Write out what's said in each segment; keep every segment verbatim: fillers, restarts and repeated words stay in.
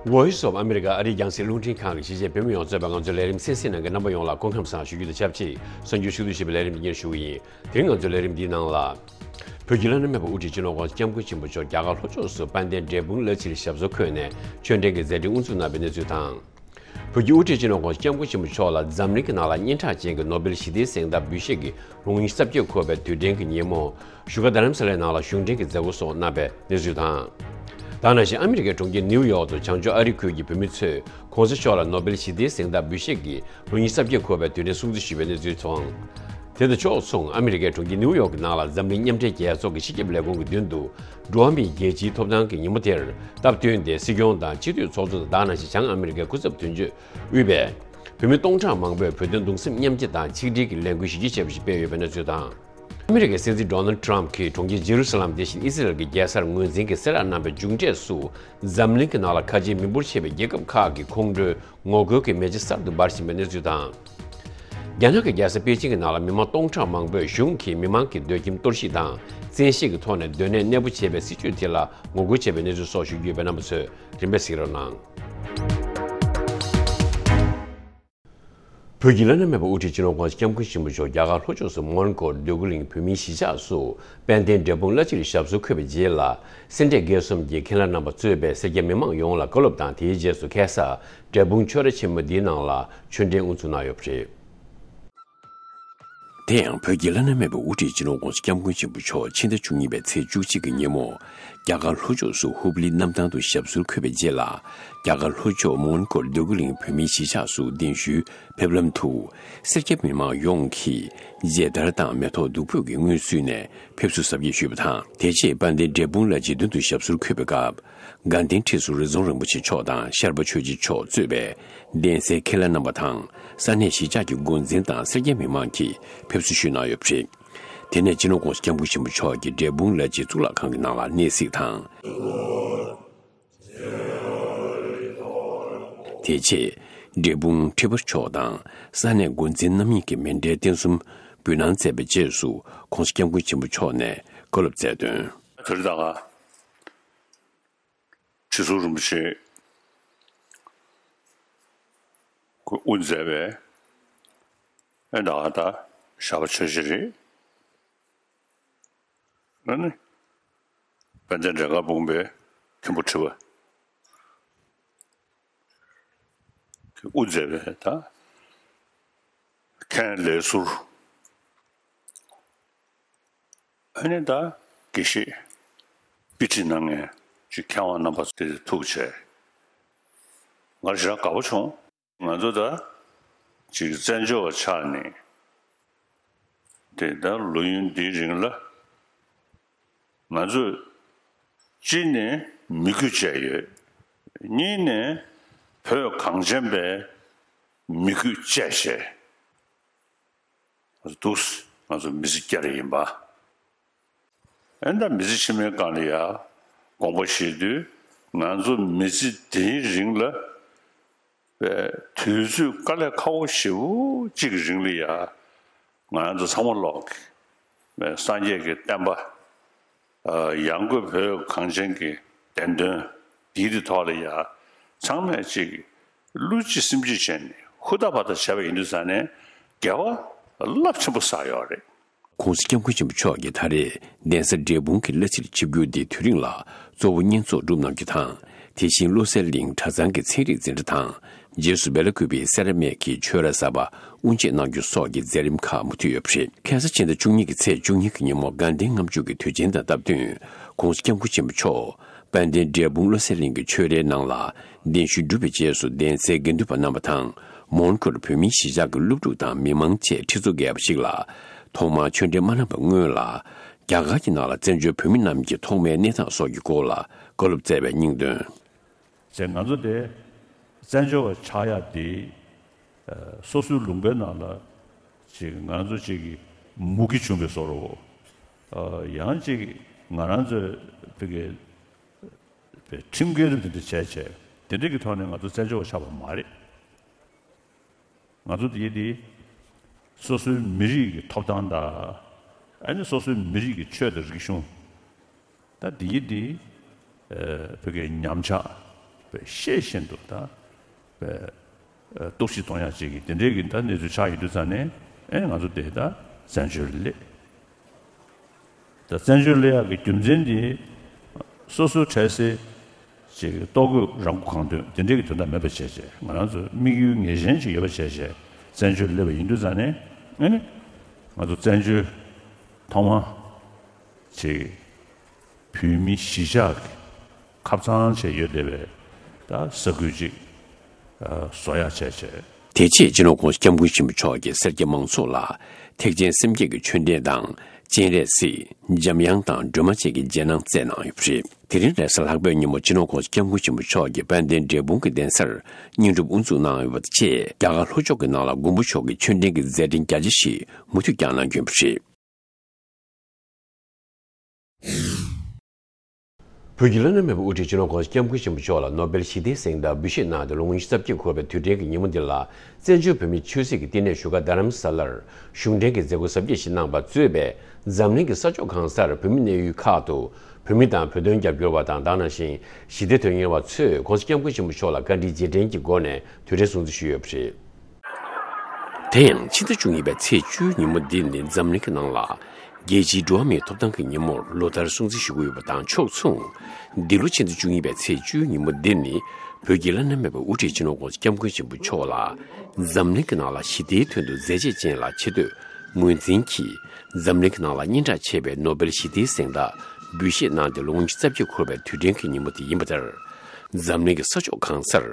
Voice of America ཨ་རིའི་རྒྱང་སྲིང་རླུང་འཕྲིན་ཁང་གི་གཞིས་བྱེས་བོད་མི་ཡོངས་གཙོས་པའི་ང་ཚོའི་ལས་རིམ་གསན་གཟིགས་གནང་མཁན་རྣམ་པ་ཡོངས་ལ་སྐུ་ཁམས་བཟང་ཞུ་རྒྱུ་དང་ཆབས་ཅིག་གསར་འགྱུར་ཕྱོགས་བསྡུས་ཞུས་པའི་ལས་རིམ་འདི་སྙན་ཞུ་གི་ཡིན། དེ་རིང་ང་ཚོའི་ལས་རིམ་འདིའི་ནང་ལ། བོད་ཀྱི་བླ་ན་མེད་པ་དབུ་ཁྲིད་སྤྱི་ནོར་༸གོང་ས་༸སྐྱབས་མགོན་ཆེན་པོ་མཆོག་རྒྱ་གར་ལྷོ་ཕྱོགས་སུ་དཔལ་ལྡན་འབྲས་སྤུངས་གླ་ཕྱིར་ཞབས་སོར་འཁོད་ནས་ཆོས་འབྲེལ་གྱི་མཛད་འཕྲིན་དབུ་འཛུགས་གནང་བའི་གནས་ཚུལ་དང་། བོད་ཀྱི་དབུ་ཁྲིད་སྤྱི་ནོར་༸གོང་ས་༸སྐྱབས་མགོན་ཆེན་པོ་མཆོག་ལ་འཛམ་གླིང་གི་ནང་ལ་སྙན་གྲགས་ཅན་གྱི་ནོ་བེལ་ཞི་བདེའི་གཟེངས་རྟགས་འབུལ་བཞེས་ཀྱི་རིང་ཉིན་གྱི་རྩ་བརྒྱད་འཁོར་བའི་དུས་དྲན་གྱི་ཉིན་མོ། བཞུགས་སྒར་རྡ་རམ་ས་ལའི་ནང་ལ་གཞུང་འབྲེལ་གྱི་མཛད་སྒོ་སོགས་གནང་བའི་གནས་ཚུལ་དང་། ད་ག་ནང་བཞིན་ཨ་མི་རི་ཀའི་གྲོང་ཁྱེར་ནིའུ་ཡོག་ཏུ་བྱང་ཕྱོགས་ཨ་རི་ཁུལ་གྱི་བོད་མི་ཚོས་༸གོང་ས་མཆོག་ལ་ནོ་བེལ་ཞི་བདེའི་གཟེངས་རྟགས་འབུལ་བཞེས་ཀྱི་རིང་ཉིན་གྱི་རྩ་བརྒྱད་འཁོར་བའི་དུས་དྲན་སྲུང་བརྩི་ཞུས་པའི་གནས་ཚུལ་སོགས། དེ་དང་ཕྱོགས་མཚུངས་ཨ་མི་རི་ཀའི་གྲོང་ཁྱེར་ནིའུ་ཡོག་གི་ནང་ལ་འཛམ་གླིང་མཉམ་འབྲེལ་རྒྱལ་ཚོགས་ཀྱི་སྤྱི་ཁྱབ་ལས་ཁུངས་ཀྱི་མདུན་དུ་འགྲོ་བ་མིའི་རྒྱལ་སྤྱིའི་ཐོབ་ཐང་གི་ཉིན་མོ་དེར་སྟབས་བསྟུན་ཏེ་སྲིད་སྐྱོང་དང་སྤྱི་འཐུས་ཚོགས་གཙོ་དང་ད་ག་ནང་བཞིན་བྱང་ཨ་མི་རི་ཀའི་སྐུ་ཚབ་དོན་གཅོད་དབུས་པའི་བོད་མི་སྟོང་ཕྲག་མང་པོས་བོད་དོན་གདུང་སེམས་མཉམ་སྐྱེད་དང་ཆིག་སྒྲིལ་གྱི་ལས་འགུལ་གཞི་རྒྱ་ཆེ་བ་ཞིག་སྤེལ་ཡོད་པའི་གནས་ཚུལ་དང་། ཨ་མི་རི་ཀའི་སྲིད་འཛིན་ཌོ་ནལ་ཌི་ཊརམ་ཕི་གིས་གྲོང་ཁྱེར་ཇེ་རུ་ས་ལམ་དེ་བཞིན་ཨི་སི་རལ་གྱི་རྒྱལ་སར་ངོས་འཛིན་གྱིས་གསལ་བསྒྲགས་གནང་བའི་མཇུག་འབྲས་སུ། འཛམ་གླིང་གི་ནང་ལ་ཁ་ཆེའི་མི་འབོར་ཆེ་བའི་རྒྱལ་ཁབ་ཁག་གི་ཁོང་ཁྲོའི་ངོ་རྒོལ་གྱི་མེ་ལྕེ་གསར་དུ་འབར་བཞིན་པའི་གནས་ཚུལ་དང་། རྒྱ་ནག་གི་རྒྱལ་ས་པེ་ཅིང་གི་ནང་ལ་མི་མང་སྟོང་ཕྲག་མང་པོས་གཞུང་གིས་མི་མང་གི་སྡོད་ཁྱིམ་གཏོར་བཤིག་དང་བཙན་ཤེད་ཀྱི་ཐོག་ནས་སྡོད་གནས་གནས་སྤོ་བྱས་པའི་སྲིད་བྱུས་དེ་ལ་ངོ་རྒོལ་བྱས་པའི་གནས་ཚུལ་སོགས་ཞུ་རྒྱུ་ཡོད་པས་རྣམ་པ་ཚོས་རིམ་པས་གཟིགས་རོགས་གནང་། བོད་ཀྱི་བླ་ན་མེད་པ་དབུ་ཁྲིད་སྤྱི་ནོར་༸གོང་ས་༸སྐྱབས་མགོན་ཆེན་པོ་མཆོག་རྒྱ་གར་ལྷོ་ཕྱོགས་སུ་མོན་གྷོ་འདོད་རྒུ་གླིང་བོད་མིའི་གཞིས་ཆགས་སུ་དཔལ་ལྡན་འབྲས་སྤུངས་གླ་ཕྱིར་ཞབས་སོར་འཁོད་པའི་རྗེས་ལ། སེ་འབྲས་དགེ་གསུམ་གྱི་མཁན་བླ་རྣམ་པ་གཙོས་པའི་སེར་སྐྱ་མི་མང་ཡོངས་ལ་བཀའ་སློབ་དང་དེའི་རྗེས་སུ་ཁ་སང་འབྲས་སྤུངས་ཆོས་ར་ཆེན་མོ་འདིའི་ནང་ལ་ཆོས་འབྲེལ་དབུ་འཛུགས་གནང་ཡོད་པ་རེད། དེ་ཡང་བོད་ཀྱི་བླ་ན་མེད་པའི་དབུ་ཁྲིད་སྤྱི་ནོར་༸གོང་ས་༸སྐྱབས་མགོན་ཆེན་པོ་མཆོག་ཕྱི་ཟླ་བཅུ་གཉིས་པའི་ཚེས་བཅུ་གཅིག་གི་ཉིན་མོ། རྒྱ་གར་ལྷོ་ཕྱོགས་སུ་ཧུབ་ལི་གནམ་ཐང་དུ་ཞབས་སོར་འཁོད་པའི་རྗེས་ལ། རྒྱ་གར་ལྷོ་ཕྱོགས་མོན་གྷོར་འདོད་རྒུ་གླིང་བོད་མིའི་གཞིས་ཆགས་སུ་གདན་ཞུའི་ཕེབས་ལམ་དུ། སེར་སྐྱ་མི་མང་ཡོངས་ཀྱིས་མཇལ་དར་དང་མེ་ཏོག་བདུག་སྤོས་ཀྱིས་སྔོན་བསུས་ནས་ཕེབས་བསུ་གཟབ་རྒྱས་ཞུས་པ་དང་། དེ་རྗེས་དཔལ་ལྡན་འབྲས་སྤུངས་གླ་རྗེས་མདུན་དུ་ཞབས་སོར་འཁོད་པའི་སྐབས། དགའ་ལྡན་ཁྲི་ཟུར་རི་རྫོང་རིན་པོ་ཆེ་མཆོག་དང་ཤར་པ་ཆོས་རྗེ་མཆོག་གཙོས་པའི་གདན་སའི་མཁན་བླ་རྣམ་པ་དང་ས་གནས་གཞིས་ཆགས་ཀྱི་འགོ་འཛིན་དང་སེར་སྐྱ་མི་མང་གིས་ཕེབས་བསུ་ཞུས་གནང་ཡོད་པ་རེད། དེ་ནས་སྤྱི་ནོར་༸གོང་ས་༸སྐྱབས་མགོན་ཆེན་པོ་མཆོག་གིས་འབྲས་སྤུངས་གླ་རྗེ་གཙུག་ལག་ཁང་གི་ནང་ལ་གནས་གཟིགས་དང་། དེ་རྗེས་འབྲས་སྤུངས་ཁྲི་པ་མཆོག་དང་ས་གནས་འགོ་འཛིན་རྣམ་གཉིས་ཀྱིས་མཎྜལ་རྟེན་གསུམ་འབུལ་གནང་མཛད་པའི་རྗེས་སུ་༸གོང་ས་༸སྐྱབས་མགོན་ཆེན་པོ་མཆོག་ནས་བཀའ་སློབ་སྩལ་དོན། དེ་རིང་ད་ག་ཁྲི་ཟུར་རིན་པོ་ཆེ་ཁོས་དབུ་མཛད་པའི་ཨེ་ད་ག་ད་ཤར་པ་ཆོས་རྗེ་རེད། ཨ་ནི་དཔལ་ལྡན་འབྲས་དཀར་སྤུངས་པའི་མཁན་པོ་ཁྲི་པ་ཁོས་དབུ་མཛད་པའི་ད་མཁན་ལས་ཟུར། ཨ་ནི་ད་དགེ་བཤེས་དཔེ་ཁྲིད་གནང་མཁན་ཅིག་མཁས་དབང་རྣམ་པ་ཚོ་དེ་ཐུགས་རྗེ་ཆེ། ང་ཞེ་དྲག་དགའ་པོ་བྱུང་། ང་ཚོ་ད་ཅིག་བཙན་བྱོལ་བ་ཆགས་ནས་དེ་ད་ལོ་ཡུན་འདིའི་རིང་ལ་ང་ཚོས་གཅིག་ནས་མི་རྒྱུད་བཅད་ཡོད། གཉིས་ནས་བོད་གངས་ཅན་པའི་མི་རྒྱུད་བཅད་བྱས། ང་ཚོ་འདུག་ང་ཚོ་མི་ཚེ་བསྐྱལ་ཡིན་པ། ཨེ་ད་མི་ཚེ་ཕྱི་མའི་སྒང་ལ་ཡ་དགོངས་པ་བཞེས་དུས་ང་ཚོ་མི་ཚེ་འདིའི་རིང་ལ་དུས་ཚོད་དཀའ་ལས་ཁག་པོ་ཞེ་པོ་གཅིག་གི་རིང་ལ་ཡ་ང་ཚོ་ཚང་མ་ལོག་གི་སངས་རྒྱས་ཀྱི་བསྟན་པ་ཡང་སྒོས་བོད་གངས་ཅན་གྱི་བདེན་དོན་འདིའི་ཐོག་ལ་ཡ་ཚང་མས་གཅིག་བློ་གཅིག་སེམས་གཅིག་བྱས་ནས་ཧུར་ཐག་བར་ཐག་བྱས་པ་ཡིན་དུས་ཙང་ནས་དགེ་བ་རླབས་ཆེན་པོ་བསགས་ཡོད་རེད། ༸གོང་ས་༸སྐྱབས་མགོན་ཆེན་པོ་མཆོག་གིས་ད་རེས་གདན་ས་འབྲས་སྤུངས་ཀྱི་གླ་ཕྱིར་ཆིབས་བསྒྱུར་འདི་དུས་རིང་ལ་གཙོ་བོ་བསྙེན་རྫོགས་སྒྲུབ་གནང་རྒྱུ་དང་། དེ་བཞིན་བློ་གསལ་གླིང་གྲྭ་ཚང་གི་ཚན་རིག་འཛིན་གྲྭ་དང་། རྗེས་སུ་བེ་ལ་ཀུ་པེའི་སེ་ར་སྨད་ཀྱི་ཆོས་ར་གསར་པ་དབུ་འབྱེད་གནང་རྒྱུ་སོགས་ཀྱི་མཛད་རིམ་ཁག་མུ་མཐུད་ཡོད་པ་རེད། ཁ་སང་ཕྱི་ཟླ་བཅུ་གཉིས་ཀྱི་ཚེས་བཅུ་གཉིས་ཀྱི་ཉིན་མོ་དགའ་ལྡན་ལྔ་མཆོད་ཀྱི་དུས་ཆེན་དང་སྟབས་བསྟུན་༸གོང་ས་༸སྐྱབས་མགོན་ཆེན་པོ་མཆོག་དཔལ་ལྡན་འབྲས་སྤུངས་བློ་གསལ་གླིང་གི་ཆོས་རའི་ནང་ལ་གདན་ཞུ་གྲུབ་པའི་རྗེས་སུ་གདན་སའི་དགེ་འདུན་པ་རྣམ་པ་དང་མོན་གྷོར་བོད་མིའི་གཞིས་ཆགས་ཀྱི་སློབ་ཕྲུག་དང་མི་མང་བཅས་ཁྲི་ཚོ་བརྒལ་བ་ཞིག་ལ་ཐོག་མར་ཆོས་འབྲེལ་མ་གནང་བའི་སྔོན་ལ་རྒྱ་གར་གྱི་ནང་ལ་བཙན་བྱོལ་བོད་མི་རྣམས་ཀྱི་ཐོག་མའི་གནས་སྟངས་སོགས་ཀྱི་སྐོར་ལ་བཀའ་སློབ་སྩལ་བའི་སྙིང་དོན། ཟེར་ང་ཚོ་དེ་བཙན་བྱོལ་བ་ཆགས་ཡག་དེ་སོ་སོའི་ལུང་པའི་ནང་ལ་ཅིག་ང་ཚོ་ཅིག་གི་མུ་གེ་བྱུང་བའི་བཟོ་འདྲ་བོ། ཡང་ཅིག་ང་རང་ཚོའི་བོད་ཀྱི་ཁྲིམས་འགལ་རིགས་དེ་འདྲ་བྱས་བྱས་དེ་འདྲ་གི་ཐོག་ནས་ང་ཚོ་བཙན་བྱོལ་བ་ཆགས་པ་མ་རེད། ང་ཚོ་འདི་འདི་སོ་སོའི་མི་རིགས་ཀྱི་ཐོབ་ཐང་དང་ཨ་ནི་སོ་སོའི་མི་རིགས་ཀྱི་ཆོས་དང་རིག་གཞུང་ད་འདི་འདི་བོད་ཀྱི་ཉམས་ཆག་ པའི་ཤེས་བཞིན་དུ་ད་པའི་གཏུག་བཤེར་གཏོང་ཡག་ཅིག་གི་དེ་འདྲའི་གི་ད་གནས་ཚུལ་ཆགས་ཡོད་དུས་ཙང་ནས། ཨེ་ང་ཚོ་དེ་ད་བཙན་བྱོལ་སླེབས། ད་བཙན་བྱོལ་སླེབས་ཡག་གི་རྒྱུ་མཚན་དེ་སོ་སོའི་འཕྲལ་སེལ་ཅིག་ལྟོ་གོས་རང་མགོ་གང་ཐོན་དེ་འདྲའི་གི་དོན་དག་མེད་པ་བྱས་བྱས། ང་རང་ཚོ་དམིགས་ཡུལ་ངེས་ཅན་ཅིག་ཡོད་པ་བྱས་བྱས་བཙན་བྱོལ་སླེབས་པ་ཡིན་དུས་ཙང་ནས། ཨེ་ནི་ང་ཚོ་བཙན་བྱོལ་ཐོག་མ་ཅིག་བོད་མི་གཞིས་ཆགས་ཀྱི་ཁབ་གཙང་བྱས་ཡོད་བསྡད་པའི་ད་ས་ཁུལ་ཅིག་ཨ་བཟོ་ཡག་བྱས་བྱས། དེ་རྗེས་སྤྱི་ནོར་༸གོང་ས་༸སྐྱབས་མགོན་ཆེན་པོ་མཆོག་གིས་སེར་སྐྱ་མང་ཚོགས་ལ་ཐེག་ཆེན་སེམས་བསྐྱེད་ཀྱི་ཆོས་འབྲེལ་དང་སྤྱན་རས་གཟིགས། འཇམ་དབྱངས་དང་སྒྲོལ་མ་བཅས་ཀྱི་རྗེས་གནང་སྩལ་གནང་ཡོད་པ་རེད། དེ་རིང་རེས་གཟའ་ལྷག་པའི་ཉིན་མོ་སྤྱི་ནོར་༸གོང་ས་༸སྐྱབས་མགོན་ཆེན་པོ་མཆོག་གིས་དཔལ་ལྡན་འབྲས་སྤུངས་ཀྱི་གདན་སར་བསྙེན་སྒྲུབ་དབུ་འཛུགས་གནང་ཡོད་པ་དང་བཅས། རྒྱ་གར་ལྷོ་ཕྱོགས་ཀྱི་ནང་ལ་མགོན་པོ་མཆོག་གི་ཆོས་འབྲེལ་གྱི་མཛད་འཕྲིན་རྒྱ་ཆེ་ཞིག་མུ་མཐུད་བསྐྱངས་གནང་རྒྱུ་ཡིན་པ་རེད། བོད་ཀྱི་བླ་ན་མེད་པའི་དབུ་ཁྲིད་སྤྱི་ནོར་༸གོང་ས་༸སྐྱབས་མགོན་ཆེན་པོ་མཆོག་ལ་ནོ་སྦེལ་ཞི་བདེའི་གཟེངས་རྟགས་འབུལ་བཞེས་གནང་སྟེ་ལོ་ངོ་ཉི་ཤུ་རྩ་བརྒྱད་འཁོར་བའི་དུས་དྲན་གྱི་ཉིན་མོ་འདི་ལ། བཙན་བྱོལ་བོད་མིའི་ཆོས་སྲིད་ཀྱི་བསྟི་གནས་བཞུགས་སྒར་རྡ་རམ་ས་ལར་གཞུང་འབྲེལ་གྱི་མཛད་སྒོ་གཟབ་རྒྱས་ཤིག་གནང་བ་གཙོས་པའི་འཛམ་གླིང་གི་ས་ཕྱོགས་གང་སར་བོད་མི་གནས་ཡུལ་ཁག་ཏུ་བོད་མི་དང་བོད་དོན་རྒྱབ་སྐྱོར་བ་དང་། དེ་ནང་བཞིན་ཞི་བདེའི་དོན་གཉེར་བ་ཚོས་༸གོང་ས་༸སྐྱབས་མགོན་ཆེན་པོ་མཆོག་ལ་བཀའ་དྲིན་རྗེས་དྲན་གྱི་སྒོ་ནས་དུས་དྲན་སྲུང་བརྩི་ཞུས་ཡོད་པ་རེད། དེ་ཡང་ཕྱི་ཟླ་བཅུ་གཉིས་པའི་ཚེས་བཅུའི་ཉིན་མོ་འདི་ནི་འཛམ་གླིང་གི་ནང་ལ་རྒྱལ་སྤྱིའི་འགྲོ་བ་མིའི་ཐོབ་ཐང་གི་ཉིན་མོར་ལོ་ལྟར་སྲུང་བརྩི་ཞུ་གི་ཡོད་པ་དང་ཕྱོགས་མཚུངས། འདི་ལོ་ཕྱི་ཟླ་བཅུ་གཉིས་པའི་ཚེས་བཅུའི་ཉིན་མོ་འདི་ནི་བོད་ཀྱི་བླ་ན་མེད་པའི་དབུ་ཁྲིད་སྤྱི་ནོར་༸གོང་ས་༸སྐྱབས་མགོན་ཆེན་པོ་མཆོག་ལ་འཛམ་གླིང་གི་ནང་ལ་ཞི་བདེའི་དོན་དུ་མཛད་རྗེས་ཅན་ལ་ཆེ་བསྟོད་ངོས་འཛིན་གྱིས་འཛམ་གླིང་གི་ནང་ལ་སྙན་གྲགས་ཆེ་བའི་ནོ་སྦེལ་ཞི་བདེའི་གཟེངས་རྟགས་འབུལ་བཞེས་གནང་སྟེ་ལོ་ངོ་ཉི་ཤུ་རྩ་བརྒྱད་འཁོར་བའི་དུས་དྲན་གྱི་ཉིན་མོ་དེ་ཡིན་པ་ལྟར། འཛམ་གླིང་གི་ས་ཕྱོགས་གང་སར་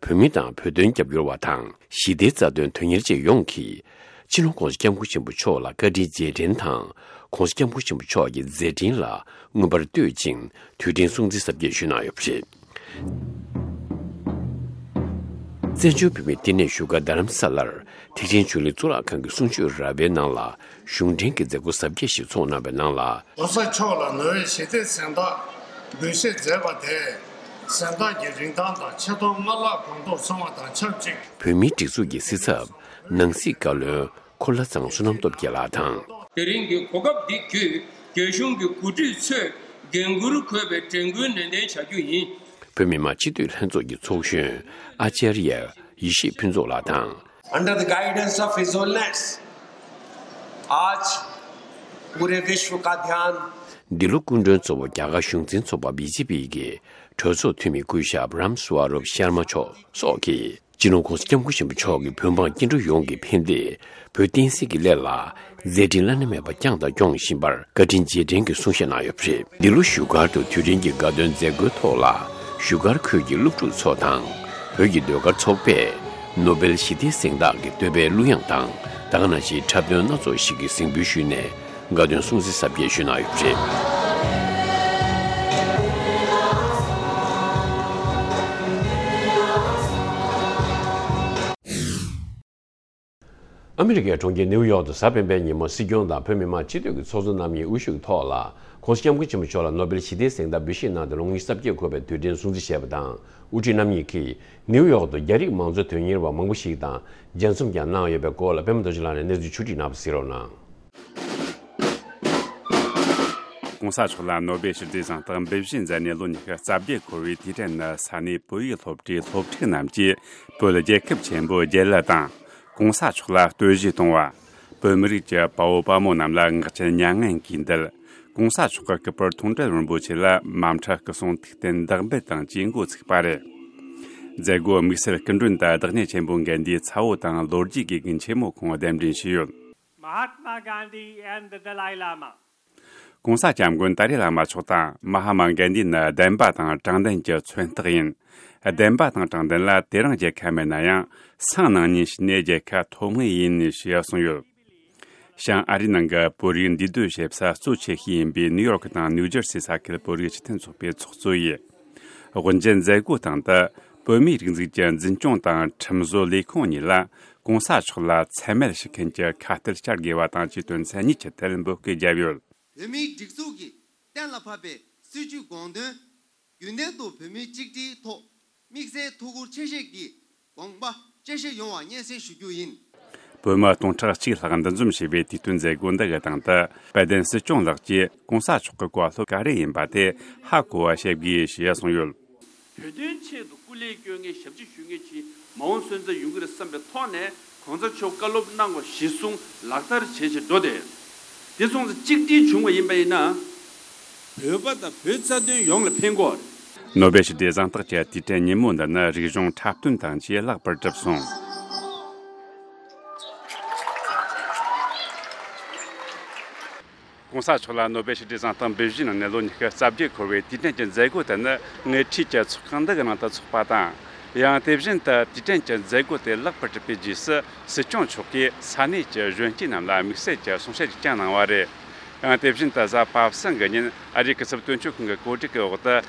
བོད་མི་དང་བོད་དོན་རྒྱབ་སྐྱོར་བ་དང་། ཞི་བདེའི་རྩ་དོན་དོན་གཉེར་ཅན་ཡོངས་ཀྱིས་སྤྱི་ནོར་༸གོང་ས་༸སྐྱབས་མགོན་ཆེན་པོ་མཆོག་ལ་བཀའ་དྲིན་རྗེས་དྲན་དང་༸གོང་ས་༸སྐྱབས་མགོན་ཆེན་པོ་མཆོག་གི་མཛད་འཕྲིན་ལ་མངོན་པར་བསྟོད་ཅིང་དུས་དྲན་སྲུང་བརྩི་གཟབ་རྒྱས་ཞུས་གནང་ཡོད་པ་རེད། བཙན་བྱོལ་བོད་མིའི་བསྟི་གནས་བཞུགས་སྒར་རྡ་རམ་ས་ལར་ཐེག་ཆེན་ཆོས་གླིང་གཙུག་ལག་ཁང་གི་གསུང་ཆོས་ར་བའི་ནང་ལ་གཞུང་འབྲེལ་གྱི་མཛད་སྒོ་གཟབ་རྒྱས་ཤིག་ཚོགས་གནང་བའི་ནང་ལ། ༸གོང་ས་མཆོག་ལ་ནོ་བེལ་ཞི་བདེའི་གཟེངས་རྟགས་འབུལ་བཞེས་མཛད་པ་དེས་གཟེངས་རྟགས་ཀྱི་རིན་ཐང་དང་ཆེ་མཐོང་སྔར་ལྷག་གོང་མཐོར་སོང་བ་དང་ཆབས་ཅིག་བོད་མིའི་སྒྲིག་འཛུགས་ཀྱི་སྲིད་ཚབ་ནང་སྲིད་བཀའ་བློན་འཁོར་ལྷ་ཚང་བསོད་ནམས་སྟོབས་རྒྱལ་ལགས་དང་། དེ་རིང་གི་གོ་སྐབས་འདི་བརྒྱུད་རྒྱ་གཞུང་གི་འགོ་ཁྲིད་ཚོས་འགན་འཁུར་འཁོད་པའི་དྲན་སྐུལ་ནན་ཏན་བྱ་རྒྱུ་ཡིན། བོད་མི་མང་སྤྱི་འཐུས་ལྷན་ཚོགས་ཀྱི་ཚོགས་གཞོན་ཨ་ཅར་ཡ་ཡེ་ཤེས་ཕུན་ཚོགས་ལགས་དང་། Under the guidance of His Holiness, आज पूरे विश्व का ध्यान འདི་ལོ་སྐུ་མགྲོན་གཙོ་བོ་རྒྱ་གར་གཞུང་འཛིན་ཚོགས་པ་བི་ཇེ་པི་གི་གྲོས་ཚོགས་འཐུས་མི་སྐུ་ཞབས་རམ་སུ་ཨ་རུབ་ཤར་མ་མཆོག་སོགས་ཀྱིས་སྤྱི་ནོར་༸གོང་ས་༸སྐྱབས་མགོན་ཆེན་པོ་མཆོག་གིས་བོད་འབངས་སྐྱེ་འགྲོ་ཡོངས་ཀྱི་ཕན་བདེ། བོད་བསྟན་སྲིད་ཀྱི་སླད་ལ་མཛད་འཕྲིན་བླ་ན་མེད་པ་བསྐྱངས་དང་སྐྱོང་བཞིན་པར་བཀའ་དྲིན་རྗེས་དྲན་གྱི་གསུང་བཤད་གནང་ཡོད་པ་རེད། འདི་ལོ་བཞུགས་སྒར་དུ་དུས་དྲན་གྱི་དགའ་སྟོན་མཛད་སྒོའི་ཐོག་ལ་བཞུགས་སྒར་ཁུལ་གྱི་སློབ་ཕྲུག་ཚོ་དང་བོད་ཀྱི་ཟློས་གར་ཚོགས་པས་ནོ་སྦེལ་ཞི་བདེའི་གཟེངས་རྟགས་ཀྱི་བསྟོད་པའི་གླུ་དབྱངས་དང་། ད་ག་ནང་བཞིན་འཁྲབ་སྟོན་སྣ་ཚོགས་ཤིག་གི་གཟེངས་འབུལ་ཞུས་ནས་དགའ་སྟོན་སྲུང་བརྩི་གཟབ་རྒྱས་ཞུས་གནང་ཡོད་པ་རེད། ཨ་མི་རི་ཀའི་གྲོང་ཁྱེར་ནེའུ་ཡོག་ཏུ་གཟའ་སྤེན་པའི་ཉིན་མོ་སྲིད་སྐྱོང་དང་བོད་མི་མང་སྤྱི་འཐུས་ཀྱི་ཚོགས་གཙོ་རྣམ་གཉིས་དབུ་བཞུགས་ཐོག་ལ་༸གོང་ས་༸སྐྱབས་མགོན་ཆེན་པོ་མཆོག་ལ་ནོ་སྦེལ་ཞི་བདེའི་གཟེངས་རྟགས་འབུལ་བཞེས་གནང་སྟེ་ལོ་ངོ་ཉི་ཤུ་རྩ་བརྒྱད་འཁོར་བའི་དུས་དྲན་སྲུང་བརྩི་བྱས་པ་དང་། དབུ་ཁྲིད་རྣམ་གཉིས་ཀྱིས་ནེའུ་ཡོག་ཏུ་རྒྱ་རིགས་མང་གཙོའི་དོན་གཉེར་བ་མང་པོ་ཞིག་དང་མཇལ་འཛོམས་ཀྱང་གནང་ཡོད་པའི་སྐོར་ལ་པད་མ་རྡོ་རྗེ་ལགས་ནས་གནས་ཚུལ་ཕྱོགས་བསྒྲིགས་གནང་བ་གཟིགས་རོགས་གནང་། ༸གོང་ས་མཆོག་ལ་ནོ་སྦེལ་ཞི་བདེའི་གཟེངས་རྟགས་འབུལ་བཞེས་མཛད་ནས་ལོ་ཉི་ཤུ་རྩ་བརྒྱད་འཁོར་བའི་དུས་དྲན་ནི་ས་གནས་བོད་ཡིག་སློབ་གྲྭའི་སློབ་ཕྲུག་རྣམས་ཀྱིས་བོད་རྒྱལ་ཁབ་ཆེན་པོ་རྒྱལ་གླུ་དང་༸གོང་ས་མཆོག་ལ་བསྟོད་གཞས་གཏོང་བ། བོད་མི་རིགས་ཀྱི་དཔའ་བོ་དཔའ་མོ་རྣམས་ལ་ངག་རྐྱེན་མྱ་ངན་གྱིས་འདུད། ༸གོང་ས་མཆོག་གི་སྐུ་པར་མཐོང་གྲོལ་རིན་པོ་ཆེ་ལ་མ་མཐའ་སྐུ་གསུང་ཐུགས་རྟེན་བདག་འབུལ་དང་བཅས་འགོ་ཚུགས་པ་རེད། མཛད་སྒོ་དམིགས་བསལ་སྐུ་མགྲོན་དུ་བདག་ཉིད་ཆེན་པོ་མགལ་ལྡན་ཚ་བོ་དང་ལོ་རྒྱུས་དགེ་རྒན་ཆེན་མོ་ཁོང་གདན་འདྲེན་ཞུས་ཡོད། Mahatma Gandhi and the Dalai Lama. ༸གོང་ས་༸སྐྱབས་མགོན་ཏཱ་རེ་བླ་མ་མཆོག་དང་མ་ཧཱ་མ་གན་དྷི་ནི་བདེན་པ་དང་དྲང་བདེན་གྱི་མཚོན་རྟགས་ཡིན། བདེན་པ་དང་དྲང་བདེན་ལ་དེ་རིང་རྒྱལ་ཁ་མེད་ན་ཡང་སང་གནངས་ཉིན་ཕྱི་ནས་རྒྱལ་ཁ་ཐོབ་ངེས་ཡིན་ཞེས་གསུངས་ཡོད། བྱང་ཨ་རིའི་ནང་གི་བོད་རིགས་འདུས་སྡོད་བྱེད་ས་གཙོ་ཆེ་ཤོས་ཡིན་པའི་ནིའུ་ཡོག་དང་ནིའུ་ཇར་སི་ས་ཁུལ་བོད་རིགས་སྤྱི་མཐུན་ཚོགས་པའི་ཚོགས་གཙོ་ཡིས། དབུ་འབྱེད་མཛད་སྒོའི་སྟེང་དུ་བོད་མིའི་རིག་འཛིན་གྱི་འཛིན་སྐྱོང་དང་ཁྲིམས་བཟོ་ལས་ཁུངས་གཉིས་ལ་༸གོང་ས་མཆོག་ལ་མཚན་སྨད་ཞུ་མཁན་གྱི་ཁ་གཏད་བཅར་དགོས་པ་དང་བཅས་དོན་ཚན་གཉིས་ཀྱི་ཐད་འབོད་སྐུལ་བརྒྱབ་ཡོད། བོད་མིའི་སྒྲིག་འཛུགས་ཀྱིས་གཏན་ལ་ཕབ་པའི་སྲིད་བྱུས་དགོངས་དོན། རྒྱུན་ལྡན་དུ་བོད་མིའི་གཅིག་སྒྲིལ་ཐོག་དམིགས་བསལ་ཐུགས་ཁུར་ཆེ་བཞེས་ཀྱིས་དགོངས་པ་བཅས་བཞེས་ཡོང་བ་སྙན་སེང་ཞུ་རྒྱུ་ཡིན། བོད་མི་སྟོང་ཕྲག་གཅིག་ལྷག་འདུ་འཛོམས་བྱས་པའི་དུས་སྟོན་མཛད་སྒོ་འདི་གི་སྟེང་དུ་དཔལ་ལྡན་སྲིད་སྐྱོང་ལགས་ཀྱིས་༸གོང་ས་མཆོག་གི་བཀའ་སློབ་ག་རེ་ཡིན་པ་དེ་ཧ་གོ་བ་བྱེད་དགོས་ཞེས་གསུངས་ཡོད། བོད་དོན་ཆེད་དུ་སྐུ་ལས་སྐྱོན་མཁན་ཞབས་ཕྱི་ཞུ་མཁན་ཅིག་མ་འོངས་སོན་རྩ་ཡོང་གི་རེད་བསམ་པའི་ཐོག་ནས་གོང་ས་མཆོག་བཀའ་སློབ་གནང་བ་གཞིར་བཟུང་ལག་བསྟར་བྱས་བྱས་འགྲོ་དེ། དེ་སོང་ཙང་གཅིག་སྒྲིལ་བྱུང་བ་ཡིན་པ་ཡིན་ན། བོད་པ་དང་བོད་རྩ་དོན་ཡོངས་ལ་ཕན་གྱི་ཡོད་རེད། ནོ་བེལ་ཞི་བདེའི་གཟེངས་རྟགས་ཀྱི་དུས་དྲན་ཉིན་མོ་འདི་ནི་རིག་གཞུང་འཁྲབ་སྟོན་དང་བཅས་ལེགས་པར་གྲུབ་སོང་། གོང་ས་མཆོག་ལ་ནོ་བེལ་ཞི་བདེའི་གཟེངས་རྟགས་འབུལ་བཞེས་གནང་ནས་ལོ་ཉི་ཤུ་རྩ་བརྒྱད་འཁོར་བའི་དུས་དྲན་གྱི་མཛད་སྒོ་དེ་ནི་དངོས་འཕྲིན་གྱི་ཚོགས་ཁང་འདི་གི་ནང་དུ་འཚོགས་པ་དང་། ཡང་དེ་བཞིན་དུ་དུས་དྲན་གྱི་མཛད་སྒོ་དེ་ལེགས་པར་གྲུབ་པའི་རྗེས་སུ་སྲིད་སྐྱོང་མཆོག་གིས་ས་གནས་ཀྱི་གཞོན་སྐྱེས་རྣམས་ལ་དམིགས་བསལ་གྱི་གསུང་བཤད་ཅིག་ཀྱང་གནང་བ་རེད། ཡང་དེ་བཞིན་དུ་གཟའ་པ་སངས་ཀྱི་ཉིན་ཨ་རིའི་སྐུ་ཚབ་དོན་གཅོད་ཁང་གི་གོ་སྒྲིག་གི་འོག་ཏུ།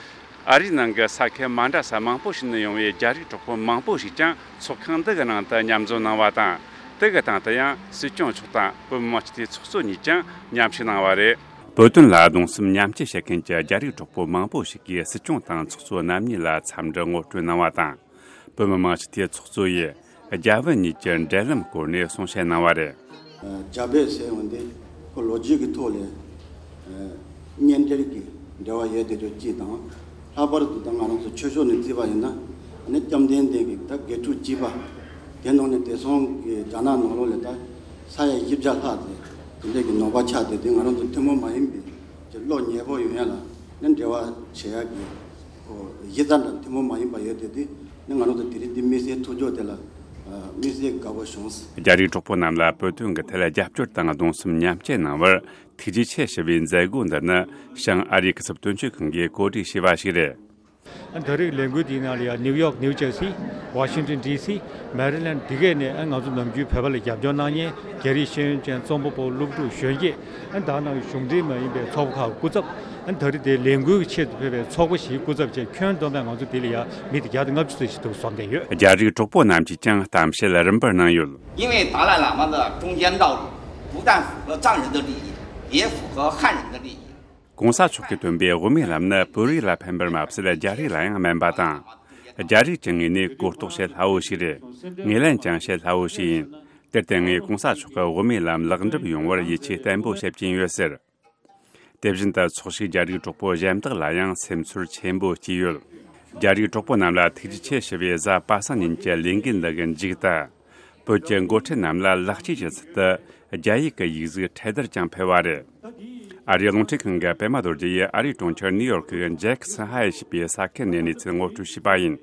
ཨ་རིའི་ནང་གི་ས་ཁུལ་མ་འདྲ་ས་མང་པོ་ཞིག་ནས་ཡོང་བའི་རྒྱ་རིགས་གྲོགས་པོ་མང་པོ་ཞིག་ཀྱང་ཚོགས་ཁང་འདི་གི་ནང་དུ་མཉམ་འཛོམས་གནང་བ་དང་། དེ་གི་སྟེང་དུ་ཡང་སྲིད་སྐྱོང་མཆོག་དང་བོད་མི་མང་སྤྱི་འཐུས་ཚོགས་གཙོ་གཉིས་ཀྱང་མཉམ་ཞུགས་གནང་བ་རེད། བོད་དོན་ལ་གདུང་སེམས་མཉམ་སྐྱེད་བྱེད་མཁན་གྱི་རྒྱ་རིགས་གྲོགས་པོ་མང་པོ་ཞིག་གིས་སྲིད་སྐྱོང་དང་ཚོགས་གཙོ་རྣམ་གཉིས་ལ་འཚམས་འདྲི་ངོ་སྤྲོད་གནང་བ་དང་། བོད་མི་མང་སྤྱི་འཐུས་ཚོགས་གཙོ་ཡིས་རྒྱ་བོད་གཉིས་ཀྱི་འབྲེལ་ལམ་སྐོར་ནས་གསུང་བཤད་གནང་བ་རེད། རྒྱ་བོད་ཟེར་ཡོང་དུས་ཁོ་ལོ་རྒྱུས་ཀྱི་ཐོག་ལས་གཉེན་འབྲེལ་གྱི་འབྲེལ་བ་ཡོད་དེ་ཚོ་གཅིག་དང་། ལྷག་པར་དུ་ད་ང་རང་ཚོ་ཆོས་ཕྱོགས་ནས་བརྩིས་པ་ཡིན་ན་ཨ་ནི་བཅོམ་ལྡན་འདས་ཀྱི་ད་དགེ་ཕྲུག་བཅུ་པ་དེ་ནང་ནས་བདེ་སྲུང་གི་རྒྱ་ནག་ནང་ལོགས་ལ་ད་ས་ཡ་བཞི་བརྒྱ་ལྷག་དེ་དེ་འདྲས་ཀྱི་ནང་པ་ཆགས་བསྡད་དེ། ང་རང་ཚོ་ཐུན་མོང་མ་ཡིན་པའི་ཀྱི་བློ་ཉེ་པོ་ཡོང་ཡ་ལ་ནི་འབྲེལ་བ་བྱེད་ཡ་གི་གཞི་རྩ་འདྲ་ཐུན་མོང་མ་ཡིན་པ་ཡོད་དེ། དེ་ནི་ང་རང་ཚོ་དེ་རིང་འདི་དམིགས་བསལ་ཐུག་རྒྱུ་དེ་ལ་དམིགས་བསལ་དགའ་པོ་བྱུང་། རྒྱ་རིགས་གྲོགས་པོ་རྣམས་ལ་བོད་དོན་གྱི་ཐད་རྒྱབ་སྐྱོར་དང་གདུང་སེམས་མཉམ་སྐྱེད་གནང་བར་ཐུགས་རྗེ་ཆེ་ཞུ་བའི་མཛད་སྒོ་འདི་ནི་བྱང་ཨ་རིའི་སྐུ་ཚབ་དོན་གཅོད་ཁང་གིས་གོ་སྒྲིག་བྱས་པ་ཞིག་རེད། ད་རེས་ལས་འགུལ་འདིའི་ནང་ལ་ཡང་ནིའུ་ཡོག་ནིའུ་ཇར་སི། ཝ་ཤིང་ཏོན་ཌི་སི། མེ་རི་ལེན་ཌི་ག་ནས་ང་ཚོ་ནམ་རྒྱུན་བོད་པ་ལ་རྒྱབ་སྐྱོར་གནང་མཁན་རྒྱ་རིགས་ཤེས་ཡོན་ཅན་རྩོམ་པ་པོ་སློབ་ཕྲུག་གཞོན་སྐྱེས། ད་ནང་གཞུང་འབྲེལ་མ་ཡིན་པའི་ཚོགས་པ་ཁག་སྐུ་ཚབ། ད་རེས་དེ་ལས་འགུལ་གྱི་ཆེད་དུ་ཕེབས་པའི་ཚོགས་པ་ཞིག་སྐུ་ཚབ་བྱས། ཁྱོན་བསྡོམས་པས་ང་ཚོ་འདི་ལ་ཡང་མི་དེ་བརྒྱ་དང་ལྔ་བཅུ་ཙམ་ཞིག་འདུག་འཛོམས་བསྡད་ཡོད། རྒྱ་རིགས་གྲོགས་པོ་རྣམས་ཀྱིས་ཀྱང་གཏམ་བཤད་རིམ་པར་གནང་ཡོད། 因为达赖喇嘛的中间道理不但符合藏人的利益，也符合汉人的利益。 གོང་ས་མཆོག་གིས་སྟོན་པའི་དབུ་མའི་ལམ་ནི་བོད་རིགས་ལ་ཕན་པར་མ་ཟད་རྒྱ་རིགས་ལ་ཡང་སྨན་པ་དང་། རྒྱ་རིགས་ཀྱི་ངོས་ནས་གོ་རྟོགས་བྱེད་སླ་བོ་ཞིག་རེད། ངོས་ལེན་ཀྱང་བྱེད་སླ་བོ་ཞིག་ཡིན། དེར་བརྟེན་ངས་གོང་ས་མཆོག་གི་དབུ་མའི་ལམ་ལེགས་འགྲུབ་ཡོང་བར་ཡིད་ཆེས་བརྟན་པོ་བྱེད་ཀྱིན་ཡོད་ཟེར། དེ་བཞིན་དུ་ཚོགས་ཞུགས་རྒྱ་རིགས་གྲོགས་པོ་གཞན་དག་ལ་ཡང་སེམས་ཚོར་ཆེན་པོ་སྐྱེས་ཡོད། རྒྱ་རིགས་གྲོགས་པོ་རྣམས་ལ་ཐུགས་རྗེ་ཆེ་ཞུ་བའི་གཟའ་པ་སངས་ཉིན་གྱི་ལས་འགུལ་འདི་གི་མཇུག་ཏུ། བོད་ཀྱི་འགོ་ཁྲིད་རྣམས་ལ་ལེགས་སྐྱེས་ཀྱི་ཚུལ་དུ་རྒྱ་ཡིག་གི་ཡིག་གཟུགས་འཕྲེད་དར་ཀྱང་ཕུལ་བ་རེད། ཨ་རིའི་རླུང་འཕྲིན་ཁང་གི་པད་མ་རྡོ་རྗེ་ཡིས་ཨ་རིའི་གྲོང་ཁྱེར་ནིའུ་ཡོག་གི་ཇེག་སན་ཧའེ་ཞེས་པའི་ས་ཁུལ་ནས་གནས་ཚུལ་ངོ་སྤྲོད་བྱས་པ་ཡིན།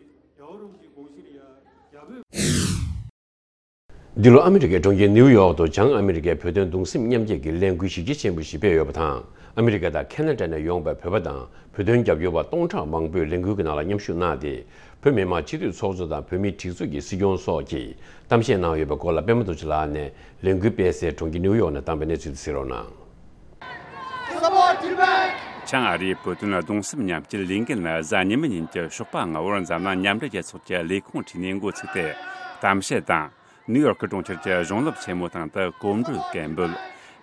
འདི་ལོ་ཨ་མི་རི་ཀའི་གྲོང་ཁྱེར་ནིའུ་ཡོག་ཏུ་བྱང་ཨ་མི་རི་ཀའི་བོད་དོན་གདུང་སེམས་མཉམ་སྐྱེད་ཀྱི་ལས་འགུལ་གཞི་རྒྱ་ཆེན་པོ་ཞིག་སྤེལ་ཡོད་པ་དང་། ཨ་མི་རི་ཀ་དང་ཁེ་ན་ཌ་ནས་ཡོང་པའི་བོད་པ་དང་བོད་དོན་རྒྱབ་སྐྱོར་བ་སྟོང་ཕྲག་མང་པོས་ལས་འགུལ་གྱི་ནང་ལ་མཉམ་ཞུགས་གནང་སྟེ། བོད་མི་མང་སྤྱི་འཐུས་ཚོགས་གཙོ་དང་བོད་མིའི་སྒྲིག་འཛུགས་ཀྱི་སྲིད་སྐྱོང་སོགས་ཀྱིས་གཏམ་བཤད་གནང་ཡོད་པའི་སྐོར་ལ་པད་མ་རྡོ་རྗེ་ལགས་ནས་ལས་འགུལ་སྤེལ་སའི་གྲོང་ཁྱེར་ནིའུ་ཡོག་ནས་བཏང་པའི་གནས་ཚུལ་དེ་གཟིགས་རོགས་གནང་། བྱང་ཨ་རིའི་བོད་དོན་གདུང་སེམས་མཉམ་སྐྱེད་ལས་འགུལ་ནི་གཟའ་ཉི་མ་ཉིན་གྱི་ཞོགས་པ་སྔ་བོར་འཛམ་གླིང་མཉམ་འབྲེལ་རྒྱལ་ཚོགས་ཀྱི་ལས་ཁུངས་ཁྲིད་ནས་འགོ་ཚུགས་ཏེ། གཏམ་བཤད་དང་། ནིའུ་ཡོག་གི་གྲོང་ཁྱེར་གྱི་གཞུང་སློབ་ཆེན་མོའི་སྟེང་དུ་གོམ་བགྲོད་སྐད་འབོད།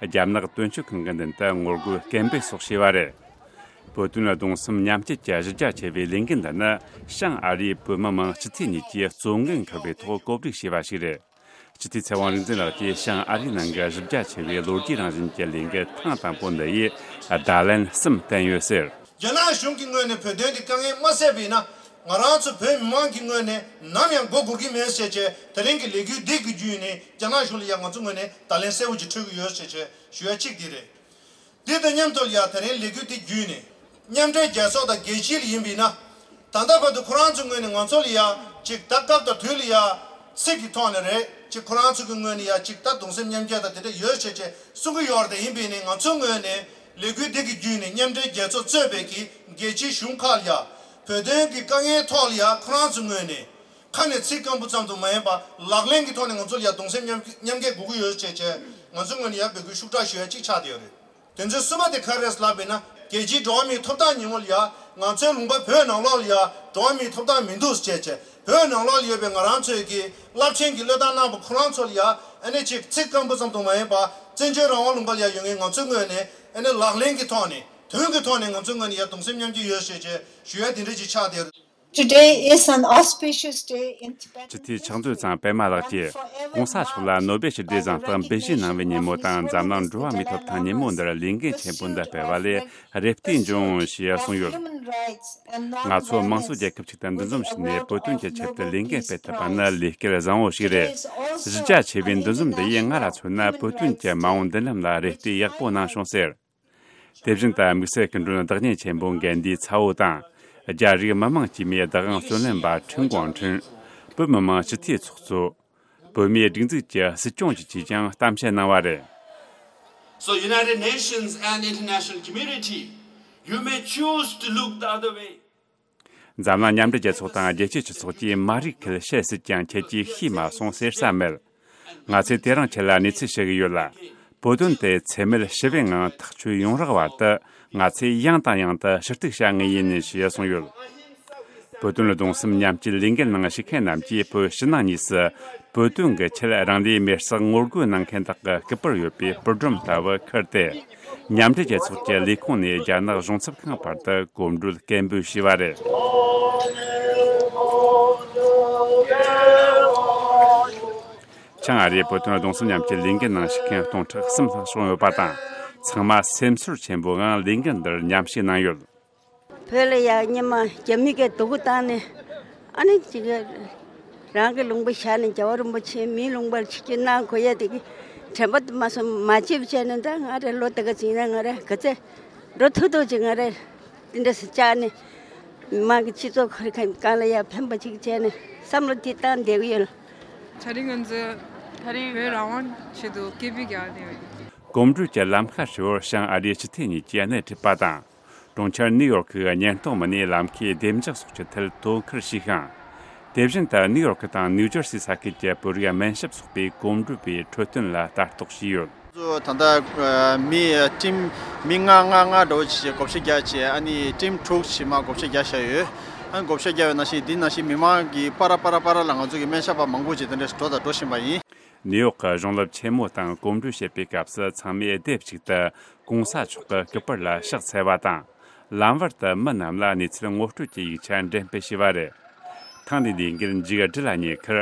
རྒྱ་ནག་དོན་གཅོད་ཁང་གི་མདུན་དུ་ངོ་རྒོལ་སྐད་འབོད་སོགས་བྱས་པ་རེད། བོད་དོན་གདུང་སེམས་མཉམ་སྐྱེད་ཀྱི་གཞི་རྒྱ་ཆེ་བའི་ལས་འགུལ་འདི་ནི་བྱང་ཨ་རིའི་བོད་མི་མང་སྤྱི་འཐུས་གཉིས་ཀྱིས་གཙོ་འགན་འཁུར་བའི་ཐོག་གོ་སྒྲིག་བྱས་པ་ཞིག་རེད། སྤྱི་འཐུས་ཚེ་དབང་རིག་འཛིན་ལགས་ཀྱིས་བྱང་ཨ་རིའི་ནང་གི་གཞི་རྒྱ་ཆེ་བའི་ལོ་རྒྱུས་རང་བཞིན་གྱི་ལས་འགུལ་ཐེངས་དང་པོ་འདི་ཡིས་བརྡ་ལན་གསུམ་བསྟན་ཡོད་ཟེར། རྒྱ་ནག་གཞུང་གི་ངོས་ནས་བོད་དོན་གྱི་དཀའ་ངལ་མ་སེལ་བ་ཡིན་ན། ང་རང་ཚོ་བོད་མི་མང་གི་ངོས་ནས་ནམ་ཡང་མགོ་སྒུར་གྱི་མེད་ཟེར་བྱས། དེ་རིང་གི་ལས་འགུལ་འདི་གི་བརྒྱུད་ནས་རྒྱ་ནག་གཞུང་ལ་ཡང་ང་ཚོ་ངོས་ནས་བརྡ་ལན་གསལ་བོ་ཅིག་འཕྲོད་ཀྱི་ཡོད་ཟེར་བྱས་ཞུ་ཡ་གཅིག་འདི་རེད། འདི་དང་མཉམ་དུ་ཡང་དེ་རིང་ལས་འགུལ་འདི་བརྒྱུད་ནས་མཉམ་འབྲེལ་རྒྱལ་ཚོགས་དང་རྒྱལ་སྤྱི་ལ་ཡིན་པ་ཡིན་ན། ད་ལྟ་བར་དུ་ཁོ་རང་ཚོའི་ངོས་ནས་ང་ཚོ་ལ་ཡང་ཅིག་ད་སྐབས་དང་དུས་ལ་ཡང་ཚིག་གི་ཐོག་ནས་རེད། ཅིག་ཁོ་རང་ཚོ་གི་ངོས་ནས་ཡང་ཅིག་ད་གདུང་སེམས་མཉམ་སྐྱེད་དང་དེ་འདྲ་ཡོད་ཟེར་བྱས་གསུང་གི་ཡོད་རེད། དེ་ཡིན་པ་ཡིན་ནའི་ང་ཚོའི་ངོས་ནས་ལས་འགུལ་འདི་གི་བརྒྱུད་ནས་མཉམ་འབྲེལ་རྒྱལ་ཚོགས་གཙོས་པའི་གི་རྒྱལ་སྤྱིའི་གཞུང་ཁག་ལ་ཡང་བོད་དོན་གྱི་དཀའ་ངལ་ཐོག་ལ་ཡང་ཁོ་རང་ཚོའི་ངོས་ནས་ཁ་ནས་ཚིག་སྐམ་པོ་ཙམ་དུ་མ་ཡིན་པ་ལག་ལེན་གྱི་ཐོག་ནས་ང་ཚོ་ལ་ཡང་གདུང་སེམས་མཉམ་མཉམ་སྐྱེད་དགོས་ཀྱི་ཡོད་ཟེར་བྱས་ང་ཚོའི་ངོས་ནས་ཡང་འབོད་སྐུལ་ཤུགས་དྲག་ཞུ་ཡ་གཅིག་ཆགས་བསྡད་ཡོད་རེད། དེ་ཚོའི་གསུམ་པ་དེ་ག་རེ་རེད་ལབ་པ་ཡིན་ན། རྒྱལ་སྤྱིའི་འགྲོ་བ་མིའི་ཐོབ་ཐང་ཉིན་མོ་ལ་ཡ། ང་ཚོའི་ལུང་པ་བོད་ནང་ལོགས་ལ་ཡ་འགྲོ་བ་མིའི་ཐོབ་ཐང་མི་འདུག་ཅེས་བྱས། བོད་ནང་ལོགས་ལ་ཡོད་པའི་ང་རང་ཚོའི་གི་རླབས་ཆེན་གྱི་བློས་བཏང་གནང་པ་ཁོ་རང་ཚོ་ལ་ཡ། ཨ་ནི་ཅིག་ཚིག་སྐམ་པོ་ཙམ་དུ་མ་ཡིན་པ། བཙན་བྱོལ་རང་དབང་ལུང་པ་ལ་ཡ་ཡོད་མཁན་ང་ཚོའི་ངོས་ནས་ཨ་ནི་ལག་ལེན་གྱི་ཐོག་ནས་དོན་གྱི་ཐོག་ནས་ང་ཚོའི་ངོས་ནས་ཡ་གདུང་སེམས་མཉམ་སྐྱེད་ཡོད་ཞེས་བྱས་ཞུ་ཡ་དེ་འདྲ་ཅིག་ཆགས་བསྡད་ཡོད། Today is an auspicious day in Tibetan history. སྤྱི་འཐུས་ཕྱག་མཛོད་ཚང་པད་མ་ལགས་ཀྱིས་གོང་ས་མཆོག་ལ་ནོ་སྦེལ་ཞི་བདེའི་གཟེངས་རྟགས་འབུལ་བཞེས་གནང་བའི་ཉིན་མོ་དང་འཛམ་གླིང་འགྲོ་བ་མིའི་ཐོབ་ཐང་ཉིན་མོ་འདིར་ལས་འགན་ཆེན་པོ་འདི་སྤེལ་བ་ལས་རེ་ལྟོས་འབྱུང་ཞེས་གསུངས་ཡོད། ང་ཚོ་དམངས་གཙོ་རྒྱལ་ཁབ་ཅིག་ཏུ་འདུ་འཛོམས་བྱས་ནས་བོད་དོན་གྱི་ཆེད་དུ་ལས་འགན་སྤེལ་ཐུབ་པ་ནི་ལས་སྐལ་བཟང་བོ་ཞིག་རེད། གཞི་རྒྱ་ཆེ་བའི་འདུ་འཛོམས་འདི་ཡིས་ང་ལ་མཚོན་ན་བོད་དོན་གྱི་མ་འོངས་མདུན་ལམ་ལ་རེ་ལྟོས་ཡག་པོ་གནང་བྱུང་ཟེར། དེ་བཞིན་དུ་དམིགས་བསལ་སྐུ་མགྲོན་བདག་ཉིད་ཆེན་པོ་གན་དྷིའི་ཚ་བོ་དང་། རྒྱ་རིགས་མི་མང་དཀྱུས་མའི་བདག་དབང་རྩོད་ལེན་པ་ཁྲིན་ཀོང་ཁྲིན། བོད་མི་མང་སྤྱི་འཐུས་ཚོགས་གཙོ། བོད་མིའི་སྒྲིག་འཛུགས་ཀྱི་སྲིད་སྐྱོང་བཅས་ཀྱིས་ཀྱང་གཏམ་བཤད་གནང་བ་རེད། So United Nations and international community, you may choose to look the other way. འཛམ་གླིང་མཉམ་འབྲེལ་རྒྱལ་ཚོགས་དང་རྒྱལ་སྤྱིའི་སྤྱི་ཚོགས་ཀྱིས་མ་རིག་ཁུལ་བཤད་སྲིད་ཀྱང་ཁྱེད་ཀྱིས་ཤེས་མ་སོང་ཟེར་ས་མེད། ང་ཚོས་དེ་རིང་ཁྱེད་ལ་གནས་ཚུལ་ཞུ་གི་ཡོད་ལ། བོད་དོན་དེ་འཚེ་མེད་ཞི་བའི་ངང་ཐག་གཅོད་ཡོང་རག་བར་དུ་ང་ཚོས་ཡང་དང་ཡང་དུ་ཞུ་གཏུག་བྱ་ངེས་ཡིན་ཞེས་གསུངས་ཡོད། བོད་དོན་གདུང་སེམས་མཉམ་སྐྱེད་ལས་འགུལ་ནང་ཞུགས་མཁན་རྣམས་ཀྱིས་བོད་ཕྱི་ནང་གཉིས་སུ་བོད་དོན་གྱི་ཆེད་རང་ལུས་མེར་སྲེག་ངོ་རྒོལ་གནང་མཁན་དག་གི་སྐུ་པར་ཡོད་པའི་པར་སྒྲོམ་ལྟ་བུ་ཁུར་ཏེ། མཉམ་འབྲེལ་རྒྱལ་ཚོགས་ཀྱི་ལས་ཁུངས་ནས་རྒྱ་ནག་གཞུང་ཚབ་ཁང་བར་དུ་གོམ་བགྲོད་སྐད་འབོད་བྱས་པ་རེད། ཆིང་ཨ་རིའི་བོད་དོན་གདུང་སེམས་མཉམ་སྐྱེད་ལས་འགུལ་ནང་ཞུགས་མཁན་སྟོང་ཕྲག་གསུམ་ལྷག་བྱུང་ཡོད་པ་དང་། ཚང་མ་སེམས་ཚོར་ཆེན་པོའི་ངང་ལས་འགུལ་འདིར་མཉམ་ཞུགས་གནང་ཡོད། བོད་ལ་ཡང་སྔོན་མ་རྒྱ་མི་གིས་སྡུག་པོ་བཏང་ནས། ཨ་ནི་ཅིག་རང་གི་ལུང་པ་བཞག་ནས་རྒྱལ་བ་རིན་པོ་ཆེ་མིའི་ལུང་པར་ཆིབས་བསྒྱུར་གནང་དགོས་ཡ་དེ་གི་དྲན་པ་མ་སོང་མ་བརྗེད་བྱས་ནས། ད་ང་རེ་ལོ་དེ་ག་ཅིག་ན་ང་རེ་ག་ཚད་འགྲོ་ཐུབ་ཐུབ་ཅིག་ང་རེ་དེ་འདྲ་སེ་བཅར་ནས། མི་མང་གི་སྤྱི་ཚོགས་ཁོར་གང་ལ་ཡ་ཕན་པ་ཅིག་བྱས་ནས་བསམ་བློ་དེ་བཏང་བསྡད་གི་ཡོད། ད་རིང་ང་ཚོ་ད་རིང་བོད་རང་དབང་ཆེད་དུ་སྐད་འབོད་རྒྱག་བསྡད་ཡོད། གོམ་བགྲོད་ཀྱི་ལམ་ཁ་ཧྲིལ་བོར་བྱང་ཨ་རིའི་སྤྱི་འཐུས་གཉིས་ཀྱིས་སྣེ་ཁྲིད་པ་དང་། གྲོང་ཁྱེར་ནིའུ་ཡོག་གི་བརྙན་གཏོང་མི་སྣས་ལམ་ཁའི་བདེ་འཇགས་སོགས་ཀྱི་ཐད་དོ་ཁུར་བྱས་ཤིང་། དེ་བཞིན་དུ་ནིའུ་ཡོག་དང་ནིའུ་ཇར་སི་ས་ཁུལ་གྱི་བོད་རིགས་སྨན་ཞབས་ཚོགས་པའི་གོམ་བགྲོད་པའི་འཕྲོད་བསྟེན་ལ་ལྟ་རྟོག་བྱས་ཡོད། ད་ལྟ་མི་ཊིམ་མི་ལྔ་ལྔ་ལྔ་འདྲ་བོ་ཅིག་བགོ་བཤའ་རྒྱག་བྱས། ཨ་ནི་ཊིམ་དྲུག་ཅིག་མར་བགོ་བཤའ་རྒྱག་བཞག་ཡོད། ཨ་ནི་བགོ་བཤའ་རྒྱག་པའི་ནང་བཞིན་འདི་ནང་བཞིན་མི་མང་གི་པར་པར་པར་ལ་ང་ཚོ་གི་སྨན་ཞབས་པ་མང་པོ་ཅིག་དེ་འདྲ་འགྲོ་དང་འགྲོ་བཞིན་པ་ཡིན། ནིའུ་ཡོག་གི་གཞུང་སློབ་ཆེན་མོ་དང་གོམ་བགྲོད་བྱེད་པའི་སྐབས་སུ་ཚང་མས་སྡེབ་གཅིག་ཏུ་གོང་ས་མཆོག་གི་སྐུ་པར་ལ་ཕྱག་འཚལ་བ་དང་། ལམ་བར་དུ་མི་རྣམས་ལ་གནས་ཚུལ་ངོ་སྤྲོད་ཀྱི་ཡིག་ཆ་འགྲེམས་སྤེལ་བྱས་པ་རེད། ཐེངས་འདིའི་ལས་འགུལ་མཇུག་སྒྲིལ་ལ་ཉེ་ཁར་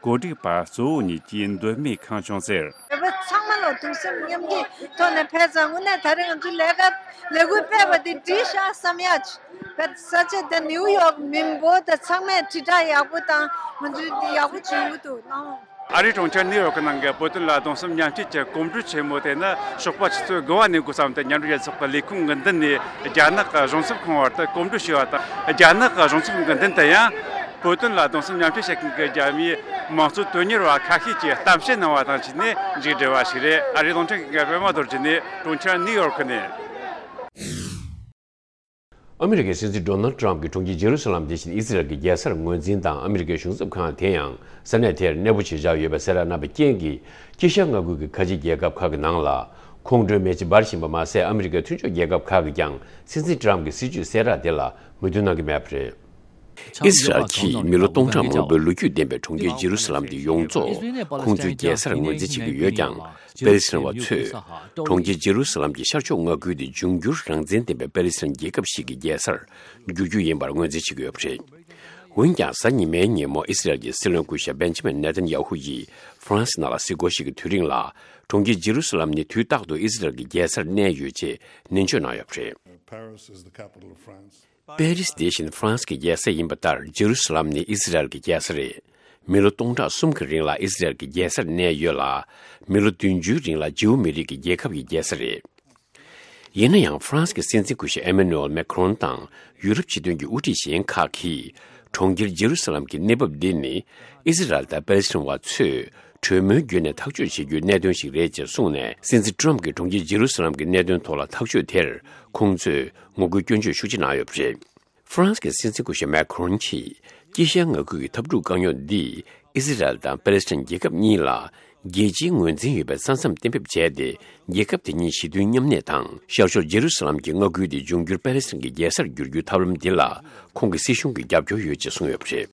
གོ་སྒྲིག་པ་གཙོ་བོ་གཉིས་ཀྱིས་མདོ་སྨད་ཁང་ཆུང་ཟེར། བོད་པ་ཚང་མ་ལ་གདུང་སེམས་མཉམ་སྐྱེད་ཐོག་ནས་ཕེབས་ཙང་། དངོས་གནས་ད་རེས་ང་ཚོའི་ལས་ཀ་ལས་འགུལ་སྤེལ་བ་འདི་འགྲིག་ཤག་བསམ་ཡ། བོད་ས་ཆ་དེ་ནིའུ་ཡོག་མི་འབོར་དང་ཚང་མས་དྲིལ་བསྒྲགས་ཡག་པོ་དང་། ང་ཚོའི་འདི་ཡག་པོ་བྱུང་གི་འདུག་ནང་། ཨ་རིའི་གྲོང་ཁྱེར་ནིའུ་ཡོག་གི་ནང་གི་བོད་དོན་ལ་གདུང་སེམས་མཉམ་སྐྱེད་ཀྱི་གོམ་བགྲོད་ཆེན་མོ་དེ་ནི་ཞོགས་པ་ཆུ་ཚོད་དགུ་པ་ནས་འགོ་བརྩམས་ཏེ། མཉམ་འབྲེལ་རྒྱལ་ཚོགས་ཀྱི་ལས་ཁུངས་ཀྱི་མདུན་ནས་རྒྱ་ནག་གི་གཞུང་ཚབ་ཁང་བར་དུ་གོམ་བགྲོད་བྱས་པ་དང་། རྒྱ་ནག་གི་གཞུང་ཚབ་ཁང་གི་མདུན་དུ་ཡང་བོད་དོན་ལ་གདུང་སེམས་མཉམ་སྐྱེད་བྱེད་མཁན་གྱི་རྒྱ་མིའི་མང་གཙོ་དོན་གཉེར་བ་ཁ་ཤས་ཀྱིས་གཏམ་བཤད་གནང་བ་དང་བཅས་ནས་མཇུག་བསྒྲིལ་བ་ཞིག་རེད། ཨ་རིའི་རླུང་འཕྲིན་ཁང་གི་པད་མ་རྡོ་རྗེ་ནས་གྲོང་ཁྱེར་ནིའུ་ཡོག་ནས། ཨ་མི་རི་ཀའི་སྲིད་འཛིན་ཌོ་ནལ་ཊམ་གྱིས་གྲོང་ཁྱེར་ཇེ་རུ་སཱ་ལམ་དེ་བཞིན་ཨི་སི་རལ་གྱི་རྒྱལ་སར་ངོས་འཛིན་དང་། ཨ་མི་རི་ཀའི་གཞུང་ཚབ་ཁང་དེ་ཡང་ས་གནས་དེར་གནས་སྤོ་བྱེད་འཆར་ཡོད་པའི་གསལ་བསྒྲགས་གནང་བའི་རྐྱེན་གྱིས། དཀྱིལ་ཤར་མངའ་ཁུལ་གྱི་ཁ་ཆེ་རྒྱལ་ཁབ་ཁག་གི་ནང་ལ་ཁོང་ཁྲོའི་མེ་ལྕེ་འབར་བཞིན་པ་མ་ཟད། ཨ་མི་རི་ཀའི་མཐུན་ཕྱོགས་རྒྱལ་ཁབ་ཁག་གིས་ཀྱང་སྲིད་འཛིན་ཊམ་གྱི་སྲིད་ཇུས་གསལ་བསྒྲགས་དེ་ལ་མོས་མཐུན་གནང་གི་མེད་པ་རེད། ཨི་སི་རལ་གྱིས་མི་ལོ་སྟོང་ཕྲག་མང་པོའི་ལོ་རྒྱུས་ལྡན་པའི་གྲོང་ཁྱེར་ཇེ་རུ་སཱ་ལམ་དེ་ཡོངས་རྫོགས་ཁོང་ཚོའི་རྒྱལ་སར་ངོས་འཛིན་བྱེད་ཀྱི་ཡོད་ཀྱང་། པེ་ལི་སི་ཐན་བ་ཚོས་གྲོང་ཁྱེར་ཇེ་རུ་སཱ་ལམ་གྱི་ཤར་ཕྱོགས་མངའ་ཁུལ་དེ་འབྱུང་འགྱུར་རང་བཙན་ལྡན་པའི་པེ་ལི་སི་ཐན་རྒྱལ་ཁབ་ཞིག་གི་རྒྱལ་སར་འགྱུར་རྒྱུ་ཡིན་པར་ངོས་འཛིན་བྱེད་ཀྱི་ཡོད་པ་རེད། འོན་ཀྱང་། གཟའ་ཉི་མའི་ཉིན་མོ་ཨི་སི་རལ་གྱི་སྲིད་བློན་སྐུ་ཞབས་བེན་ཇ་མིན་ནེ་ཐན་ཡ་ཧུ་ཡིས་ཧྥ་རན་སི་ནང་ལ་གཟིགས་སྐོར་ཞིག་གི་དུས་རིང་ལ། གྲོང་ཁྱེར་ཇེ་རུ་སཱ་ལམ་ནི་དུས་རྟག་ཏུ་ཨི་སི་རལ་གྱི་རྒྱལ་སར་གནས་ཡོད་ཅེས་ནན་བརྗོད་གནང་ཡོད་པ་རེད། Paris is the capital of France. པེ་རིས་དེ་བཞིན་ཧྥ་རན་སི་གི་རྒྱལ་ས་ཡིན་པ་ལྟར། ཇེ་རུ་སཱ་ལམ་ནི་ཨི་སི་རལ་གྱི་རྒྱལ་ས་རེད། མི་ལོ་སྟོང་ཕྲག་གསུམ་གྱི་རིང་ལ་ཨི་སི་རལ་གྱི་རྒྱལ་སར་གནས་ཡོད་ལ། མི་ལོ་བདུན་ཅུའི་རིང་ལ་ཇིའུ་མི་རིགས་ཀྱི་རྒྱལ་ཁབ་ཀྱི་རྒྱལ་ས་རེད། ཡིན་ན་ཡང་། ཧྥ་རན་སི་གི་སྲིད་འཛིན་སྐུ་ཞབས་ཨེ་མ་ནུ་ཨེལ་མེ་ཁ་རོན་དང་ཡུ་རོབ་སྤྱི་མཐུན་གྱི་དབུ་ཁྲིད་གཞན་ཁག་གིས། གྲོང་ཁྱེར་ཇེ་རུ་སཱ་ལམ་གྱི་གནས་བབ་འདི་ནི་ཨི་སི་རལ་དང་པེ་ལི་སི་ཐན་བ་ཚོས་གྲོས་མོལ་བརྒྱུད་ནས་ཐག་གཅོད་བྱེད་རྒྱུའི་གནད་དོན་ཞིག་རེད་ཅེས་གསུངས་ནས། སྲིད་འཛིན་ཊམ་གྱིས་གྲོང་ཁྱེར་ཇེ་རུ་སཱ་ལམ་གྱི་གནད་དོན་ཐོག་ལ་ཐག་གཅོད་དེར་ཁོང་ཚོས་ངོ་རྒོལ་སྐྱོན་བརྗོད་ཤུགས་ཆེ་གནང་ཡོད་པ་རེད། ཧྥ་རན་སི་གི་སྲིད་འཛིན་སྐུ་ཞབས་མེ་ཁ་རོན་གྱིས་དཀྱིལ་ཤར་མངའ་ཁུལ་གྱི་འཐབ་འཁྲུག་དཀའ་རྙོག་འདིས་ཨི་སི་རལ་དང་པེ་ལེ་སི་ཐན་རྒྱལ་ཁབ་གཉིས་ལ་རྒྱལ་སྤྱིའི་ངོས་འཛིན་ཡོད་པའི་ས་མཚམས་གཏན་འབེབས་བྱས་ཏེ། རྒྱལ་ཁབ་དེ་གཉིས་ཞི་མཐུན་མཉམ་གནས་དང་། ཤར་ཕྱོགས་ཇེ་རུ་སཱ་ལམ་གྱི་མངའ་ཁུལ་དེ་འབྱུང་འགྱུར་པེ་ལེ་སི་ཐན་གྱི་རྒྱལ་སར་བསྒྱུར་རྒྱུའི་ཐབས་ལམ་འདི་ལ་ཁོང་གི་སྲིད་གཞུང་གིས་རྒྱབ་སྐྱོར་ཡོད་ཅེས་གསུངས་ཡོད་པ་རེད།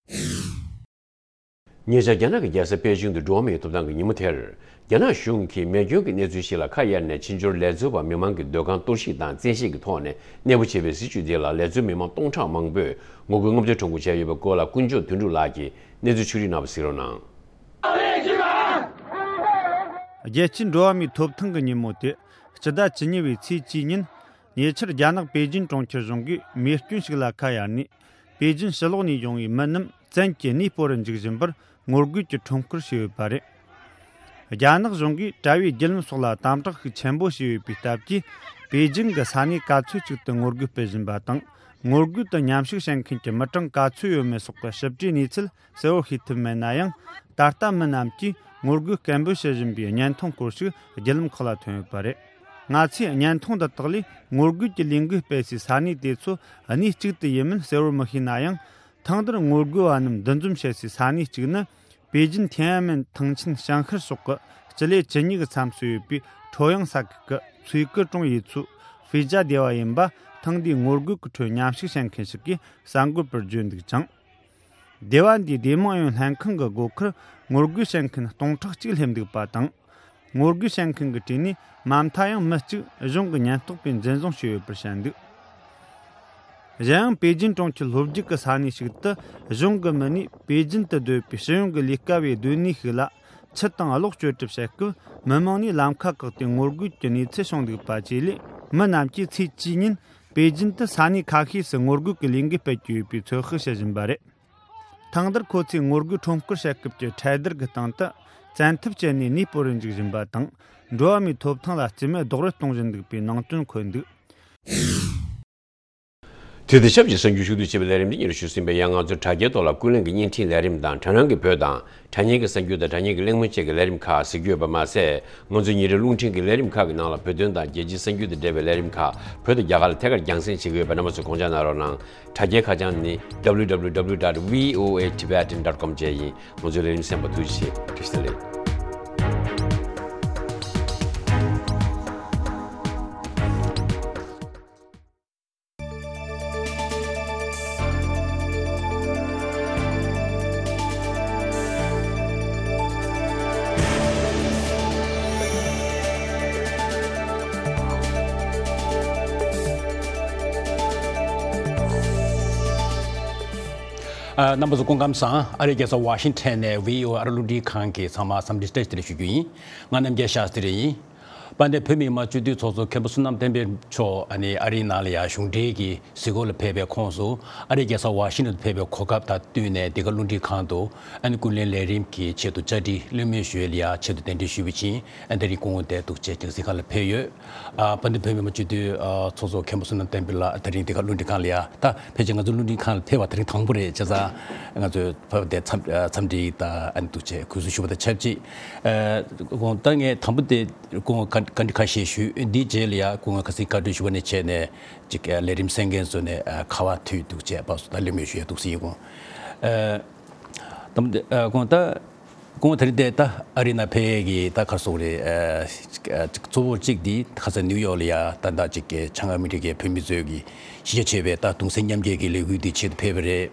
ཉེ་ཆར་རྒྱ་ནག་གི་རྒྱལ་ས་པེ་ཅིང་དུ་འགྲོ་བ་མིའི་ཐོབ་ཐང་གི་ཉིན་མོ་དེར། རྒྱ་ནག་གཞུང་གིས་མེ་སྐྱོན་གྱི་གནས་ཚུལ་ཞིག་ལ་ཁ་གཡར་ནས། ཕྱི་འབྱོར་ལས་བཟོ་བ་མི་མང་གི་སྡོད་ཁང་གཏོར་བཤིག་དང་བཙན་ཤེད་ཀྱི་ཐོག་ནས་གནས་སྤོ་བྱས་པའི་སྲིད་བྱུས་དེ་ལ་ལས་བཟོ་མི་མང་སྟོང་ཕྲག་མང་པོས་ངོ་རྒོལ་མངོན་འདོད་ཁྲོམ་སྐོར་བྱས་ཡོད་པའི་སྐོར་ལ། ཀུན་སྐྱོབ་དོན་གྲུབ་ལགས་ཀྱིས་གནས་ཚུལ་ཕྱོགས་སྒྲིག་གནང་བ་གཟིགས་རོགས་གནང་། རྒྱལ་སྤྱིའི་འགྲོ་བ་མིའི་ཐོབ་ཐང་གི་ཉིན་མོ་དེ་སྤྱི་ཟླ་བཅུ་གཉིས་པའི་ཚེས་བཅུའི་ཉིན། ཉེ་ཆར་རྒྱ་ནག་པེ་ཅིན་གྲོང་ཁྱེར་གཞུང་གིས་མེ་སྐྱོན་ཞིག་ལ་ཁ་གཡར་ནས། པེ་ཅིན་ཕྱི་ལོགས་ནས་ཡོང་བའི་མི་རྣམས་བཙན་གྱིས་གནས་སྤོ་རུ་འཇུག་བཞིན་པར་ངོ་རྒོལ་གྱི་ཁྲོམ་སྐོར་བྱས་ཡོད་པ་རེད། རྒྱ་ནག་གཞུང་གིས་དྲ་བའི་བརྒྱུད་ལམ་སོགས་ལ་དམ་དྲག་ཤུགས་ཆེན་པོ་བྱས་ཡོད་པའི་སྟབས་ཀྱིས། པེ་ཅིན་གྱི་ས་གནས་ག་ཚོད་ཅིག་ཏུ་ངོ་རྒོལ་སྤེལ་བཞིན་པ་དང་། ངོ་རྒོལ་དུ་མཉམ་ཞུགས་བྱེད་མཁན་གྱི་མི་གྲངས་ག་ཚོད་ཡོད་མེད་སོགས་ཀྱི་ཞིབ་ཕྲའི་གནས་ཚུལ་གསལ་བོ་ཤེས་ཐུབ་མེད་ན་ཡང་། ད་ལྟ་མི་རྣམས་ཀྱིས་ངོ་རྒོལ་སྐད་འབོད་བྱེད་བཞིན་པའི་བརྙན་ཐུང་སྐོར་ཞིག་བརྒྱུད་ལམ་ཁག་ལ་ཐོན་ཡོད་པ་རེད། ང་ཚོས་བརྙན་ཐུང་འདི་དག་ལས་ངོ་རྒོལ་གྱི་ལས་འགུལ་སྤེལ་སའི་ས་གནས་དེ་ཚོ་གནས་གཅིག་ཏུ་ཡིན་མིན་གསལ་བོར་མི་ཤེས་ན་ཡང་། ཐེངས་འདིར་ངོ་རྒོལ་བ་རྣམས་འདུ་འཛོམས་བྱེད་སའི་ས་གནས་གཅིག་ནི། པེ་ཅིན་ཐེན་ཨན་མེན་ཐང་ཆེན་ཞང་ཤར་སོགས་ཀྱི་སྤྱི་ལེ་བཅུ་གཉིས་ཀྱི་མཚམས་སུ་ཡོད་པའི་ཁྲོ་དབྱང་ས་ཁུལ་གྱི་ཚུའེ་ཀི་ཀྲུང་ཡུལ་ཚོའི་ཧྥེ་ཇ་སྡེ་བ་ཡིན་པ། ཐེངས་འདིའི་ངོ་རྒོལ་གྱི་ཁྲོད་མཉམ་ཞུགས་བྱེད་མཁན་ཞིག་གིས་གསར་འགོད་པར་བརྗོད་འདུག་ཅིང་། སྡེ་བ་འདིའི་སྡེ་དམངས་ཨུ་ཡོན་ལྷན་ཁང་གི་སྒོ་ཁར་ངོ་རྒོལ་བྱེད་མཁན་སྟོང་ཕྲག་གཅིག་སླེབས་འདུག་པ་དང་། ངོ་རྒོལ་བྱེད་མཁན་གྱི་གྲས་ནས་མ་མཐའ་ཡང་མི་གཅིག་གཞུང་གི་ཉེན་རྟོག་པས་འཛིན་བཟུང་བྱས་ཡོད་པར་བཤད་འདུག་གཞན་ཡང་པེ་ཅིན་གྲོང་ཁྱེར་ལྷོ་རྒྱུད་ཀྱི་ས་གནས་ཤིག་ཏུ་གཞུང་གི་མི་སྣས་པེ་ཅིན་དུ་སྡོད་པའི་སྤྱི་ཡོངས་ཀྱི་ལས་ཀ་བའི་སྡོད་གནས་ཤིག་ལ་ཆུ་དང་གློག་སྤྱོད་གྲབས་བྱེད་སྐབས། མི་མང་ནས་ལམ་ཁ་བཀག་སྟེ་ངོ་རྒོལ་གྱི་གནས་ཚུལ་བྱུང་འདུག་པ་བཅས་ལས། མི་རྣམས་ཀྱིས་ཚེས་བཅུའི་ཉིན་པེ་ཅིན་དུ་ས་གནས་ཁ་ཤས་སུ་ངོ་རྒོལ་གྱི་ལས་འགུལ་སྤེལ་གྱི་ཡོད་པའི་ཚོད་དཔག་བྱེད་བཞིན་པ་རེད། ཐེངས་འདིར་ཁོ་ཚོས་ངོ་རྒོལ་ཁྲོམ་སྐོར་བྱེད་སྐབས་ཀྱི་ཁྲལ་བསྡུར་གྱི་སྟེང་དུ། བཙན་ཐབས་སྤྱད་ནས་གནས་སྤོ་རུ་འཇུག་བཞིན་པ་དང་། འགྲོ་བ་མིའི་ཐོབ་ཐང་ལ་རྩིས་མེད་རྡོག་རོལ་གཏོང་བཞིན་འདུག་པའི་ནང་དོན་འཁོད་འདུག་དུས་དང་ཆབས་ཅིག་གསར་འགྱུར་ཕྱོགས་བསྡུས་བྱེད་པའི་ལས་རིམ་འདི་ཉིད་ཞུ་ཟིན་པའི་ཡང་། ང་ཚོའི་དྲ་རྒྱའི་ཐོག་ལ་ཀུན་གླེང་གི་བརྙན་འཕྲིན་ལས་རིམ་དང་། དྲ་སྣང་གི་བོད་དང་དྲ་བརྙན་གྱི་གསར་འགྱུར་དང་། དྲ་བརྙན་གྱི་གླེང་མོལ་བཅས་ཀྱི་ལས་རིམ་ཁག་གཟིགས་རྒྱུ་ཡོད་པ་མ་ཟད། ང་ཚོའི་ཉིན་རེའི་རླུང་འཕྲིན་གྱི་ལས་རིམ་ཁག་གི་ནང་ལ་བོད་དོན་དང་རྒྱལ་སྤྱིའི་གསར་འགྱུར་དང་འབྲེལ་བའི་ལས་རིམ་ཁག་བོད་དང་རྒྱ་གར་ལ་ཐད་ཀར་རྒྱང་སྲིང་བྱེད་ཀྱི་ཡོད་པ་རྣམ་པ་ཚོས་དགོངས་འཇགས་གནང་རོགས་གནང་། དྲ་རྒྱའི་ཁ་བྱང་ནི་www dot voa tibetan dot com བཅས་ཡིན། ང་ཚོའི་ལས་རིམ་གསན་པར་ཐུགས་རྗེ་ཆེ། བཀྲ་ཤིས་བདེ་ལེགས། ཨ། རྣམ་པ་ཚོ་སྐུ་ཁམས་བཟང་། ཨ་རིའི་རྒྱལ་ས་ཝ་ཤིང་ཊོན་ནས་བྷི་ཨོ་ཨེ་ཨ་རི་རླུང་འཕྲིན་ཁང་གི་ཚང་མ་འཚམས་འདྲི་བཀྲ་ཤིས་བདེ་ལེགས་ཞུ་རྒྱུ་ཡིན། ང་རྣམ་རྒྱལ་ཤཱསྟྲི་ཡིན། དཔལ་ལྡན་བོད་མི་མང་སྤྱི་འཐུས་ཚོགས་གཙོ་མཁན་པོ་བསོད་ནམས་བསྟན་འཕེལ་མཆོག་ཨ་ནི་ཨ་རིའི་ནང་ལ་ཡང་གཞུང་འབྲེལ་གྱི་གཟིགས་སྐོར་ལ་ཕེབས་པའི་ཁོངས་སུ། ཨ་རིའི་རྒྱལ་ས་ཝ་ཤིང་ཊོན་དུ་ཕེབས་པའི་གོ་སྐབས་དང་བསྟུན་ནས། འདི་ག་རླུང་འཕྲིན་ཁང་དུ་ཨ་ནི་ཀུན་གླེང་ལས་རིམ་གྱི་ཆེད་དུ་བཅར་འདྲི་གླེང་མོལ་ཞུ་ཡས་ལ་ཡང་ཆེད་དུ་གདན་འདྲེན་ཞུས་པ་བཞིན། ཨ། དེ་རིང་སྐུ་ངོ་དེ་འདུག་སེ་རྒྱང་སྲིང་ཁང་ལ་ཕེབས་ཡོད། ཨ། དཔལ་ལྡན་བོད་མི་མང་སྤྱི་འཐུས་ཚོགས་གཙོ་མཁན་པོ་བསོད་ནམས་བསྟན་འཕེལ་ལགས་དེ་རིང་འདི་ག་རླུང་འཕྲིན་ཁང་ལ་ཡ། ད་ཕལ་ཆེར་ང་ཚོ་རླུང་འཕྲིན་ཁང་ལ་ཕེབས་པ་དེ་རིང་དང་པོ་རེད། བྱས་ཙང་ང་ཚོས་ཕེབས་པ་དེ་འཚམས་འཚམས་འདྲི་དང་ཨ་ནི་འདུག་སེ་གུས་བསུ་ཞུ་བ་དང་ཆབས་ཅིག་ཨ། དགོངས་དག་ངས་དང་པོ་དེ་སྐུ་ངོ་བཀའ་བཀའ་འདྲི་ཁ་ཤས་ཞུས། འདིའི་རྗེས་ལ་ཡ་སྐུ་ངོ་ཁ་སང་བཀའ་འདྲི་ཞུ་བ་ནས་བྱས་ནས་ཅིག་ལས་རིམ་གསན་མཁན་ཚོ་ནས་ཁ་པར་མཐུད་འདུག་སེ་བར་སུ་ད་གླེང་མོལ་ཞུ་ཡ་འདུག་སེ་ཡིན། སྐུ་ངོ་ཨ། དང་པོ་དེ་ཨ། སྐུ་ངོ་ད། སྐུ་ངོ་དེ་རིང་དེ་ད་ཨ་རི་ནང་ཕེབས་ཀྱི་ད་ག་རེ་ཟེར་དགོས་རེད། ཨ། གཙོ་བོ་གཅིག་འདི་ཁ་སང་ནིའུ་ཡོག་ལ་ཡ་ད་ལྟ་ཅིག་བྱང་ཨ་མི་རི་ཀའི་བོད་མི་ཚོས་ཀྱི་གཞིས་ཆགས་ཆེ་བའི་ད་གདུང་སེམས་མཉམ་སྐྱེད་ཀྱི་ལས་འགུལ་འདི་ཆེད་དུ་ཕེབས་པ་རེད།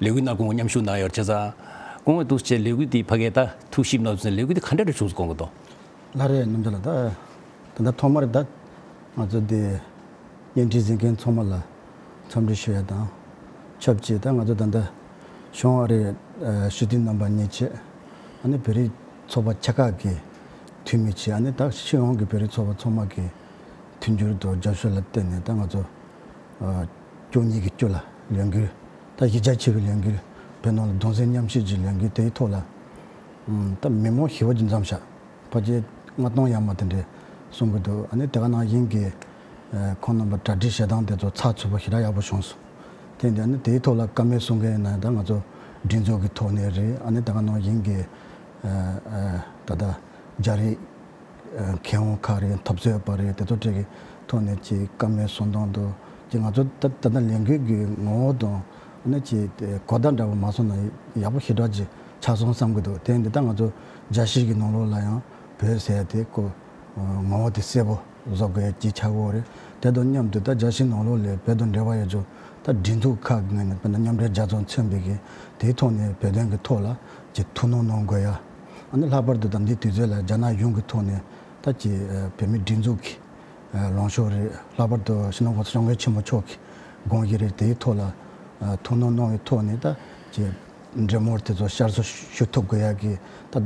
ལས་འགུལ་ནང་སྐུ་ངོ་མཉམ་ཞུགས་གནང་ཡོད། བྱས་ཙང་སྐུ་ངོ་འདུག་སེ་ལས་འགུལ་འདི་ཕ་གིར་ད་ཐུགས་ཞིབ་གནང་དུས་ཙམ་ལས་འགུལ་འདི་ག་འདྲ་རེ་བྱུང་སོང་དགོངས་ཀྱི་འདུག་ལགས་རེད། རྣམ་རྒྱལ་ལགས། ད་ད་ལྟ་ཐོག་མར་ད་ང་ཚོ་འདི་བརྙན་འཕྲིན་གཟིགས་མཁན་ཚང་མ་ལ་འཚམས་འདྲི་ཞུ་ཡ་དང་ཆབས་ཅིག་ད་ང་ཚོ་ད་ལྟ་བྱང་ཨ་རིའི་ཨ་སྤྱི་འཐུས་རྣམ་པ་གཉིས་བཅས། ཨ་ནི་བོད་རིགས་ཚོགས་པ་ཆེ་ཁག་གི་འཐུས་མི་བཅས། ཨ་ནི་ད་སྤྱི་ཡོངས་ཀྱི་བོད་རིགས་ཚོགས་པ་ཚང་མ་གི་མཐུན་འགྱུར་དང་རྒྱབ་སྐྱོར་ལ་བརྟེན་ནས་ད་ང་ཚོ་ཨ་བཅུ་གཉིས་ཀྱི་བཅུ་ལ་ལས་འགུལ། ད་གཞིས་ཆགས་ཆེ་བའི་ལས་འགུལ། བོད་ནང་ལ་གདུང་སེམས་མཉམ་སྐྱེད་ཀྱི་ལས་འགུལ་དེའི་ཐོག་ལ། ཨམ། ད་མི་མང་ཞེ་པོ་ཅིག་འཛོམས་ཤག་ཕལ་ཆེར་ལྔ་སྟོང་ཡར་མར་དེ་འདྲ་གསུང་གི་འདུག་ཨ་ནི་དེ་ག་ནང་བཞིན་གྱི་ཨ་ཁོང་རྣམ་པ་གྲ་སྒྲིག་བྱེད་སྟངས་དེ་ཚོ་ཚགས་ཚུད་པོ་ཞེ་དྲག་ཡག་པོ་བྱུང་སོང་། དེ་འདྲ་ཨ་ནི་དེའི་ཐོག་ལ་བཀའ་མོལ་གསུང་མཁན་ཡིན་ན་ད་ང་ཚོ་སྒྲིག་འཛུགས་ཀྱི་ཐོག་ནས་རེད། ཨ་ནི་དེ་ག་ནང་བཞིན་གྱི་ཨ་ཨ་ད་ལྟ་རྒྱ་རིགས་ཨ་མཁས་དབང་ཁག་རེད། འཐབ་རྩོད་པ་རེད། དེ་ཚོ་གྲས་ཀྱི་ཐོག་ནས་ཅིག་བཀའ་མོལ་གསུང་སྟངས་དང་ཅིག་ང་ཚོ་ད་ད་ལྟ་ལས་འགུལ་གྱི་ངོ་བོ་དང་ཨ་ནི་ཅིག་གོ་བརྡ་འདྲ་པོ་མ་སོང་ན་ཡག་པོ་ཞེ་དྲག་ཅིག་ཆགས་སོང་བསམ་གྱི་འདུག་དེ་འདི་ད་ང་ཚོ་རྒྱལ་སྤྱི་གི་ནང་ལོགས་ལ་ཡང་བོད་ཟེར་དེ་ཀོ་ངོ་བོ་དེ་གསལ་པོ་བཟོ་དགོས་ཀྱི་ཆགས་ཡོད་རེད། དེ་དང་མཉམ་དུ་ད་རྒྱལ་སྤྱིའི་ནང་ལོགས་ལ་བོད་དང་འབྲེལ་བ་ཡོད་ཆོག་ད་སྒྲིག་འཛུགས་ཁག་གི་ངོས་ནས་དཔེར་ན་མཉམ་འབྲེལ་རྒྱལ་ཚོགས་མཚོན་པའི་གི་དེའི་ཐོག་ནས་བོད་དོན་གྱི་ཐོག་ལ་ཅིག་ཐུགས་སྣང་གནང་དགོས་ཡ། ཨ་ནི་ལྷག་པར་དུ་ད་ལྟའི་དུས་ཚོད་ལ་རྒྱ་ནག་གཞུང་གི་ཐོག་ནས་ད་ཅིག་ཨ་བོད་མིའི་སྒྲིག་འཛུགས་ཀྱི་ཨ་ལངས་ཕྱོགས་རེད། ལྷག་པར་དུ་སྤྱི་ནོར་༸གོང་ས་༸སྐྱབས་མགོན་ཆེན་པོ་མཆོག་གི་དགོངས་གཞི་རེད། དེའི་ཐོག་ལ་ཨ་ཐུགས་སྣང་གནང་བའི་ཐོག་ནས་ད་ཅིག་འབྲེལ་མོལ་དེ་ཚོ་བསྐྱར་གསོ་ཞུ་ཐུབ་དགོས་ཡག་གི་ད་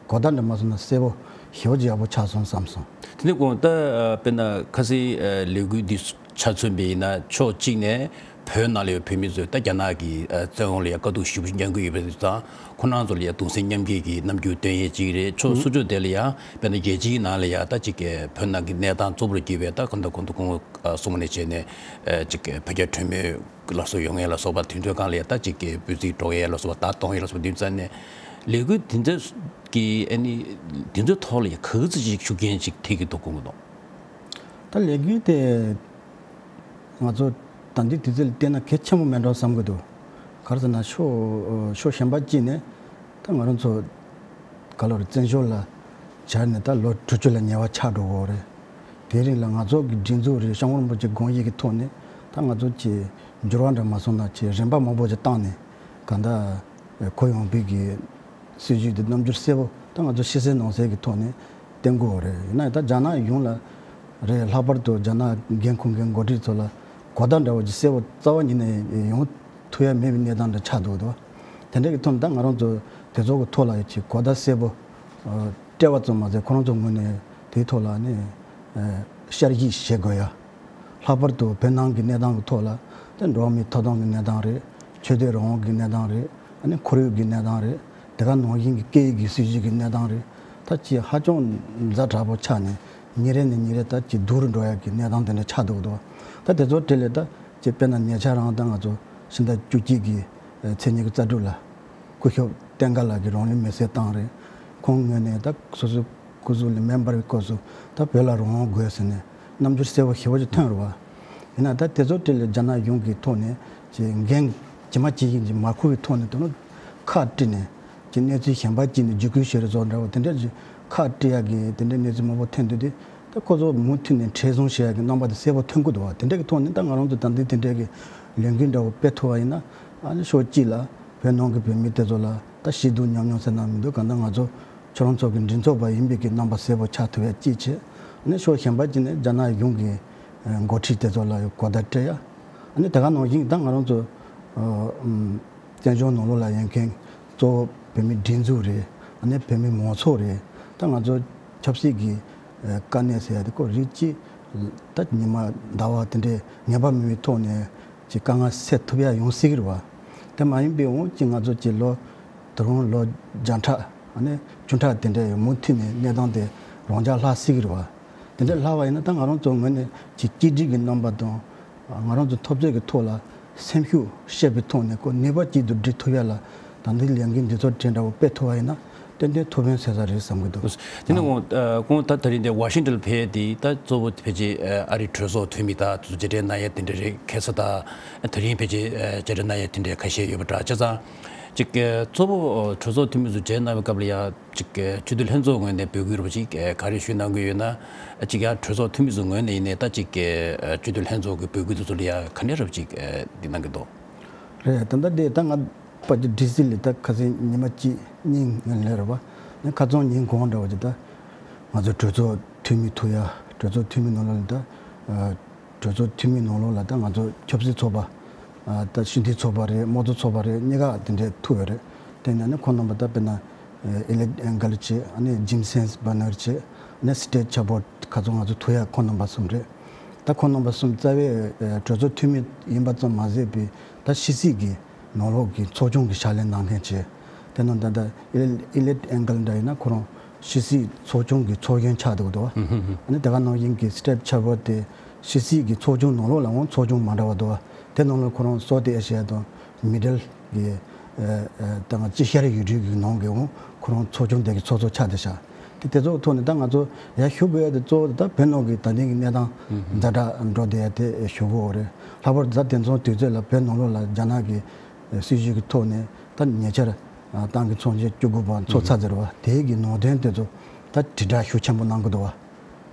གོ་བརྡ་འདྲ་མ་སོང་ན་གསལ་པོ་ཞེ་པོ་ཅིག་ཡག་པོ་ཆགས་སོང་བསམ་སོང་། དེ་ནས་དགོངས་ད་ཨ་དཔེར་ན་ཁ་སང་ཨ་ལས་འགུལ་འདི་ཆ་མཚོན་པ་ཡིན་ན་ཕྱོགས་གཅིག་ནས་བོད་ནང་ལ་ཡོད་བོད་མི་ཚོས་ད་རྒྱ་ནག་གི་ཨ་བཙན་དབང་ལ་ཡ་དཀའ་སྡུག་ཞེ་པོ་ཅིག་མྱངས་ཀྱི་ཡོད་པ་དེ་དང་། ཁོ་རང་ཚོ་ལ་ཡ་གདུང་སེམས་མཉམ་སྐྱེད་ཀྱི་རྣམ་འགྱུར་སྟོན་ཡས་གཅིག་རེད། ཕྱོགས་སོ་སོ་དེ་ལ་ཡ་དཔེར་ན་རྒྱལ་སྤྱིའི་ནང་ལ་ཡ་ད་ཅིག་གི་བོད་ནང་གི་གནས་སྟངས་གཙོ་བོར་གྱུར་པའི་ད་གང་ལྟར་གོང་དུ་སྐུ་ངོ་ཨ་གསུངས་པ་ནང་བཞིན་ནས་ཨ་ཅིག་གི་བོད་རྒྱ་གྲོས་མོལ་ལ་སོགས་ཡོང་ཡས་ལ་སོགས་པ། དུས་ཚོད་སྒང་ལ་ཡ་ད་ཅིག་གི་འབོད་ཚིག་སྒྲོག་ཡས་ལ་སོགས་པ། བརྡ་གཏོང་ཡས་ལ་སོགས་པ། དེ་ཙམ་ནས་ལས་འགུལ་དེ་ཚོ་གི་ཨ་ནི་དེ་ཚོའི་ཐོག་ལ་ཡ་ག་ཚོད་ཅིག་ཤུགས་རྐྱེན་ཅིག་ཐེབས་ཀྱི་འདུག་དགོངས་ཀྱི་འདུག་ད་ལས་འགུལ་དེ་ང་ཚོ་ད་ལྟའི་དུས་ཚོད་ལ་བལྟས་ན་གལ་ཆེན་པོ་མེད་འགྲོ་བསམ་གྱི་འདུག་ག་རེ་ཟེར་ན་ཕྱོགས་ཕྱོགས་གཞན་པ་གཅིག་ནས་ད་ང་རང་ཚོ་ག་ལོར་བཙན་བྱོལ་ལ་བཅར་ནས་ད་ལོ་དྲུག་ཅུ་ལ་ཉེ་བ་ཆགས་འགྲོ་གི་ཡོད་རེད། དེའི་རིང་ལ་ང་ཚོ་གི་སྒྲིག་འཛུགས་རེད། སྐྱབས་མགོན་རིན་པོ་ཆེ་དགོངས་གཞི་གི་ཐོག་ནས་ད་ང་ཚོ་ཅིག་འགྱུར་བ་འདྲ་མ་སོང་ན་ཅིག་རིམ་པ་མང་པོ་ཅིག་བཏང་ནས་གང་ལྟར་གོ་ཡོང་བའི་གི་སྲིད་བྱུས་དེ་རྣམ་འགྱུར་གསལ་པོ་ད་ང་ཚོ་ཕྱི་གསལ་ནང་གསལ་གྱི་ཐོག་ནས་བསྟན་དགོས་པ་རེད། ཡིན་ན་ད་རྒྱ་ནག་གཞུང་ལ་རེད། ལྷག་པར་དུ་རྒྱ་ནག་འགན་འཁུར་མཁན་འགོ་ཁྲིད་ཚོ་ལ་གོ་བརྡ་འདྲ་བོ་ཅིག་གསལ་པོ་རྩ་བ་ཉིད་ནས་ཡོང་ཐུབ་ཡ་མེད་པའི་གནས་སྟངས་འདྲ་ཆགས་འདུག་དོ། དེ་འདྲ་གི་ཐོག་ནས་ད་ང་རང་ཚོ་དེ་ཚོ་གི་ཐོག་ལ་ཡོད་ཅིག་གོ་བརྡ་གསལ་པོ་སྤྲད་པ་ཙམ་མ་ཟད་ཁོ་རང་ཚོ་ངོས་ནས་དེའི་ཐོག་ལ་ནི་བསྐྱར་ཞིབ་བྱེད་དགོས་ཡ། ལྷག་པར་དུ་བོད་ནང་གི་གནས་སྟངས་ཀྱི་ཐོག་ལ་དེ་འགྲོ་བ་མིའི་ཐོབ་ཐང་གི་གནས་སྟངས་རེད། ཆོས་དད་རང་དབང་གི་གནས་སྟངས་རེད། ཨ་ནི་ཁོར་ཡུག་གི་གནས་སྟངས་རེད། དེ་ག་ནང་བཞིན་གྱི་སྐད་ཡིག་གི་སྲིད་བྱུས་ཀྱི་གནས་སྟངས་རེད། ད་ཅིག་ཧ་ཅང་ཛ་དྲག་པོ་ཆགས་ནས་ཉིན་རེ་ནས་ཉིན་རེ་ད་ཅིག་སྡུག་རུ་འགྲོ་ཡག་གི་གནས་སྟངས་དེ་འདྲ་ཆགས་འདུག་དོ། ད་དེ་ཚོ་གྲས་ལས་ད་ཅིག་དཔེར་ན་ཉེ་ཆར་རང་ད་ང་ཚོ་ཕྱི་ཟླ་བཅུ་གཅིག་གི་ཚེས་ཉི་ཤུ་རྩ་དྲུག་ལ། སྐུ་ཞབས་བསྟན་དགའ་ལགས་ཀྱིས་རང་ལུས་མེར་སྲེག་བཏང་རེད། ཁོང་ངོས་ནས་ད་སོ་སོའི་སྐུ་གཟུགས་ལ་མེ་འབར་བའི་སྐབས་སུ་ད་བོད་ལ་རང་དབང་དགོས་ཟེར་ནས་རྣམ་འགྱུར་གསལ་པོ་ཞེ་པོ་ཅིག་ཐོན་རེད་བ། ཡིན་ན་ད་དེ་ཚོ་གྲས་ལ་རྒྱ་ནག་གཞུང་གི་ཐོག་ནས་ཅིག་འགན་ཇི་མ་ཇི་བཞིན་ཅིག་མ་འཁུར་བའི་ཐོག་ནས་དོ་ནུབ་ཁག་དཀྲིས་ནས་ཅིག་གནས་ཚུལ་གཞན་པ་ཅིག་ནས་བརྒྱུད་སྐུལ་བྱེད་རེས་སོགས་འདྲ་བ་དེ་འདྲ་ཅིག་ཁག་དཀྲི་ཡག་གི་དེ་འདྲའི་གནས་ཚུལ་མང་པོ་ཐོན་དུས་དེ། ད་ཁོ་ཚོ་མུ་མཐུད་ནས་མཁྲེགས་བཟུང་བྱེད་ཡག་གི་རྣམ་པ་དེ་གསལ་པོ་ཐོན་གྱི་འདུག་བ། དེ་འདྲ་གི་ཐོག་ནས་ད་ང་རང་ཚོ་ད་ལྟའི་དེ་འདྲ་གི་ལས་འགུལ་འདྲ་བོ་སྤེལ་ཐུབ་པ་ཡིན་ན། ཨ་ནི་ཕྱོགས་གཅིག་ལ་བོད་ནང་གི་བོད་མི་དེ་ཚོ་ལ་ད་ཞེ་སྡུག་མྱོང་མྱོང་ཟེར་ན་མི་འདུག་གང་ལྟར་ང་ཚོ་ཁྱོད་རང་ཚོ་གི་མགྲིན་ཚབ་པ་ཡིན་པའི་གི་རྣམ་པ་གསལ་པོ་ཆགས་ཐུབ་ཡག་གཅིག་བྱས། ཨ་ནི་ཕྱོགས་གཞན་པ་གཅིག་ནས་རྒྱ་ནག་གཞུང་གི་འགོ་ཁྲིད་དེ་ཚོ་ལ་གོ་བརྡ་སྤྲད་ཡག་ཨ་ནི་དེ་ག་ནང་བཞིན་ད་ང་རང་ཚོ་ཨ་ཨམ། བཙན་བྱོལ་ནང་ལོགས་ལ་ཡོད་མཁན་གཙོ་བོ་བོད་མི་སྒྲིག་འཛུགས་རེད། ཨ་ནི་བོད་མི་མང་ཚོགས་རེད། ད་ང་ཚོ་ཆབ་སྲིད་ཀྱི་ཨ་དཀའ་གནད་ཟེར་ཡ་དེ་ཁོ་རིགས་གཅིག་ད་ཉི་མ་ཟླ་བ་དེ་འདྲའི་ངེས་པ་མེད་པའི་ཐོག་ནས་ཀྱི་དཀའ་ངལ་སེལ་ཐུབ་ཡ་ཡོང་སྲིད་ཀྱི་རེད་བ། དེ་མ་ཡིན་པའི་འོང་ཀྱི་ང་ཚོ་ཀྱི་ལོ་ད་རུང་ལོ་བརྒྱ་ཕྲག་ཨ་ནི་བཅུ་ཕྲག་དེ་འདྲའི་མུ་མཐུད་ནས་གནས་སྟངས་དེ་རང་འཇགས་ལྷག་སྲིད་ཀྱི་རེད་བ། དེ་འདྲ་ལྷག་པ་ཡིན་ན་ད་ང་རང་ཚོ་ངོས་ནས་ཀྱི་གཅིག་སྒྲིལ་གྱི་རྣམ་པ་དང་། ང་རང་ཚོ་འཐབ་རྩོད་ཀྱི་ཐོག་ལ་སེམས་ཤུགས་བཤད་པའི་ཐོག་ནས་ཁོ་ནུས་པ་གཅིག་ཏུ་སྒྲིལ་ཐུབ་ཡ་ལ་ད་ལྟའི་ལས་འགུལ་འདི་ཚོ་དེ་འདྲ་བོ་སྤེལ་ཐུབ་པ་ཡིན་ན་ཏན་ཏན་ཐུགས་ཕན་གསོས་ས་རེད་བསམ་གྱི་འདུག་དེ་ནི་ཁོང་ཁོང་ད་ད་རིང་འདི་ཝ་ཤིང་ཏོན་ལ་ཕེབས་ཏེ་ད་གཙོ་བོ་ཕལ་ཆེར་ཨ་རིའི་གྲོས་ཚོགས་འཐུས་མི་དང་དེ་ཚོ་མཇལ་འཕྲད་གནང་ཡ་དེ་འདྲ་རེད། ཁ་སང་ད་དེ་རིང་ཕལ་ཆེར་མཇལ་འཕྲད་གནང་ཡ་དེ་འདྲ་ཁ་ཤས་ཡོད་པ་འདྲ། བྱས་ཙང་ཅིག་གཙོ་བོ་གྲོས་ཚོགས་འཐུས་མི་ཚོ་མཇལ་གནང་བའི་སྐབས་ལ་ཡ། ཅིག་སྤྱི་འཐུས་ལྷན་ཚོགས་ངོས་ནས་འབོད་སྐུལ་རོབ་ཅིག་ག་རེ་ཞུས་གནང་གི་ཡོད་ན། ཅིག་ཡང་གྲོས་ཚོགས་འཐུས་མི་ཚོ་ངོས་ནས་ཡིན་ནའི་ད་ཅིག་སྤྱི་འཐུས་ལྷན་ཚོགས་ཀྱི་འབོད་སྐུལ་དེ་ཚོ་ལ་ཡང་ག་འདྲ་རོབ་ཅིག་འདི་གནང་གི་འདུག་རེད། ད་ལྟ་དེ་ད་ང་ཕལ་ཆེར་ཌི་སི་ལ་ད་ཁ་སང་ཉི་མ་གཅིག་གཉིས་ལས་རེད་བ། ནི་ཁ་སང་ཉིན་གང་འདྲ་བ་ཅིག་ད་ང་ཚོ་གྲོས་ཚོགས་འཐུས་མི་ཐུག་ཡ་གྲོས་ཚོགས་འཐུས་མི་ནང་ལོགས་ལ་ད། གྲོས་ཚོགས་འཐུས་མི་ནང་ལོགས་ལ་ད་ང་ཚོ་ཆབ་སྲིད་ཚོགས་པ། ཨ་ད་སྤྱི་འཐུས་ཚོགས་པ་རེད། དམངས་གཙོ་ཚོགས་པ་རེད། གཉིས་ཀ་དེ་འདྲས་ཐུག་ཡོད་རེད། དེ་ནས་ནི་ཁོང་རྣམ་པ་ད་དཔེར་ན་ཨེ་ལིཊ་ཨེང་གལ་བྱས། ཨ་ནི་ཇིམ་སན་སི་བར་ནར་བྱས། ཨ་ནི་སི་ཊེཊ་ཆེར་བོརཌ་ཁ་ཚོ་ང་ཚོ་ཐུག་ཡ་ཁོང་རྣམ་པ་གསུམ་རེད། ད་ཁོང་རྣམ་པ་གསུམ་རྩ་བའི་ཨེ་གྲོས་ཚོགས་འཐུས་མི་ཡིན་པ་ཙམ་མ་ཟད་པའི་ད་ཕྱི་སྲིད་ཀྱི་ནང་ལོགས་ཀྱི་ཚོགས་ཆུང་གི་ཕྱག་ལས་གནང་མཁན་བྱས། དེ་ནང་ད་ལྟ་ཨེ་ཨེ་ལིཊ་ཨེང་གལ་འདྲ་ཡིན་ན་ཁོ་རང་ཕྱི་སྲིད་ཚོགས་ཆུང་གི་ཚོགས་གཞོན་ཆགས་འདུག་འདུག་བ། ཨ་ནི་དེ་ག་ནང་བཞིན་གྱི་སི་ཊེཊ་ཆེར་བོརཌ་དེ་ཕྱི་སྲིད་ཀྱི་ཚོགས་ཆུང་ནང་ལོགས་ལ་འོང་ཚོགས་ཆུང་མ་འདྲ་བ་འདུག་བ། དེ་ནང་ལ་ཁོ་རང་སའུ་ཐི་ཨེ་ཤི་ཡ་དང་མི་ཌལ་གྱི་ཨ་ཨ་ད་ང་དཀྱིལ་ཤར་ཡུལ་གྲུ་གི་ནང་གི་འོང་ཁོ་རང་ཚོགས་ཆུང་དེ་གི་ཚོགས་གཙོ་ཆགས་བསྡད་ཤག་དེ་དེ་ཚོ་ཐོག་ནས་ད་ང་ཚོ་ཡར་ཞུ་དགོས་ཡ་དེ་གཙོ་བོ་དེ་ད་བོད་ནང་གི་ད་ལྟའི་གི་གནས་སྟངས་ཛ་དྲག་འགྲོ་བསྡད་ཡ་དེ་ཞུ་དགོས་རེད། ལྷག་པར་དུ་ད་དེང་སང་དུས་ཚོད་ལ་བོད་ནང་ལོགས་ལ་རྒྱ་ནག་གི་སྲིད་བྱུས་ཀྱི་ཐོག་ནས་ད་ཉེ་ཆར་ཏང་གི་ཚོགས་ཆེན་བཅུ་དགུ་པ་འཚོགས་ཚར་ཟེར་བ་དེའི་གི་ནང་དོན་དེ་ཚོ་ད་དྲིལ་བསྒྲགས་ཤུགས་ཆེན་པོ་གནང་གི་འདུག་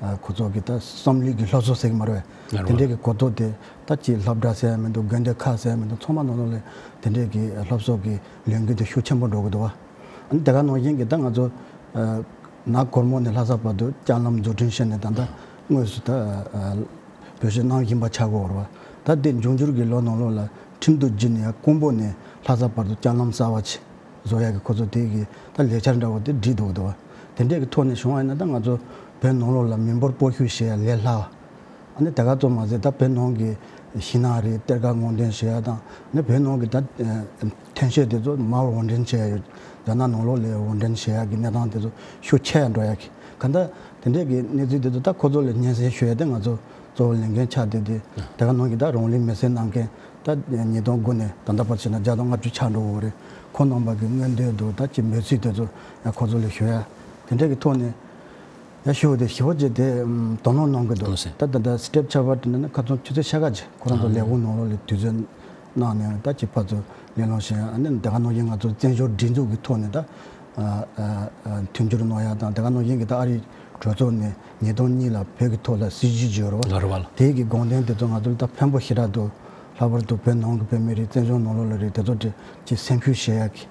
བ། ཁོ་ཚོ་གི་ད་བསམ་བློའི་གི་སློབ་གསོ་ཟེར་གི་མ་རེད་བས། དེ་འདྲའི་གི་གོ་རྟོགས་དེ་ད་ཅིག་སློབ་གྲྭ་ཟེར་ཡ་མི་འདུག་དགོན་སྡེ་ཁག་ཟེར་ཡ་མི་འདུག་ཚང་མ་ནང་ལོགས་ལ་དེ་འདྲའི་གི་སློབ་གསོ་གི་ལས་འགུལ་དེ་ཤུགས་ཆེན་པོ་འགྲོ་གི་འདུག་བ། ཨ་ནི་དེ་ག་ནང་བཞིན་གི་ད་ང་ཚོ་ ཨ་ནག་གོར་མོ་ནས་ལྷ་ས་བར་དུ་ལྕགས་ལམ་བཟོ་སྐྲུན་བྱས་ནས་ད་ལྟ་དངོས་སུ་ད་ཨ་བེད་སྤྱོད་གནང་བཞིན་པ་ཆགས་ཀྱི་ཡོད་རེད་བ། ད་དེ་འབྱུང་འགྱུར་གྱི་ལོ་ནང་ལོགས་ལ་ཁྲིམས་དང་བརྒྱུད་ནས་ཡང་ཀོང་པོ་ནས་ལྷ་ས་བར་དུ་ལྕགས་ལམ་གསར་པ་ཅིག་བཟོ་ཡག་གི་ཁོ་ཚོ་དེ་གི་ད་ལས་འཆར་འདྲ་བོ་དེ་བསྒྲིགས་འདུག་འདུག་བ། དེ་འདྲས་ཀྱི་ཐོག་ནས་བྱུང་བ་ཡིན་ན་ད་ང་ཚོ་བོད་ནང་ལོགས་ལ་མི་འབོར་སྤོ་བཤུད་བྱེད་ཡ་ལས་སླ་བ། ཨ་ནི་དེ་ག་ཙམ་མ་ཟད་ད་བོད་ནང་གི་ཤིང་ནགས་རིགས་གཏེར་ཁ་སྔོག་འདོན་བྱེད་ཡ་དང་ཨ་ནི་བོད་ནང་གི་ད་ཨ་ཐོན་སྐྱེད་དེ་ཚོ་མར་དབོར་འདྲེན་བྱེད་ཡ་ཡོད། རྒྱ་ནག་ནང་ལོགས་ལ་དབོར་འདྲེན་བྱེད་ཡ་གི་གནས་སྟངས་དེ་ཚོ་ཤུགས་ཆེ་ཡ་འགྲོ་ཡ་གི་ག་འདྲ་དེ་འདྲས་ཀྱི་གནས་ཚུལ་དེ་ཚོ་ད་ཁོ་ཚོ་ལ་སྙན་སེང་ཞུ་ཡ་དེ་ང་ཚོ་གཙོ་བོ་ལས་འགན་ཆགས་བསྡད་དེ་དེ་ག་ནང་གི་ད་རང་ལུས་མེར་སྲེག་གནང་མཁན་ད་ཉིས་སྟོང་དགུ་ནས་ད་ལྟ་བར་བྱས་ན་བརྒྱ་དང་ལྔ་བཅུ་ཆགས་འགྲོ་གི་ཡོད་རེད། ཁོང་རྣམ་པ་གི་མངོན་འདོད་དང་ད་ཅིག་འབོད་ཚིག་དེ་ཚོ་ཡང་ཁོ་ཚོ་ལ་ཞུ་ཡ་དེ་འདྲས་ཀྱི་ཐོག་ནས། ཡ་ཞུ་བ་དེ་ཞུ་བ་བྱས་ཏེ་ཨམ་དོ་སྣང་གནང་གི་འདུག་ཟེར། ད་ད་ལྟ་སི་ཊེབ་ཆ་བ་དེ་ནི་ཁ་ཚོན་ཆུ་ཚོད་ཤ་ག་ཅིག་ཁོ་རང་ཚོ་ལས་ཁུངས་ནང་ལོགས་ལ་དུས་ཚོད་གནང་ནས་ད་ཅིག་ཕར་ཚུར་གླེང་སློང་བྱས། ཨ་ནི་དེ་ག་ནང་བཞིན་ང་ཚོ་བཙན་བྱོལ་སྒྲིག་འཛུགས་ཀྱི་ཐོག་ནས་ད་ཨ་ཨ་མཐུན་འགྱུར་གནང་ཡ་དང་དེ་ག་ནང་བཞིན་གྱི་ད་ཨ་རིའི་གྲོས་ཚོགས་ནས་ཉིས་སྟོང་གཉིས་ལ་བོད་ཀྱི་ཐོག་ལ་སྲིད་ཇུས་བརྗོད་རོགས་ལ་རེ་བ་ལ། དེའི་གི་དགོངས་དོན་དེ་ཚོ་ང་ཚོ་ལ་ད་ཕན་པོ་ཞེ་དྲག་འདུག་ལྷག་པར་དུ་བོད་ནང་གི་བོད་མི་རིགས་བཙན་བྱོལ་ནང་ལོགས་ལ་རེད། དེ་ཚོ་དེ་ཅིག་སེམས་ཤུགས་བཞེས་ཡ་གི་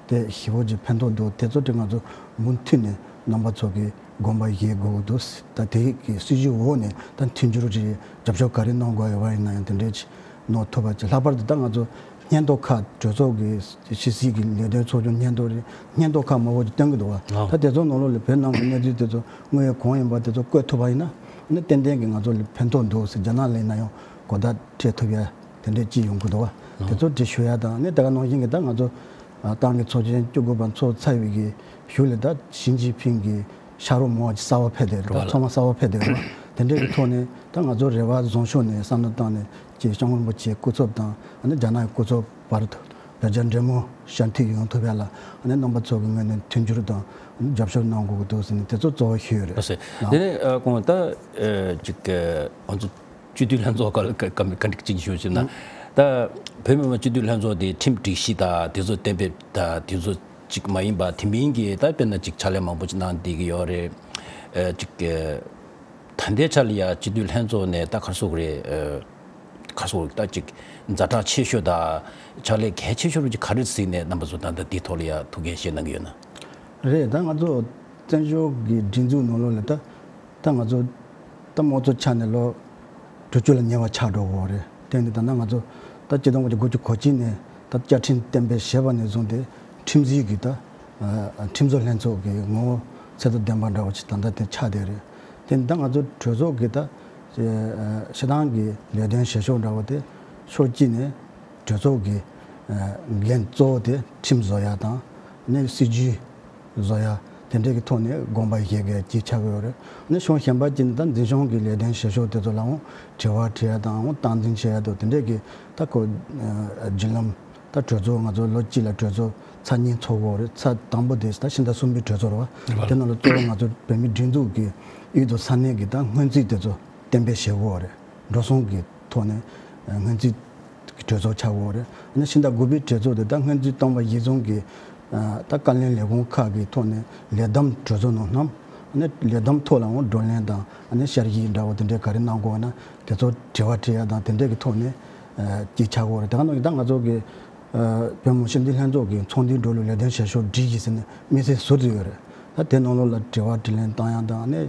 དེ་ཞེ་པོ་ཅིག་ཕན་ཐོགས་འདུག་དེ་ཚོ་དེ་ང་ཚོ་མུ་མཐུད་ནས་རྣམ་པ་ཚོ་གི་དགོངས་པ་བཞེས་དགོས་ཀྱི་འདུག་ད་དེ་གི་སྲིད་ཇུས་འོག་ནས་ད་མཐུན་འགྱུར་རེད། རྒྱབ་སྐྱོར་ག་རེ་གནང་དགོས་ཡོད་པ་ཡིན་ན་ཡང་དེ་འདྲས་ཅིག་གནང་ཐུབ་པ་ཅིག་ལྷག་པར་དུ་ད་ང་ཚོ་སྙན་ཐོ་ཁག་གྲོས་ཚོགས་ཀྱི་ཕྱི་སྲིད་ཀྱི་ལས་དོན་ཚོགས་ཆུང་སྙན་ཐོ་རེད། སྙན་ཐོ་ཁག་མང་པོ་ཅིག་བཏོན་གྱི་འདུག་བ། ཨོ། ད་དེ་ཚོ་ནང་ལོགས་ལ་བོད་ནང་གི་གནས་ཚུལ་དེ་ཚོ་དངོས་ཡོད་གང་ཡིན་པ་དེ་ཚོ་བཀོད་ཐུབ་པ་ཡིན་ན་ཨ་ནི་ཏན་ཏན་གྱི་ང་ཚོ་ལ་ཕན་ཐོགས་འདུག་ཟེར། རྒྱ་ནག་ལ་ཡིན་ན་ཡང་གོ་བརྡ་སྤྲད་ཐུབ་ཡ་དེ་འདྲས་ཅིག་ཡོང་གི་འདུག་བ། དེ་ཚོ་དེ་ཞུ་ཡ་དང་ཨ་ནི་དེ་ག་ནང་བཞིན་གྱི་ད་ང་ཚོ་ཨ་ཏང་གི་ཚོགས་ཆེན་བཅུ་དགུ་པ་ཚོགས་ཚར་བའི་གི་གཞུག་ལ་ད་ཞི་ཅིན་ཕིང་གི་ཕྱག་རོགས་མང་བ་ཅིག་གསར་པ་ཕེབས་བསྡད་རེད་བ། ཚང་མ་གསར་པ་ཕེབས་བསྡད་རེད་བ། དེ་འདྲའི་གི་ཐོག་ནས་ད་ང་ཚོ་རེ་བ་བཟང་ཕྱོགས་ནས་བསམ་བློ་བཏང་ནས་ཅིག་སྐྱབས་མགོན་རིན་པོ་ཆེའི་སྐུ་ཚབ་དང་ཨ་ནི་རྒྱ་ནག་གི་སྐུ་ཚབ་བར་དུ་བོད་རྒྱ་འབྲེལ་མོལ་ཞབས་འདེགས་ཡོང་ཐུབ་ཡ་ལ་ཨ་ནི་རྣམ་པ་ཚོ་གི་ངོས་ནས་མཐུན་འགྱུར་དང་ཨ་ནི་རྒྱབ་སྐྱོར་གནང་དགོས་ཀྱི་འདུག་ཟེར་ནས་དེ་ཚོ་གཙོ་བོ་ཞུས་ཡོད་རེད། ལགས་སོ། དེ་ནས་ཨ་ཁོང་ད་ཨ་ཅིག་ཨ་ང་ཚོ་སྤྱི་འཐུས་ལྷན་ཚོགས་སྐབས་ལ་བཀའ་བཀའ་འདྲི་གཅིག་ཞུ་ཞུ་ན། ད་བོད་མི་མང་སྤྱི་འཐུས་ལྷན་ཚོགས་དེ་ཁྲིམས་སྒྲིག་གཞི་དང་དེ་ཚོ་གཏན་འབེབས་དང་དེ་ཚོ་གཅིག་མ་ཡིན་པ་དེ་མིན་གྱི་ད་དཔེར་ན་གཅིག་ཕྱག་ལས་མང་པོ་ཅིག་གནང་བསྡད་ཀྱི་ཡོད་རེད། ཨ་གཅིག་ཨ་ད་ལྟའི་ཆ་ལ་ཡ་སྤྱི་འཐུས་ལྷན་ཚོགས་ནས་ད་ག་རེ་ཟེར་དགོས་རེད། ཨ་ག་རེ་ཟེར་དགོས་རེད། ད་གཅིག་ཛ་དྲག་ཆེ་ཤོས་དང་ཕྱག་ལས་གལ་ཆེ་ཤོས་རུ་གཅིག་ག་རེ་གཟིགས་ནས་རྣམ་པ་ཚོ་ད་ལྟ་འདིའི་ཐོག་ལ་ཡ་ཐུགས་འགན་བཞེས་གནང་གི་ཡོད་ན། རེད། ད་ང་ཚོ་བཙན་བྱོལ་གྱི་སྒྲིག་འཛུགས་ནང་ལོགས་ལ་ད་ད་ང་ཚོ་ད་དམངས་གཙོ་ཆ་ནས་ལོ་དྲུག་ཅུ་ལ་ཉེ་བ་ཆགས་འགྲོ་གི་ཡོད་རེད། དེ་ནི་ད་ལྟ་ང་ཚོ་ད་ཆིག་སྟོང་དགུ་བརྒྱ་དགུ་བཅུ་གོ་གཅིག་ནས་ད་བཅའ་ཁྲིམས་གཏན་འབེབས་བྱས་པ་ནས་བཟུང་སྟེ་ཁྲིམས་སྒྲིག་གི་ད་ཨ་ཁྲིམས་བཟོ་ལྷན་ཚོགས་ཀྱི་ངོ་བོ་ཚད་དང་ལྡན་པ་འདྲ་བོ་ཞིག་ད་ལྟ་དེ་ཆགས་བསྡད་རེད། དེ་ནི་ད་ང་ཚོ་གྲོས་ཚོགས་ཀྱི་ད་སྤྱི་བཏང་གི་ལས་དོན་བྱེད་ཕྱོགས་འདྲ་བོ་དེ་ཕྱོགས་གཅིག་ནས་གྲོས་ཚོགས་ཀྱི་ཨ་འགན་གཙོ་བོ་དེ་ཁྲིམས་བཟོ་ཡ་དང་ནི་སྲིད་ཇུས་བཟོ་ཡ་དེ་འདྲས་ཀྱི་ཐོག་ནས་དགོངས་པ་བཞེས་མཁན་གཅིག་ཆགས་ཀྱི་ཡོད་རེད། ནི་ཕྱོགས་གཞན་པ་གཅིག་ནི་ད་འཛིན་སྐྱོང་གི་ལས་དོན་བྱེད་ཕྱོགས་དེ་ཚོ་ལའང་དྲི་བ་དྲི་ཡ་དང་སྟངས་འཛིན་བྱེད་ཡ་དང་དེ་འདྲས་ཀྱི་ད་ཁོ་བརྒྱུད་ལམ་ད་གྲོས་ཚོགས་ང་ཚོ་ལོ་གཅིག་ལ་གྲོས་ཚོགས་ཚར་གཉིས་ཚོགས་ཀྱི་ཡོད་རེད། ཚར་དང་པོ་དེ་ད་ཕྱི་ཟླ་གསུམ་པའི་གྲོས་ཚོགས་རེད་བ། དེ་ནང་ལ་གཙོ་བོ་ང་ཚོ་བོད་མིའི་སྒྲིག་འཛུགས་ཀྱི་དབུས་དང་ས་གནས་ཀྱི་ད་སྔོན་རྩིས་དེ་ཚོ་གཏན་འབེབས་བྱེད་དགོས་རེད། འགྲོ་སོང་གི་ཐོག་ནས་སྔོན་རྩིས་ཀྱི་གྲོས་ཚོགས་ཆགས་ཡོད་རེད། ཨ་ནི་ཕྱི་ཟླ་དགུ་པའི་གྲོས་ཚོགས་དེ་ད་སྔོན་རྩིས་བཏང་བ་གཞིར་བཟུང་གི་ད་བཀའ་བློན་ལས་ཁུངས་ཁག་གི་ཐོག་ནས་ལས་བསྡོམས་གྲོས་ཚོགས་ནང་བསྣམས། ཨ་ནི་ལས་བསྡོམས་ཐོག་ལའང་བགྲོ་གླེང་དང་ཨ་ནི་བསྐྱར་ཞིབ་འདྲ་བོ་དེ་འདྲའི་ག་རེ་གནང་དགོས་ན་དེ་ཚོ་དྲི་བ་དྲི་ཡ་དང་དེ་འདྲའི་གི་ཐོག་ནས་ཅིག་ཆགས་ཡོད་རེད། དེ་ག་ནང་གི་ད་ང་ཚོ་གི་བོད་མི་མང་སྤྱི་འཐུས་ལྷན་ཚོགས་ཀྱི་ཚོགས་འདུའི་འགྲོ་ལུགས་ལས་དོན་བྱེད་ཕྱོགས་སྒྲིག་གཞི་ཟེར་ནས་དམིགས་བསལ་ཟུར་དུ་ཡོད་རེད། ད་དེ་ནང་ལོགས་ལ་དྲི་བ་དྲིས་ལན་བཏང་ཡ་དང་ཨ་ནི་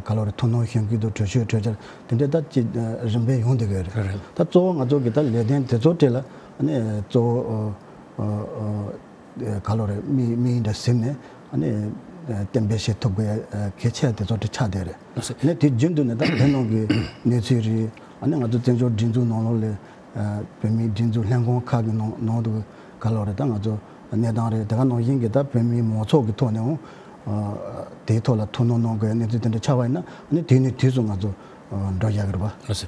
ག་ལོ་རེད། ཐུགས་སྣང་ཞུ་མཁན་དང་གྲོས་ཆོད་གྲོས་འཆར་དེ་འདྲའི་ད་ཅིག་རིམ་པས་ཡོང་བསྡད་ཀྱི་ཡོད་རེད། རེད། ད་གཙོ་བོ་ང་ཚོ་གི་ད་ལས་དོན་དེ་ཚོ་གྲས་ལ་ཨ་ནི་གཙོ་བོ་ག་ལོ་རེད། དམིགས་དམིགས་ཡུལ་འདྲ་ཟིན་ནས་ཨ་ནི་གཏན་འབེབས་བྱེད་ཐུབ་དགོས་ཡ་གལ་ཆེ་དེ་ཚོ་གྲས་ཆགས་བསྡད་རེད། ཨ་ནི་དེ་རྒྱུན་དུ་ནས་ད་བོད་ནང་གི་གནས་ཚུལ་རེད། ཨ་ནི་ང་ཚོ་བཙན་བྱོལ་སྒྲིག་འཛུགས་ནང་ལོགས་ལ་བོད་མིའི་སྒྲིག་འཛུགས་ལྷན་ཁང་ཁག་གི་ནང་ནང་དུ་ག་ལོ་རེད། ད་ང་ཚོ་གནས་སྟངས་རེད། དེ་ག་ནང་བཞིན་གྱི་ད་བོད་མིའི་མང་ཚོགས་ཀྱི་ཐོག་ནས་འོང་དེའི་ཐོག་ལ་ཐུགས་སྣང་གནང་དགོས་ཡ་གནས་ཚུལ་དེ་འདྲ་ཆགས་པ་ཡིན་ན་ཨ་ནི་དུས་ནས་དུས་སུ་ང་ཚོ་འགྲོ་ཡག་གི་རེད་པ། ལགས་སོ།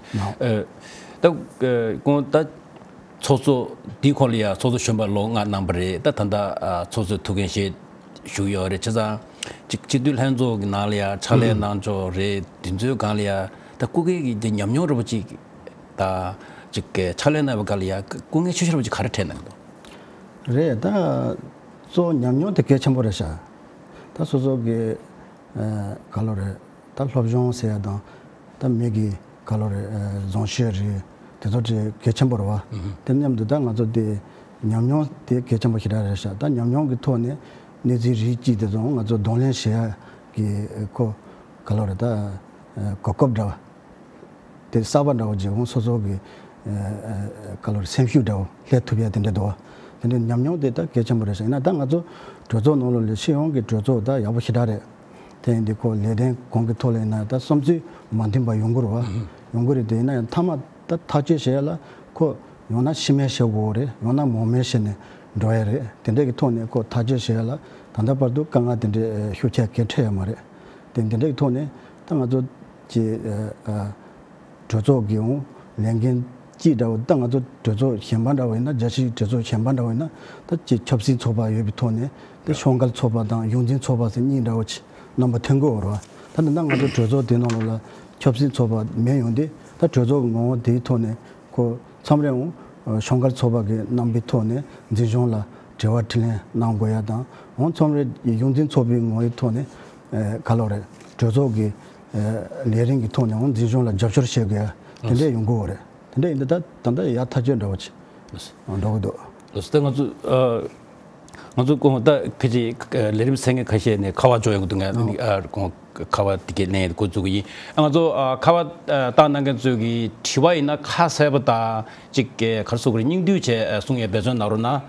ད་གོང་ད་ཚོགས་གཙོ་དེའི་ཁོངས་ལ་ཡ་ཚོགས་གཙོ་གཞོན་པ་ལོ་ལྔ་གནང་པ་རེད། ད་ད་ལྟ་ཚོགས་གཙོའི་ཐུགས་འགན་བཞེས་བཞུགས་ཡོད་རེད། བྱས་ཙང་ཅིག་སྤྱི་འཐུས་ལྷན་ཚོགས་ཀྱི་ནང་ལ་ཡ་ཕྱག་ལས་གནང་ཕྱོགས་རེད། དེ་ཚོའི་སྒང་ལ་ཡ་ད་སྐུ་སྒེར་གྱི་ཉམས་མྱོང་འདྲ་པོ་ཅིག་ད་ཅིག་ཕྱག་ལས་གནང་བའི་སྐབས་ལ་ཡ་སྐུ་ངལ་ཆེ་ཤོས་འདྲ་པོ་ཅིག་ག་རེ་འཕྲད་གནང་གི་འདུག་རེད། ད་གཙོ་བོ་ཉམས་མྱོང་དེ་གལ་ཆེན་པོ་རེད་ཤག་ད་སོ་སོ་གི་ག་ལོ་རེད། ད་སློབ་སྦྱོང་ཟེར་ཡ་དང་ད་མི་གི་ག་ལོ་རེད། བཟང་སྤྱོད་རེད། དེ་ཚོ་དེ་གལ་ཆེན་པོ་རེད་བ། དེ་མཉམ་དུ་ད་ང་ཚོ་དེ་ཉམས་མྱོང་དེ་གལ་ཆེན་པོ་ཞེ་དྲག་རེད་ཤག་ད་ཉམས་མྱོང་གི་ཐོག་ནས་ གནས་ཚུལ་རིགས་གཅིག་དེ་ཚོ་ང་ཚོ་གདོང་ལེན་བྱེད་ཡ་གི་ཁོ་ག་ལོ་རེད་ད། གོ་སྐབས་འདྲ་བ་དེ་གསར་པ་འདྲ་བོ་ཅིག་ཁོང་སོ་སོ་གི་ག་ལོ་རེད་སེམས་ཤུགས་འདྲ་བོ་སླེབས་ཐུབ་ཡ་དེ་འདྲ་འདུག་བ། དེ་འདྲ་ཉམས་མྱོང་དེ་ད་གལ་ཆེན་པོ་རེད་ཤག་ཡིན་ན་ད་ང་ཚོ་གྲོས་ཚོགས་ནང་ལོགས་ལ་སྤྱི་ཡོངས་ཀྱི་གྲོས་ཚོགས་ད་ཡག་པོ་ཞེ་དྲག་རེད། དེ་ཡིན་དུས་ཁོ་ལས་དོན་གོང་གི་ཐོག་ལ་ཡིན་ན་ད་བསམ་ཚུལ་མ་མཐུན་པ་ཡོང་གི་རེད་བ། ཡོང་གི་རེད། དེ་ཡིན་ན་ཡང་མཐའ་མ་ད་ཐག་གཅོད་བྱེད་ཡ་ལ་ཁོ་ཡང་ན་ཕྱི་མས་བྱེད་དགོས་རེད། ཡང་ན་མང་མོས་བྱས་ནས་འགྲོ་ཡ་རེད། དེ་འདྲ་གི་ཐོག་ནས་ཁོ་ཐག་གཅོད་བྱེད་ཡ་ལ་ད་ལྟ་བར་དུ་དཀའ་ངལ་དེ་འདྲའི་ཤུགས་ཆེ་གང་ཡང་འཕྲད་ཡ་མ་རེད། དེ་འདི་འདྲ་གི་ཐོག་ནས་ད་ང་ཚོ་གི་གྲོས་ཚོགས་ཀྱི་འོང་ལས་འགན་ཅིག་འདྲ་བོ་ད་ང་ཚོ་གྲོས་ཚོགས་གཞན་པ་འདྲ་བོ་ཡིན་ན་རྒྱལ་སྤྱིའི་གྲོས་ཚོགས་གཞན་པ་འདྲ་བོ་ཡིན་ན་ད་ཅིག་ཆབ་སྲིད་ཚོགས་པ་ཡོད་པའི་ཐོག་ནས་ད་ཤོག་འགལ་ཚོགས་པ་དང་གཞུང་འཛིན་ཚོགས་པ་ཟེར་གཉིས་འདྲ་བོ་ཅིག་རྣམ་པ་ཐོན་གི་ཡོད་རེད་བ། ད་ནི་ད་ང་ཚོ་གྲོས་ཚོགས་དེ་ནང་ལོགས་ལ་ཆབ་སྲིད་ཚོགས་པ་མེད་ཡོང་དུས་ད་གྲོས་ཚོགས་ཀྱི་ངོ་བོ་དེའི་ཐོག་ནས་ཁོ་མཚམས་རེ་འོང་ཤོག་འགལ་ཚོགས་པ་གི་རྣམ་པའི་ཐོག་ནས་འཛིན་སྐྱོང་ལ་དྲི་བ་དྲིས་ལན་གནང་དགོས་ཡ་དང་འོང་མཚམས་རེ་གཞུང་འཛིན་ཚོགས་པའི་ངོ་བོའི་ཐོག་ནས་ག་ལོ་རེད་གྲོས་ཚོགས་ཀྱི་ལས་རིམ་གྱི་ཐོག་ནས་འོང་འཛིན་སྐྱོང་ལ་རྒྱབ་སྐྱོར་བྱེད་དགོས་ཡ་དེ་འདྲ་ཡོང་གི་ཡོད་རེད། དེ་འདྲ་ཡིན་དུས་ད་ད་ལྟ་ཡ་ཐག་གཅོད་འདྲ་བོ་ཅིག་འགྲོ་གི་འདུག་ལགས་སོ། ད་ང་ཚོ་ཨ། ང་ཚོ་ཁོང་ད་ཕལ་ཆེར་ལས་རིམ་གསན་མཁན་ཁ་ཤས་ནས་ཁ་པར་འབྱོར་ཡོང་གི་འདུག་ང་ཨ་ཁོང་ཁ་པར་དེ་གའི་ལན་འགོ་འཛུགས་ཀྱི་ཡིན། ཨ་ང་ཚོ་ཨ་ཁ་པར་ཨ་བཏང་གནང་མཁན་ཚོས་ཀྱི་དྲི་བ་ཡིན་ན་ཁ་གསལ་པོ་དང་ཅིག་ག་རེ་ཟེར་དགོས་རེད། སྙིང་བསྡུས་བྱས་ཨ་གསུང་ཡས་འབད་བརྩོན་གནང་རོགས་གནང་།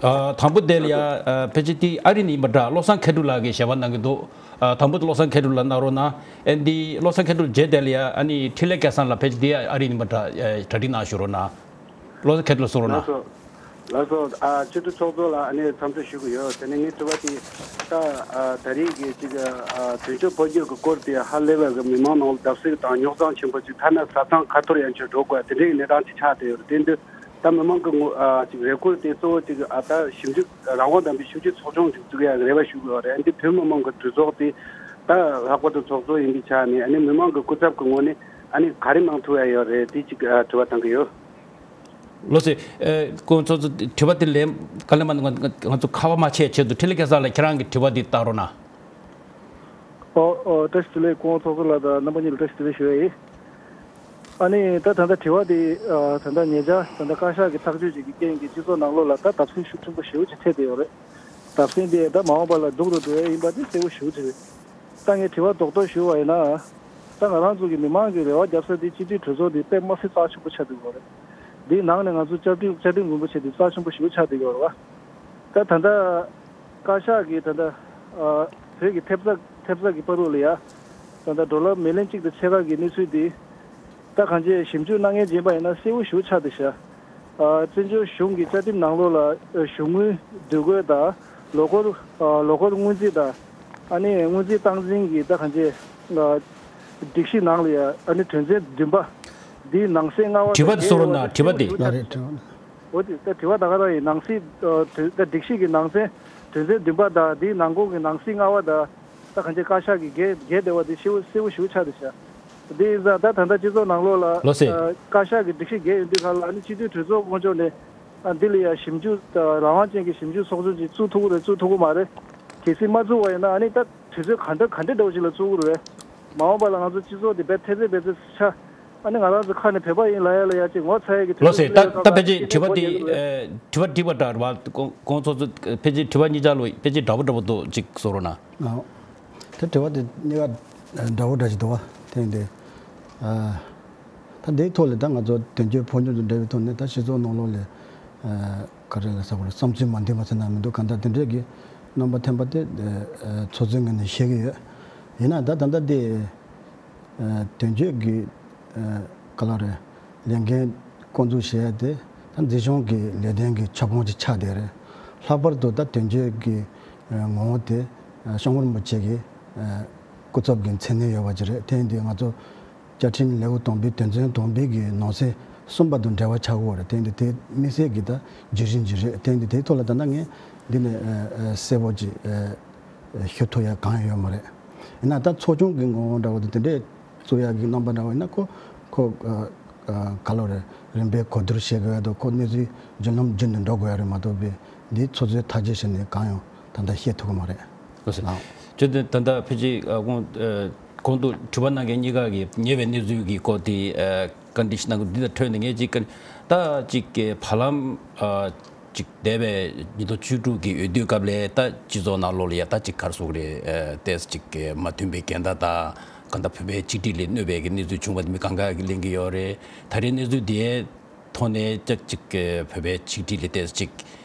ཨ་དང་པོ་དེ་ལ་ཡ་ཨ་ཕལ་ཆེར་དེ་ཨ་རི་ནས་ཡིན་པ་འདྲ། བློ་བཟང་མཁས་གྲུབ་ལགས་ཀྱིས་ཞལ་པར་གནང་གི་འདུག་ཨ་དང་པོ་དེ་བློ་བཟང་མཁས་གྲུབ་ལགས་གནང་རོགས་གནང་། ཨ་འདི་བློ་བཟང་མཁས་གྲུབ་རྗེས་དེ་ལ་ཡ་ཨ་ནི་འཕྲིན་ལས་སྐལ་བཟང་ལགས་ཕལ་ཆེར་དེ་ཨ་རི་ནས་ཡིན་པ་འདྲ་ཨ་གྲ་སྒྲིག་གནང་ཞུ་རོགས་གནང་། བློ་བཟང་མཁས་གྲུབ་ལགས་གསུང་རོགས་གནང་། ལགས་སོ། ལགས་སོ། ཨ་སྤྱི་འཐུས་ཚོགས་གཙོ་ལགས་ཨ་ནི་འཚམས་འདྲི་ཞུ་གི་ཡོད། དེ་ནས་ངའི་དྲི་བ་དེ་ད་ཨ་ད་རེས་ཀྱི་ཅིག་ཨ་དོན་གཅོད་འཕོ་འགྱུར་གྱི་སྐོར་དེ་ཧ་ལས་པའི་མི་མང་ནང་ལ་བརྡབ་གསིག་དང་རྙོག་འཛིང་ཆེན་པོ་ཅིག་ཐ་ན་ས་མཚམས་ཁ་ཐོར་ཡན་ཆད་འགྲོ་དགོས་དེ་འདྲའི་གནས་སྟངས་ཅིག་ཆགས་བསྡད་ཡོད་རེད། དེ་འདི་ད་མི་མང་གི་ངོ་ཨ་ཅིག་རེ་སྐུལ་དེ་གཙོ་བོ་ཅིག་ཨ་ད་ཞིབ་འཇུག་རང་དབང་ལྡན་པའི་ཞིབ་འཇུག་ཚོགས་ཆུང་ཅིག་བཙུགས་ཡག་རེ་བ་ཞུ་གི་ཡོད་རེད། འདི་བོད་མི་མང་གི་གྲོས་ཚོགས་དེ་ད་ལྷག་པར་དུ་ཚོགས་གཙོ་ཡིན་པའི་ཆ་ནས་ཨ་ནི་མི་མང་གི་སྐུ་ཚབ་ཀྱི་ངོས་ནས་ཨ་ནི་ག་རེ་གནང་ཐུབ་ཡ་ཡོད་རེད། དེ་ཅིག་ཨ་དྲི་བ་བཏང་གི་ཡོད། ལགས་སོ། ཨེ་སྐུ་ངོ་ཚོགས་གཙོ་དྲི་བ་དེ་ལན་ག་ལེ་མ་ང་ང་ང་ཚོ་ཁ་པར་མ་ཆད་ཆེད་དུ་འཕྲིན་ལས་སྐལ་བཟང་ལགས་ཁྱེད་རང་གི་དྲི་བ་དེ་བཏང་རོགས་གནང་། ཨོ་ཨོ་བཀྲ་ཤིས་བདེ་ལེགས་སྐུ་ངོ་ཚོགས་གཙོ་ལགས་དང་རྣམ་པ་གཉིས་ལ་བཀྲ་ཤིས་བདེ་ལེགས་ཞུ་ཡ་ཡིན། ཨ་ནི་ད་ད་ལྟ་དྲི་བ་དེ་ཨ་ད་ལྟ་ཉེ་ཆར་ད་ལྟ་བཀའ་ཤག་གི་ཐག་གཅོད་ཅིག་གི་རྐྱེན་གྱིས་སྤྱི་ཚོགས་ནང་ལོགས་ལ་ད་བརྡབ་གསིག་ཤུགས་ཆེན་པོ་ཞེ་པོ་ཅིག་ཐེབས་བསྡད་ཡོད་རེད། བརྡབ་གསིག་དེ་ད་མ་འོངས་པ་ལ་སྡུག་རུ་འགྲོ་ཡ་ཡིན་པ་དེ་གསལ་པོ་ཞེ་པོ་ཅིག་རེད། ད་ངས་དྲི་བ་རྡོག་རྡོག་ཞུ་བ་ཡིན་ན། ད་ང་རང་ཚོ་གི་མི་མང་གི་རེ་བ་རྒྱབ་ས་དེ་སྤྱི་འཐུས་གྲོས་ཚོགས་དེ་དཔེ་མ་སྲིད་རྩ་ཆེན་པོ་ཆགས་བསྡད་ཡོད་རེད། འདིའི་ནང་ནས་ང་ཚོ་བཅའ་ཁྲིམས་བཅའ་ཁྲིམས་རིན་པོ་ཆེ་དེ་རྩ་ཆེན་པོ་ཞེ་པོ་ཆགས་བསྡད་ཡོད་རེད་བ། ད་ད་ལྟ་བཀའ་ཤག་གིས་ད་ལྟ་ཨ་བོད་ཀྱི་ཐེབས་རྩ་ཐེབས་རྩ་གི་བར་དུ་ལ་ཡ། ད་ལྟ་ཌོ་ལར་མི་ལན་གཅིག་དང་ཕྱེད་ཀ་གི་གནས་ཚུལ་དེ། ད་གང་ཅི་ཞིབ་འཇུག་གནང་མཁན་ཡིན་པ་ཡིན་ན་གསལ་པོ་ཞེ་པོ་ཆགས་བསྡད་ཤག་ཨ་བཙན་བྱོལ་གཞུང་གི་བཅའ་ཁྲིམས་ནང་ལོགས་ལ་ཨ་གཞུང་དངུལ་བསྡུ་དགོས་དང་ལོ་འཁོར་ཨ་ལོ་འཁོར་སྔོན་རྩིས་དང་ཨ་ནི་སྔོན་རྩིས་སྟངས་འཛིན་གྱི་ད་གང་ཅི་ཨ་སྒྲིག་གཞི་ནང་ལ་ཡ་ཨ་ནི་དོན་ཚན་བདུན་པ་འདིའི་ནང་གསེས་ལྔ་པ་དྲི་བ་དེ་གསུང་རོགས་གནང་། དྲི་བ་དེ། ལགས་རེད་དྲི་བ། འོ་དེ་ད་དྲི་བ་ད་ག་རང་ཡིན། ནང་གསེས་ཨ་དོན་ད་སྒྲིག་གཞི་གི་ནང་ཚན་དོན་ཚན་བདུན་པ་དང་དེའི་ནང་ཁོངས་ཀྱི་ནང་གསེས་ལྔ་པ་དང་། ད་གང་ཅི་བཀའ་ཤག་གིས་འགལ་འགལ་བསྡད་པ་དེ་གསལ་པོ་གསལ་པོ་ཞེ་པོ་ཆགས་བསྡད་ཤག་དེ་ཡིན་ཙང་ད་ད་ལྟ་སྤྱི་ཚོགས་ནང་ལོགས་ལ་ལགས་སེ། ཨ་བཀའ་ཤག་གི་སྒྲིག་གཞི་འགལ་ཡོང་དུས་སྒང་ལ་ཨ་ནི་སྤྱི་འཐུས་གྲོས་ཚོགས་དཀོན་མཆོག་ནས་ཨ་འདི་ལ་ཡ་ཞིབ་འཇུག་ད་རང་དབང་ཅན་གྱི་ཞིབ་འཇུག་ཚོགས་ཆུང་ཅིག་བཙུགས་ཐུབ་ཀྱི་རེད་བཙུགས་ཐུབ་ཀྱི་མ་རེད། གལ་སྲིད་མ་བཙུགས་པ་ཡིན་ན་ཨ་ནི་ད་དུས་ཚོད་ག་འདྲ་ག་འདྲ་འདྲ་བོ་ཞིག་ལ་བཙུགས་ཀྱི་རེད། མ་འོངས་པ་ལ་ང་ཚོ་སྤྱི་ཚོགས་འདི་རྦད་ཐེ་ཚེ་རྦད་ཚེ་ཆགས། ཨ་ནི་ང་རང་ཚོ་ཁ་ནས་བོད་པ་ཡིན་ལབ་ཡ་ལ་ཡ་ཅིག་ངོ་ཚ་ཡ་གི་དུས་ལོ་ཚོད་སེ་ད་སླེབས་ད་ཡོད་ཕལ་ཆེར་དྲི་བ་འདི་ཨེ་དྲི་བ་འདྲི་བ་འདྲ་རེད་བ། ཁོང་ཁོང་ཚོ་ཚོ་ཕལ་ཆེར་དྲི་བ་གཉིས་ཆ་ལོ་ཕལ་ཆེར་འདྲ་བོ་འདྲ་བོ་འདུག་ཅིག་གསུང་རོགས་གནང་། ཨོ། ད་དྲི་བ་དེ་གཉིས་ཀ་འདྲ་བོ་འདྲ་ཞིག་འདུག་བ། དེ་ཡིན་དུས་ཨ་ད་འདིའི་ཐོག་ལ་ད་ང་ཚོ་དོན་གཅོད་ཕོ་ཉུང་དང་འབྲེལ་བའི་ཐོག་ནས་ད་སྤྱི་ཚོགས་ནང་ལོགས་ལ་ཨ་ག་རེ་ལ་ཟེར་དགོས་རེད། བསམ་ཚུལ་མ་མཐུན་པ་ཟེར་ན་མི་འདུག་གང་ལྟར་དེ་འདྲས་ཀྱི་རྣམ་པ་ཐོན་པ་དེ་ཨ་ཚོགས་གཙོའི་ངོས་ནས་ཤེས་ཀྱི་ཡོད། ཡིན་ན་ད་ད་ལྟ་དེ། ཨ་དོན་གཅོད་ཀྱི་ཨ་ག་ལ་རེད། ལས་འགན་འགོ་འཛུགས་བྱེད་ཡ་དེ་ད་འཛིན་སྐྱོང་གི་ལས་དོན་གྱི་ཁྱབ་ཁོངས་ཅིག་ཆགས་བསྡད་རེད། ལྷག་པར་དུ་ད་དོན་གཅོད་ཀྱི་ཨ་ངོ་བོ་དེ་ཨ་སྐྱབས་མགོན་རིན་པོ་ཆེ་གི་ཨ་སྐུ་ཚབ་ཀྱི་མཚན་གནས་ཡོད་པ་ཅིག་རེད། དེ་ཡིན་དུས་ང་ཚོ་བཅའ་ཁྲིམས་ལེའུ་དང་པོའི་དོན་ཚན་དང་པོའི་གི་ནང་གསེས་གསུམ་པ་དང་འབྲེལ་བ་ཆགས་ཀྱི་ཡོད་རེད། དེ་ཡིན་དུས་དེ་དམིགས་བསལ་གྱི་ད་བརྗོད་གཞི་ཅིག་རེད། དེ་ཡིན་དུས་དེའི་ཐོག་ལ་ད་ལྟ་ངས་འདི་ནས་ཨ་ཨ་གསལ་པོ་ཅིག་ཨ། ཞུ་ཐུབ་ཡ་གང་ཡང་ཡོད་མ་རེད། ཡིན་ན་ད་ཚོགས་ཆུང་གི་ངོ་བོ་འདྲ་བོ་དེ་དེ་འདྲས་བཙུགས་ཡ་གི་རྣམ་པ་འདྲ་བོ་ཡིན་ན་ཁོ་ཁོ་ཨ་ཨ་ག་ལོ་རེད། རིམ་པས་གོ་བསྡུར་བྱེད་དགོས་ཡ་དང་ཁོ་གནས་ཚུལ་རྒྱུན་ལམ་རྒྱུན་དུ་འགྲོ་དགོས་ཡ་རེད་མ་གཏོགས་པའི་འདི་ཚོགས་གཙོས་ཐག་གཅོད་བྱས་ནས་གང་ཡང་ད་ལྟ་བཤད་ཐུབ་ཀྱི་མ་རེད། ལགས་སོ། ལགས། བྱས་ཙང་ད་ལྟ་ཕལ་ཆེར་ཨ་གོང་ཨ་གོང་དུ་དྲི་བ་གནང་མཁན་གཉིས་ཀ་གིས་ཉེ་བའི་གནས་ཚུལ་གྱི་སྐོར་དེ་ཨ་བཀའ་འདྲི་ཞིག་གནང་གི་འདི་དང་འཕྲོས་ནས་ངས་ཅིག་ད་ཅིག་གི་བར་ལམ་ཨ། ཅིག་འདས་པའི་ཉིས་སྟོང་བཅུ་དྲུག་གི་འོས་བསྡུའི་སྐབས་ལ་ད་སྤྱི་ཚོགས་ནང་ལོགས་ལ་ཡ་ད་ཅིག་ག་རེ་ཟེར་དགོས་རེད། ཨ་ཏོག་ཙམ་ཅིག་མ་མཐུན་པའི་འགལ་ཟླ་དང་གང་ལྟར་བོད་པའི་གཅིག་སྒྲིལ་ལ་གནོད་པའི་གི་གནས་ཚུལ་བྱུང་བ་དེ་མི་གང་ག་གིས་གླེང་གི་ཡོད་རེད། ད་རེས་གནས་ཚུལ་དེའི་ཐོག་ནས་ཅིག་ཅིག་བོད་པའི་གཅིག་སྒྲིལ་ལ་ཏོག་ཙམ་ཅིག་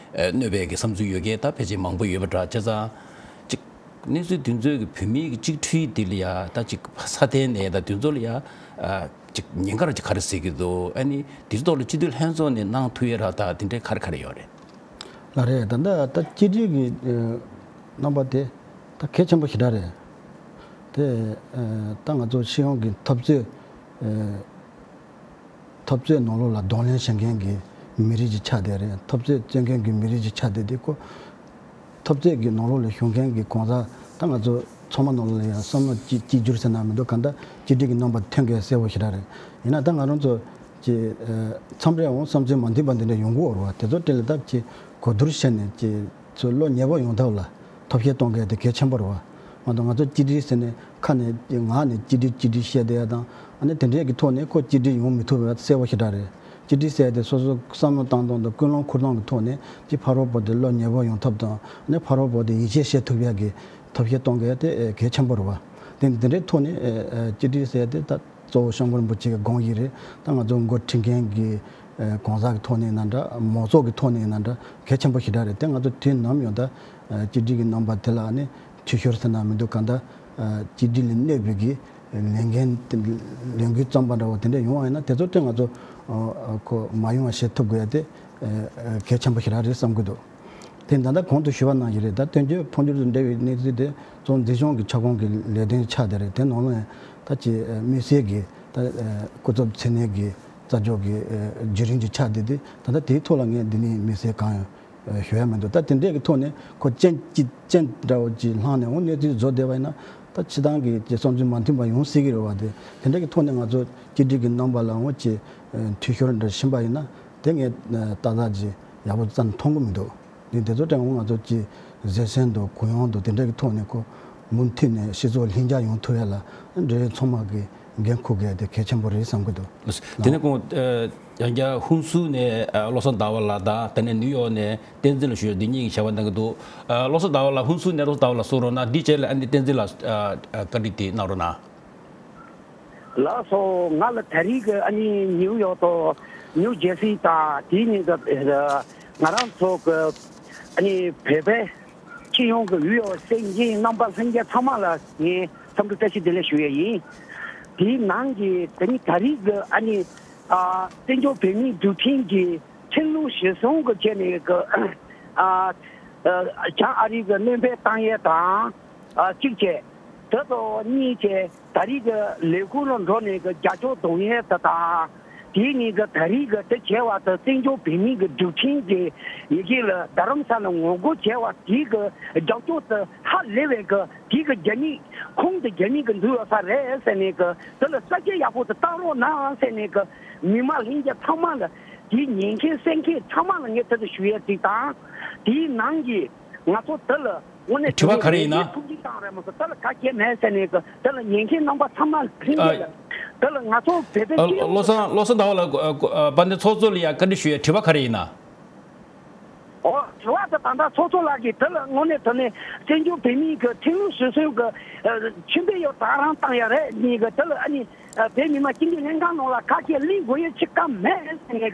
གནོད་པའི་གི་བསམ་ཚུལ་ཡོད་མཁན་ད་ཕལ་ཆེར་མང་པོ་ཡོད་པ་འདྲ། བྱས་ཙང་ཅིག་གནས་ཚུལ་དེ་ཚོའི་གི་བོད་མིའི་གི་གཅིག་སྒྲིལ་དེ་ལ་ཡ་ད་ཅིག་ས་མཐའི་ནས་ད་དེ་ཚོ་ལ་ཡ་ཨ་ཅིག་ཉེན་ཁ་ར་ཅིག་ག་རེ་ཟེར་གི་འདུག་ཨ་ནི་དེ་ཚོ་ཐོག་ལ་སྤྱི་འཐུས་ལྷན་ཚོགས་ནས་གནང་ཐུབ་ཡས་ར་ད་དེ་འདྲའི་ག་རེ་ག་རེ་ཡོད་རེད། ལགས་རེད། ད་ལྟ་ད་གཅིག་སྒྲིལ་གྱི་ཨ་རྣམ་པ་དེ་ད་གལ་ཆེན་པོ་ཞེ་དྲག་རེད། དེ་ཨ་ད་ང་ཚོ་སྤྱི་ཡོངས་ཀྱི་འཐབ་རྩོད་ཨ་འཐབ་རྩོད་ནང་ལོགས་ལ་གདོང་ལེན་བྱེད་མཁན་གྱི་མི་རིགས་ཅིག་ཆགས་བསྡད་རེད། འཐབ་རྩོད་རྩོད་མཁན་གྱི་མི་རིགས་ཅིག་ཆགས་བསྡད་དེ་ཁོ་འཐབ་རྩོད་ཀྱི་ནང་ལོགས་ལ་ཞུགས་མཁན་གྱི་གང་ཟག་ད་ང་ཚོ་ཚང་མ་ནང་ལོགས་ལ་ཡང་བསམ་བློ་གཅིག་གཅིག་གྱུར་ཟེར་ན་མི་འདུག་གང་ལྟར་གཅིག་སྒྲིལ་གྱི་རྣམ་པ་ཐོན་མཁན་གསལ་པོ་ཞེ་དྲག་རེད། ཡིན་ན་ད་ང་རང་ཚོ་ཀྱི་ཨ་མཚམས་རེ་འོང་བསམ་ཚུལ་མ་མཐུན་པ་འདི་འདྲ་ཡོང་གི་ཡོད་རེད་བ། དེ་ཚོ་དེ་ལ་ད་ཀྱི་གོ་བསྡུར་བྱས་ནས་ཀྱི་ཚོ་བློ་ཉེ་པོ་ཡོང་ཐབས་ལ་ཐབས་ཤེས་གཏོང་མཁན་དེ་གལ་ཆེན་པོ་རེད་བ། མ་གཏོགས་ང་ཚོ་གཅིག་སྒྲིལ་ཟེར་ནས་ཁ་ནས་ངག་ནས་གཅིག་སྒྲིལ་གཅིག་སྒྲིལ་བཤད་བསྡད་ཡ་དང་། ཨ་ནི་དེ་འདྲས་ཀྱི་ཐོག་ནས་ཁོ་གཅིག་སྒྲིལ་ཡོང་མི་ཐུབ་པ་གསལ་པོ་ཞེ་དྲག་རེད། གཅིག་སྒྲིལ་ཟེར་ཡ་དེ་སོ་སོ་བསམ་བློ་བཏང་སྟངས་དང་ཀུན་སློང་འཁུར་སྟངས་ཀྱི་ཐོག་ནས་ཀྱི་ཕ་རོལ་པོ་དེ་བློ་ཉེ་པོ་ཡོང་ཐབས་དང་། ཨ་ནི་ཕ་རོལ་པོ་དེ་ཡིད་ཆེས་བྱེད་ཐུབ་ཡ་གི་ཐབས་ཤེས་གཏོང་དགོས་ཡ་དེ་ཨེ་གལ་ཆེན་པོ་རེད་བ། དེ་དེ་འདྲའི་ཐོག་ནས་ཨེ་ཨེ་གཅིག་སྒྲིལ་ཟེར་ཡ་དེ་ད་གཙོ་བོ་སྐྱབས་མགོན་རིན་པོ་ཆེ་གི་དགོངས་ཡིག་རེད། ད་ང་ཚོ་འགོ་ཁྲིད་མཁན་གྱི་ཨེ་གང་ཟག་གི་ཐོག་ནས་ཡིན་ན་འདྲ། མང་ཚོགས་ཀྱི་ཐོག་ནས་ཡིན་ན་འདྲ་གལ་ཆེན་པོ་ཞེ་དྲག་རེད། དེ་ང་ཚོ་དུས་ནམ་ཡང་ད་ཨ་གཅིག་སྒྲིལ་གྱི་རྣམ་པ་དེ་ལ་ནི་འཐུས་ཤོར་ཟེར་ན་མི་འདུག་གང་ལྟར་ཨ་གཅིག་སྒྲིལ་ལ་གནོད་པའི་གི་ལས་འགན་དེ་ལས་འགུལ་བརྩམས་པ་འདྲ་བོ་དེ་འདྲ་ཡོང་བ་ཡིན་ན་དེ་ཚོ་དེ་ང་ཚོ་ཨ་ཨ་ཁོ་མ་ཡོང་བ་བྱེད་ཐུབ་དགོས་ཡ་དེ་ཨ་ཨ་གལ་ཆེན་པོ་ཞེ་དྲག་རེད་བསམ་གི་འདུག་དེ་ད་ལྟ་གོང་དུ་ཞུས་པ་ནང་བཞིན་རེད། ད་བཙན་བྱོལ་འཕོ་འགྱུར་དང་འབྲེལ་བའི་གནས་ཚུལ་དེ་གཙོ་བོ་མཛེས་ལྗོངས་ཀྱི་ཁྱབ་ཁོངས་ཀྱི་ལས་དོན་ཆགས་བསྡད་རེད། དེ་ནང་ལ་ཡང་ད་ཅི་ཨ་དམིགས་བསལ་གྱི་ད་ཨ་སྐུ་ཚབ་མཚན་གནས་ཀྱི་རྩ་འཇོག་གི་ཨ་བརྒྱུད་རིམ་ཅིག་ཆགས་བསྡད་དེ། ད་ལྟ་དེའི་ཐོག་ལ་ངས་འདི་ནས་དམིགས་བསལ་གང་ཡང་ཨ་ཞུ་ཡ་མི་འདུག་ད་དེ་འདྲས་ཀྱི་ཐོག་ནས་ཁོ་རྐྱེན་གཅིག་རྐྱེན་འདྲ་བོ་ཅིག་བསླངས་ནས་འོ་གནས་ཚུལ་བཟོ་བསྡད་པ་ཡིན་ན་ད་སྤྱི་བཏང་གི་ཅིག་བསམ་ཚུལ་མ་མཐུན་པ་ཡོང་སྲིད་ཀྱི་རེད་བ། དེ་དེ་འདྲས་ཀྱི་ཐོག་ནས་ང་ཚོ་གཅིག་སྒྲིལ་གྱི་རྣམ་པ་ལ་འོ་ཅིག་ཨ་འཐུས་ཤོར་འདྲ་ཕྱིན་པ་ཡིན་ན་དེ་ངས་ཨ་ཏག་ཏག་ཅིག་ཡག་པོ་རྩ་ནས་མཐོང་གི་མི་འདུག་འདི་དེ་ཚོ་དྲན་འོང་ང་ཚོ་ཀྱི་བཟོད་བསྲན་དང་གུ་ཡངས་དང་དེ་འདྲ་གི་ཐོག་ནས་ཁོ་མུ་མཐུད་ནས་སྤྱི་ཚོགས་ལྷིང་འཇགས་ཡོང་ཐུབ་ཡ་ལ་འབྲེལ་ཡོད་ཚང་མ་གི་འགན་འཁུར་དགོས་དེ་གལ་ཆེན་པོ་རེད་བསམ་གི་འདུག་དེ་ནས་ཁོང་ཡང་བསྐྱར་ཧུན་སུར་ནས་བློ་བཟང་ཟླ་བ་ལགས་དང་དེ་ནས་ནིའུ་ཡོག་ནས་བསྟན་འཛིན་ལགས་ཞུ་ཡ་འདི་གཉིས་ཀྱི་བྱ་བ་གནང་གི་འདུག་བློ་བཟང་ཟླ་བ་ལགས་ཧུན་སུར་ནས་བློ་བཟང་ཟླ་བ་ལགས་གསུང་རོགས་གནང་། འདི་རྗེས་ལ་ཨ་ནི་བསྟན་འཛིན་ལགས་བཀའ་འདྲི་དེ་གནང་རོགས་གནང་། ལགས་སོ། ང་ལ་ད་རེས་ཀྱི་ཨ་ནི་ནིའུ་ཡོག་དང་ནིའུ་ཇེ་སི་དང་དེའི་ནི་ང་རང་ཚོ་གི་ཨ་ནི་བོད་པའི་སྤྱི་ཡོངས་ཀྱི་འོས་ཡོད་སེམས་ཅན་རྣམ་པ་ལྷན་རྒྱས་ཚང་མ་ལ་ངས་འཚམས་འདྲི་བཀྲ་ཤིས་བདེ་ལེགས་ཞུ་ཡས་ཡིན། དེའི་ནང་གི་ད་ནི་ད་རེས་ཀྱི་ཨ་ནི་ཨ་བཙན་བྱོལ་བོད་མིའི་སྒྲིག་ཁྲིམས་ཀྱི་ཁྲིམས་ལུགས་གཞིར་བཟུང་གི་བྱས་ནས་ཀྱི་ཨ་ཨ་བྱང་ཨ་རི་གི་སྣོན་ཕན་བཏང་ཡས་དང་ཨ་གཅིག་བྱས། དེ་ཚོ་གཉིས་བྱས། ད་རེས་ཀྱི་ལས་ཁུངས་ལ་འགྲོ་ནས་ཀྱི་རྒྱབ་སྐྱོར་གཏོང་ཡས་དེ་དང་། དེའི་ནང་གི་ད་རེས་ཀྱི་དེ་བྱས་པ་དེ་བཙན་བྱོལ་བོད་མིའི་གི་སྒྲིག་ཁྲིམས་ཀྱི་ཡི་གེ་ལ་རྡ་རམ་ས་ལ་ངོ་རྒོལ་བྱས་པ་དེའི་གི་རྒྱབ་སྐྱོར་དེ་ཧ་ལས་པའི་གི་དེའི་གི་རྒྱ་མི་ཁོང་དེ་རྒྱ་མི་གི་འཛུལ་ཡོད་ས་རེད་ཟེར་ནས་གི་དེ་ལ་གསལ་བཤད་ཡག་པོ་དེ་བཏང་རོགས་གནང་ཟེར་ནས་གི་མི་མང་ལྷན་རྒྱས་ཚང་མ་ལ་དེའི་ཉན་མཁན་གསན་མཁན་ཚང་མ་ལ་ངས་དེ་ཚོ་ཞུ་ཡས་དེ་དང་། དེའི་ནང་གི་ང་ཚོ་དེ་ལ་དངོས་གནས་དྲི་བ་ག་རེ་ཡིན་ན། ཐུགས་རྗེ་བཏང་རེད་མ་གཏོགས་དེ་ལ་ག་གེ་མེད་ཟེར་ནས་གི་དེ་ལ་ཉན་མཁན་རྣམ་པ་ཚང་མ་ལྷན་རྒྱས་ལ་དེ་ལ་ང་ཚོ་བོད་པའི་ཨ་སྤྱི་ཡོངས་བློ་བཟང་བློ་བཟང་ཟླ་བ་ལགས། ཨ་ཨ་དཔལ་ལྡན་ཚོགས་གཙོ་ལ་ཡ་བཀའ་འདྲི་ཞུ་ཡས་དྲི་བ་ག་རེ་ཡིན་ན། ཨོ་དྲི་བ་དེ་ད་ལྟ་ཚོགས་གཙོ་ལགས་ཀྱིས་དེ་ལ་དངོས་གནས་དྲང་གནས་བཙན་བྱོལ་བོད་མིའི་གི་ཁྲིམས་ལུགས་སྲོལ་གསུམ་གི་ཨ་ཆོས་དཔོན་ཡོད་ད་རང་བཏང་ཡ་རེད་ནི་གི་དེ་ལ་ཨ་ནི། ཨ་བོད་མི་མང་སྤྱི་འཐུས་ལྷན་ཁང་ནང་ལ་ཁ་ཤས་གླེང་དགོས་ཡ་ཅིག་ག་མེད་ཟེར་ནས་གི་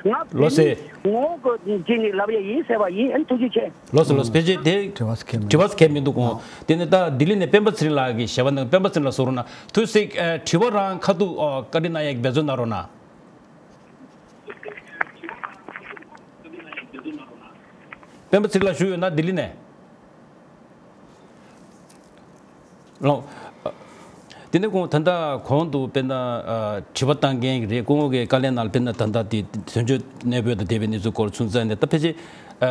ང་ལོ་བོད་སེ། མི་ངོ་གི་བྱས་ནས་ལབ་ཡ་ཡིན་ཟེར་བ་ཡིན། ཨ་ནི་ཐུགས་རྗེ་ཆེ། ལོ་སེ་ལོ་སེ་ཕལ་ཆེར་དེ་དྲི་བ་ཟེར་མཁན་མི་དྲི་བ་ཟེར་མཁན་མི་འདུག་གོ། དེ་ནས་ད་ལྡི་ལི་ནས་སྤེན་པ་ཚེ་རིང་ལགས་ཀྱི་ཞལ་པར་གནང་། སྤེན་པ་ཚེ་རིང་ལགས་གསུང་རོགས་གནང་། ཐུགས་སེ། ཨ་དྲི་བ་རང་ཁ་ཐུག་ཨ་བཀའ་འདྲི་གནང་ཡ་གི་འབད་བརྩོན་གནང་རོགས་གནང་། སྤེན་པ་ཚེ་རིང་ལགས་བཞུགས་ཡོད་ན་ལྡི་ལི་ནས། ལགས། དེ་ནས་ཁོང་ད་ལྟ་གོང་དུ་དཔེར་ན་ཨ་དྲི་བ་བཏང་མཁན་རེད། སྐུ་ངོ་གི་བཀའ་ལན་ནང་དཔེར་ན་ད་ལྟ་དེ་དོན་གཅོད་གནས་སྤོས་དང་འབྲེལ་བའི་གནས་ཚུལ་སྐོར་ཚུན་ཚོད་ནས་ད་ཕལ་ཆེར་ཨ་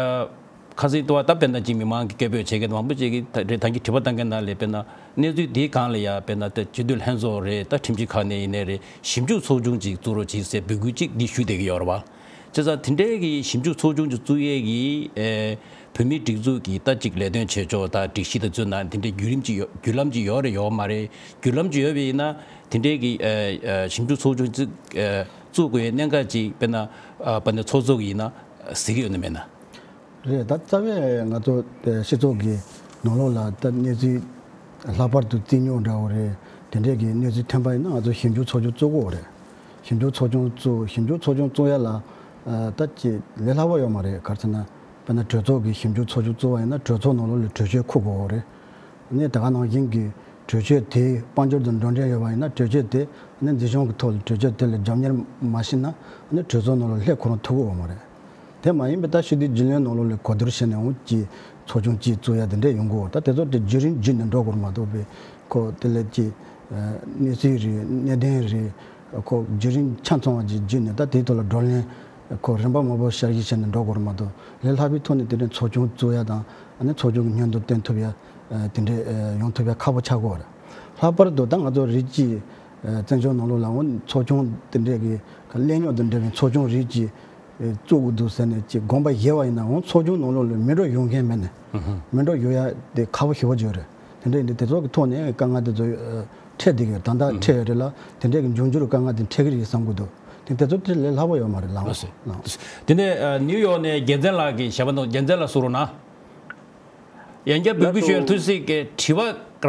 ཁ་སང་ལྟ་བ་ད་དཔེར་ན་ཅིག་མི་མང་གི་སྐད་འབོད་བྱེད་མཁན་མང་པོ་ཅིག་གིས་ད་རེད་ད་གིན་དྲི་བ་བཏང་མཁན་ནང་ལ་དཔེར་ན་གནས་ཚུལ་དེའི་སྒང་ལ་ཡ་དཔེར་ན་ད་སྤྱི་འཐུས་ལྷན་ཚོགས་རེད། ད་ཁྲིམས་ཞིབ་ཁང་ནས་ཡིན་ནའི་རེད། ཞིབ་འཇུག་ཚོགས་ཆུང་ཅིག་བཙུགས་རོགས་གྱིས་ཟེར་འབོད་སྐུལ་ཅིག་འདི་ཞུ་བསྡད་ཀྱི་ཡོད་རེད་བ། བྱས་ཙང་དེ་འདྲའི་གི་ཞིབ་འཇུག་ཚོགས་ཆུང་ཅིག་བཙུགས་ཡས་ཀྱི་ཨེ་བོད་མིའི་སྒྲིག་འཛུགས་ཀྱི་ད་ཅིག་ལས་དོན་བྱེད་ཕྱོགས་དང་སྒྲིག་གཞི་དང་བཙུགས་ན་དེ་འདྲའི་བརྒྱུད་རིམ་ཅིག་ཡོད་བརྒྱུད་ལམ་ཅིག་ཡོད་རེད་ཡོད་མ་རེད། བརྒྱུད་ལམ་ཅིག་ཡོད་པ་ཡིན་ན་དེ་འདྲའི་གི་ཨེ་ཨེ་ཞིབ་འཇུག་ཚོགས་ཆུང་ཅིག་ཨེ་བཙུགས་དགོས་ཡས་གནད་འགག་ཅིག་དཔེར་ན་ཨ་དཔལ་ལྡན་ཚོགས་གཙོ་གིས་ཡིན་ན་གཟིགས་ཀྱི་ཡོད་ན་མེད་ན། རེད། ད་རྩ་བའི་ང་ཚོ་དེ་སྤྱི་ཚོགས་ཀྱི་ནང་ལོགས་ལ་ད་གནས་ཚུལ་ལྷག་པར་དུ་རྩིས་རྙོག་འདྲ་བོ་རེད། དེ་འདྲས་ཀྱི་གནས་ཚུལ་ཐོན་པ་ཡིན་ན་ང་ཚོ་ཞིབ་འཇུག་ཚོགས་ཆུང་བཙུགས་དགོས་རེད། ཞིབ་འཇུག་ཚོགས་ཆུང་བཙུགས། ཞིབ་འཇུག་ཚོགས་ཆུང་བཙུགས་ཡ་ལ་ཨ་ད་ཅི་ལས་སླ་བོ་ཡོད་མ་རེད། ག་རེ་ཟེར་ན་དཔེར་ན་གྲོས་ཚོགས་ཀྱི་ཞིབ་འཇུག་ཚོགས་ཆུང་བཙུགས་པ་ཡིན་ན་གྲོས་ཚོགས་ནང་ལོགས་ལ་གྲོས་ཆོད་འཁུར་དགོས་རེད། ནས་ད་ག་ནང་བཞིན་གྱི་གྲོས་ཆོད་དེ་དཔལ་འབྱོར་དང་འགྲོ་འབྲེལ་ཡོད་པ་ཡིན་ན་གྲོས་ཆོད་དེ་ནི་འཛིན་སྐྱོང་གི་ཐོག་ལ་གྲོས་ཆོད་དེ་ལ་རྒྱབ་གཉེར་མ་བྱས་ན་ནི་གྲོས་ཚོགས་ནང་ལ་ལྷན་ཁོ་རང་ཐུག་གི་ཡོད་མ་རེད། དེ་མ་ཡིན་པའི་ད་ཕྱི་དྲིལ་རྒྱུན་ལས་ནང་ལོགས་ལ་གོ་བསྡུར་བྱས་ནས་འོང་གི་ཚོགས་ཆུང་གཅིག་བཙུགས་ཡ་དེ་འདྲས་ཡོང་གི་ཡོད། ད་དེ་ཚོ་དེ་བརྒྱུད་རིམ་བརྒྱུད་ནས་འགྲོ་དགོས་མ་གཏོགས་པའི་ཁོ་དེ་ལས་ཀྱི་གནས་ཚུལ་རེད། གནད་དོན་རེད། ཁོ་བརྒྱུད་རིམ་ཆ་ཚང་བ་ཅིག་བརྒྱུད་ནས་ད་དེའི་ཐོག་ལ་བགྲོ་གླེང་ཁོ་རིམ་པ་མང་པོ་བསྐྱར་ཞིབ་བྱས་ནས་འགྲོ་དགོས་མ་གཏོགས་ལས་སླ་པོའི་ཐོག་ནས་དེ་འདྲའི་ཚོགས་ཆུང་བཙུགས་ཡ་དང་ཨ་ནི་ཚོགས་ཆུང་གི་སྙན་ཐོ་བཏོན་ཐུབ་ཡ་དེ་འདྲས་ཡོང་ཐུབ་ཡ་ཁག་པོ་ཆགས་ཀྱི་ཡོད་རེད། ལྷག་པར་དུ་ད་ང་ཚོ་རིགས་ཀྱི་བཙན་བྱོལ་ནང་ལོགས་ལ་འོང་ཚོགས་ཆུང་དེ་འདྲས་ཀྱི་གླེང་རྙོག་དང་འབྲེལ་བའི་ཚོགས་ཆུང་རིགས་ཀྱི་བཙུགས་དགོས་འདུག་ཟེར་ནས་ཅིག་དགོངས་པ་བཞེས་པ་ཡིན་ན་འོང་ཚོགས་ཆུང་ནང་ལོགས་ལ་མི་འགྲོ་ཡོང་མཁན་མེད་ནས་མི་འགྲོ་ཡོང་ཡ་དེ་ཁག་པོ་ཞེ་པོ་ཅིག་རེད། དེ་འདྲ་ཡིན་དུས་དེ་ཚོ་གི་ཐོག་ནས་དཀའ་ངལ་དེ་ཚོ་འཕྲད་བསྡད་ཀྱི་ཡོད། ད་ལྟ་འཕྲད་ཡོད་རེད་ལ་དེ་འདྲ་གི་འབྱུང་འགྱུར་དཀའ་ངལ་དེ་འཕྲད་ཀྱི་རེད་བསམ་གྱི་འདུག་དེ་དེ་ཚོ་དེ་ལས་སླ་པོ་ཡོད་མ་རེད་ལགས། ལགས་སོ། དེ་ནས་ནིའུ་ཡོག་ནས་རྒྱལ་མཚན་ལགས་ཀྱིས་ཞལ་པར་འདུག་རྒྱལ་མཚན་ལགས་གསུང་རོགས་གནང་། ཡང་བསྐྱར་འབོད་སྐུལ་ཞུ་ཡ་ལགས་སོ། ཐུགས་གཟིགས་ཀྱི་དྲི་བ་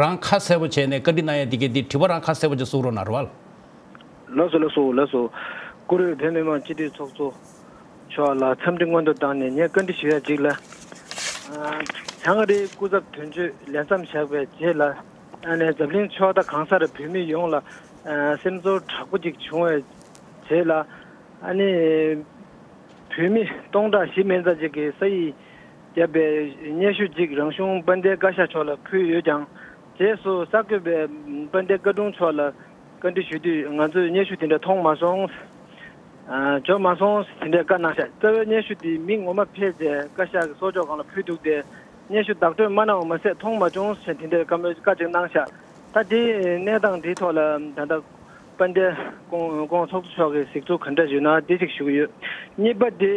རང་ཁ་གསལ་པོ་བྱས་ནས་བཀའ་འདྲི་གནང་ཡ་དེ་གའི་དེ་དྲི་བ་རང་ཁ་གསལ་པོ་ཅིག་གསུང་རོགས་གནང་རོགས་ཨ། ལགས་སོ་ལགས་སོ་ལགས་སོ། བཀུར་འོས་བོད་མི་མང་སྤྱི་འཐུས་ཚོགས་གཙོ་མཆོག་ལ་འཚམས་འདྲི་སྔོན་དུ་བཏང་ནས་ངས་བཀའ་འདྲི་ཞུ་ཡ་གཅིག་ལ། ཨ། བྱང་རི་སྐུ་ཚབ་དོན་གཅོད་ལས་མཚམས་བཞག་པའི་རྗེས་ལ་ཨ་ནི་འཛམ་གླིང་ཕྱོགས་མཐའ་གང་སར་བོད་མི་ཡོངས་ལ་ཨ་སེམས་ཚོར་དྲག་པོ་ཅིག་བྱུང་བའི་རྗེས་ལ་ཨ་ནི་བོད་མི་སྟོང་ཕྲག་བཞི་མན་ཙམ་ཅིག་གིས་ས་ཡིག་བརྒྱབ་པའི་སྙན་ཞུ་གཅིག་རང་གཞུང་དཔལ་ལྡན་བཀའ་ཤག་མཆོག་ལ་ཕུལ་ཡོད་ཀྱང་། རྗེས་སུ་གསར་འགོད་པས་དཔལ་ལྡན་བཀའ་དྲུང་མཆོག་ལ་བཀའ་འདྲི་ཞུ་དུས་ང་ཚོས་སྙན་ཞུ་དེ་འདྲ་མཐོང་མ་སོང་། ཨ། འབྱོར་མ་སོང་དེ་འདྲའི་བཀའ་གནང་ཤག་རྩ་བའི་སྙན་ཞུ་དེ་མི་ངོ་མ་ཕེབས་རྗེས་བཀའ་ཤག་གི་གསོལ་ལྕོག་སྒང་ལ་ཕུལ་འདུག་སྟེ། སྙན་ཞུ་བདག་སྤྲོད་མ་གནང་བ་མ་ཟད་མཐོང་མ་བྱུང་ཞེས་དེ་འདྲའི་བཀའ་མོལ་བཀའ་ཅིག་གནང་ཤག་ད་དེའི་གནས་སྟངས་འདིའི་ཐོག་ལ་ད་ལྟ་དཔལ་ལྡན་སྐུ་ངོ་ཚོགས་གཙོ་མཆོག་གིས་གཟིགས་ཚུལ་ག་འདྲ་ཡོད་ན་འདི་ཞིག་ཞུ་གི་ཡོད། གཉིས་པ་དེ།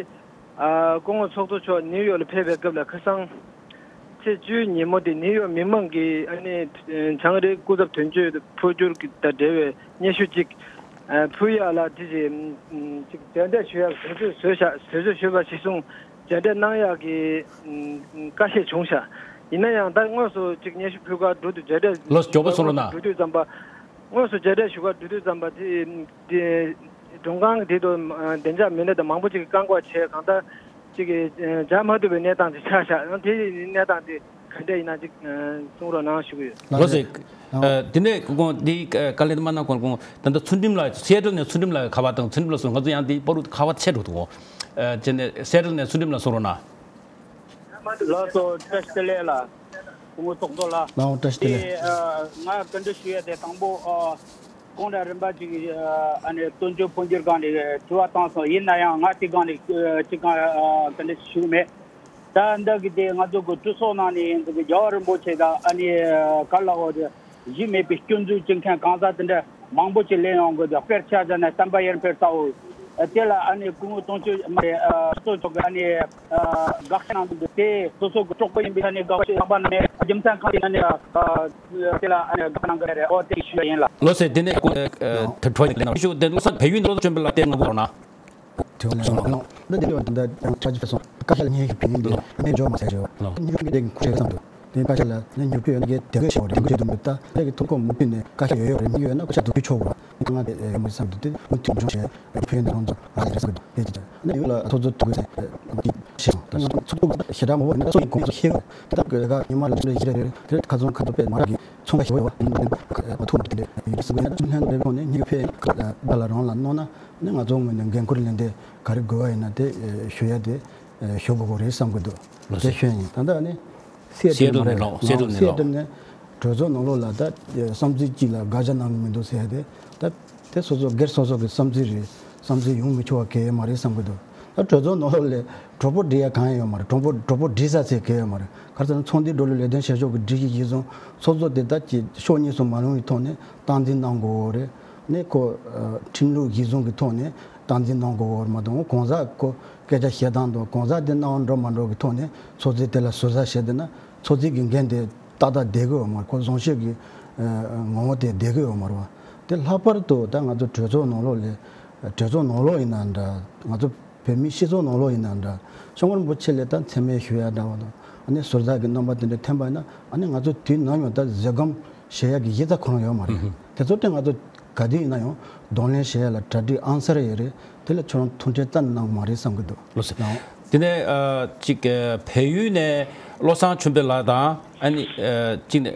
ཨ། སྐུ་ངོ་ཚོགས་གཙོ་མཆོག་ནིའུ་ཡོག་ལ་ཕེབས་པའི་སྐབས་ལ་ཁ་སང་ཚེས་བཅུའི་ཉིན་མོ་དེ་ནིའུ་ཡོག་མི་མང་གིས་ཨ་ནི་བྱང་རི་སྐུ་ཚབ་དོན་གཅོད་འཕོ་འགྱུར་དང་འབྲེལ་བའི་སྙན་ཞུ་གཅིག་ཨ་ཕུལ་ཡག་ལ་དེ་བཞིན་ཅིག་མཇལ་འཕྲད་ཞུ་ཡག་དུས་ཚོད་བཟོས་ཤག་དུས་ཚོད་ཞུས་པ་གཞིར་བཟུང་མཇལ་འཕྲད་གནང་ཡག་གི་བཀའ་བཞེས་བྱུང་ཤག་ཡིན་ན་ཡང་ད་དངོས་སུ་ཅིག་སྙན་ཞུ་ཕུལ་གར་འགྲོ་དུས་མཇལ་འཕྲད་ལོ་མགྱོགས་པོ་སོང་རོགས་གནང་། འགྲོ་དུས་ཙམ་པ། དངོས་སུ་མཇལ་འཕྲད་ཞུ་གར་འགྲོ་དུས་ཙམ་པ་དེ་དེ་མགྲོན་ཁང་གི་དེ་དུ་བདེ་འཇགས་མི་སྣ་དང་མང་པོ་ཅིག་གིས་བཀག་འགོག་བྱས་གང་ལྟར་ཅིག་གིས་མཇལ་མ་ཐུབ་པའི་གནས་སྟངས་ཅིག་ཆགས་ཤག་ཡང་དེ་གནས་སྟངས་དེ་ག་འདྲ་ཡིན་ན་ཅིག་གསུང་རོགས་གནང་ཞུ་གི་ཡོད། ལགས་སོ། དེ་ནས་ཁོང་དེ་བཀའ་ལན་མ་གནང་གོང་ཁོང་ད་ལྟ་ཚུལ་ཁྲིམས་ལགས་སི་ཨེ་ཊལ་ནས་ཚུལ་ཁྲིམས་ལགས་ཁ་པར་དང་ཚུལ་ཁྲིམས་ལགས་སུ་ང་ཚོ་ཡང་དེ་པར་ཁ་པར་ཆད་འགྲོ་འདུག་གོ། དེ་ནས་སི་ཨེ་ཊལ་ནས་ཚུལ་ཁྲིམས་ལགས་གསུང་རོགས་གནང་། ལགས་སོ། བཀྲ་ཤིས་བདེ་ལེགས་ལགས། སྐུ་ངོ་ཚོགས་གཙོ་ལགས། ལགས་འོང་། བཀྲ་ཤིས་བདེ་ལེགས། དེ་ཨ་ང་བཀའ་འདྲི་ཞུ་ཡ་དེ་དང་པོ་ཨ་གང་འདྲ་རིམ་པ་ཅིག་ཨ་ནི་དོན་གཅོད་འཕོ་འགྱུར་སྒང་ནས་དྲི་བ་བཏང་སོང་། ཡིན་ན་ཡང་ང་དེ་སྒང་ནས་ཅི་གང་ཨ་བཀའ་འདྲི་ཞུ་གི་མེད། ད་འདི་གི་དེ་ང་ཚོ་གི་གྲོས་ཚོགས་ནང་ནས་འདི་གི་རྒྱལ་བ་རིན་པོ་ཆེ་དང་ཨ་ནི་ག་ལ་འོ་དེ་གཞི་མེད་པའི་སྐྱོན་འཛུགས་བྱེད་མཁན་གང་ཟག་དེ་འདྲ་མང་པོ་ཅིག་སླེབས་ཡོང་གི་འདུག་དཔེར་ཆ་བཞག་ན་བསྟན་པ་ཡར་འཕེལ་ལྟ་བུ། དེ་ལ་ཨ་ནི་སྐུ་ངོ་དོན་གཅོད་མ་རེད། ཨ་གཙོ་མཆོག་གི་ཨ་ནི་ཨ་དགག་བྱ་གནང་འདུག་དེ་སོ་སོ་གི་གྲོགས་པོ་ཡིན་པའི་ཨ་ནི་དགག་བྱ་གནང་པ་ནི་མེད། རྒྱུ་མཚན་གང་ཡིན་ན་ནི་ཨ་དེ་ལ་ཨ་ནི་དགག་གནང་གི་རེད། ཨོ་དེ་ཞུ་ཡ་ཡིན་ལགས། ལགས་སོ། དེ་ནས་ཨ་དྲི་བ་ཞིག་ལེན་ན་ཞུ། དེ་ལགས་སོ། བལ་ཡུལ་ནང་ལོགས་ཚོ་བྱོན་པའི་ལ་དེ་ང་གོ་རོགས་གནང་། དྲི་བ་ལན་གནང་། འདི་འདི་ཡོད་ད་ལྟ་ཡང་ཁྲ་ཆུ་ཕེ་སོང་བཀའ་ཤག་ལ་སྙན་ཞུ་ཕུལ་ཡིན་འདི་ནས་འབྱོར་མ་ཟེར་ཞུ། ལགས། སྙན་ཞུ་ཕུལ་དེ་ཁུ་ཆེ་བསམ་འདུག་དེ་བཀའ་ཤག་ལ་ནི་ཉོ་ཕུལ་ཡོད་ན་གལ་དེ་གོས་ཤེས་བ་རེད། དེ་གོས་ཤེས་དུ་མི་ལྟ་དེ་གི་ཐུགས་ཁོམ་མུ་མཐུད་ནས་བཀའ་ཤག་ཡོད་ཡོད་རེད། མི་ཡོད་ན་བཀའ་ཤག་དུ་ཕུལ་ཆོག་གོ་ང་དེ་ཡོད་མ་བསམ་འདུག་དེ་མུ་མཐུད་འབྱུང་བྱས་ཕུལ་ཡོད་ན་རང་ཚོ་ལ་རེད་བསམ་འདུག་དེ་ཅི་ཅི་ནི་ཡོད་ལ་ཚོགས་གཙོ་ཐུག་གི་ཟེར་གི་ཤེས་སོང་། ད་ང་ཚོགས་གཙོ་ཞེ་དྲག་མང་པོ་ཡིན་ན་ཚོགས་ཀྱི་གོང་ཚོ་ཤེས་གི་རེད། དེ་དག་གི་ལས་ཀ་ཉི་མ་ལ་ཕྱིན་རེ་ཡིན་རེ་རེད། དེ་ཁ་ཚོན་ཁ་ཚོན་དཔེ་མ་རག་གི་ཚོང་ཁ་ཞེ་པོ་ཡོད་བ་ཡིན་ན་ཐུག་གི་ཐུག་ཐུག་ཐུག་ཐུག་ལྷན་དུ་རེ་ཁོང་ནས་ཉི་གུ་ཕེ་ད་ལ་རང་ལ་གནོད་ན་ནི་ང་ཚོ་ངོས་ནས་འགན་ཁུར་ལེན་ཏེ་ག་རེ་དགོས་བ་ཡིན་ན་དེ་ཞུ་ཡ་དེ་ཞུ་དགོས་གོ་རེད་བསམ་གི་འདུག་ལགས་སོ། དེ་ཤོད་ཡིན། ད་ལྟ་ནི་སི་ཨེ་ཊལ་མ་རེད། ལགས་སི་ཨེ་ཊལ་ནས་ལགས། སི་ཨེ་ཊལ་ནས་གྲོས་ཚོགས་ནང་ལོགས་ལ་ད་བསམ་ཚུལ་གཅིག་ལ་དགག་བྱ་གནང་གི་མི་འདུག་ཟེར་ཡ་དེ་ད་དེ་སོ་སོ་སྒེར་སོ་སོ་གི་བསམ་ཚུལ་རེད། བསམ་ཚུལ་ཡོང་མི་ཆོག་པ་གལ་ཡོད་མ་རེད་བསམ་གི་འདུག་ད་གྲོས་ཚོགས་ནང་ལོགས་ལ་གྲོགས་པོ་སྒྲིག་ཡ་གང་ཡང་ཡོད་མ་རེད། གྲོགས་པོ་གྲོགས་པོ་སྒྲིག་ས་ཚད་གལ་ཡོད་མ་རེད། ག་རེ་ཟེར་ན་ཚོགས་འདུའི་འགྲོ་ལུགས་ལས་དོན་བྱེད་ཕྱོགས་ཀྱི་སྒྲིག་གཞི་གཞིར་བཟུང་ཚོགས་གཙོ་དེ་ད་ཀྱི་ཕྱོགས་གཉིས་སུ་མ་ལྷུང་བའི་ཐོག་ནས་སྟངས་འཛིན་གནང་དགོས་རེད། ནས་ཁོ་ཁྲིམས་ལུགས་གཞིར་བཟུང་གི་ཐོག་ནས་སྟངས་འཛིན་གནང་དགོས་པ་མ་གཏོགས་གང་ཟག་ཁོ་སྐད་ཆ་བཤད་སྟངས་དང་གང་ཟག་དེ་སྣང་བ་འགྲོ་མ་འགྲོ་གི་ཐོག་ནས་ཚོགས་གཙོས་དེ་ལ་ཟུར་ཟ་བྱས་བསྡད་ན་ཚོགས་གཙོ་གི་འགན་དེ་ཏག་ཏག་བསྡད་ཀྱི་ཡོད་མ་རེད། ཁོ་བཟང་ཤོས་ཀྱི་ངོ་བོ་དེ་བསྡད་ཀྱི་ཡོད་མ་རེད་བ། དེ་ལྷག་པར་དུ་ད་ང་ཚོ་གྲོས་ཚོགས་ནང་ལོགས་ལ་གྲོས་ཚོགས་ནང་ལོགས་ཡིན་ན་འདྲ་ང་ཚོ་ བོད་མིའི་སྤྱི་ཚོགས་ནང་ལོགས་ཡིན་ན་འདྲ། སྐྱབས་མགོན་རིན་པོ་ཆེ་ལ་ད་མཚན་སྨད་ཞུ་ཡ་འདྲ་བ་དང་། ཨ་ནི་ཟུར་ཟ་གི་རྣམ་པ་དེ་འདྲ་ཐོན་པ་ཡིན་ན། ཨ་ནི་ང་ཚོ་དུས་ནམ་ཡང་ད་བཟོད་སྒོམ་བཞེས་ཡ་གི་ཡིད་ཚ་ཁོ་རང་ཡོད་མ་རེད། དེ་ཚོ་དེ་ང་ཚོ་ག་དུས་ཡིན་ན་ཡང་གདོང་ལེན་བྱེད་ཡ་ལ་གྲ་སྒྲིག་ཨང་གསར་ཡོད་རེད། དེ་ལ་ཁྱོད་རང་ཐུགས་ཁྲལ་རྩ་ནས་གནང་གི་མ་རེད་བསམ་གི་འདུག་ལགས་སོ། ལགས། དེ་ནས་ཨ་ཅིག་ཨ་བལ་ཡུལ་ནས་བློ་བཟང་ཆོས་འཕེལ་ལགས་དང་། ཨ་ནི་ཨ་ཅིག་ནས་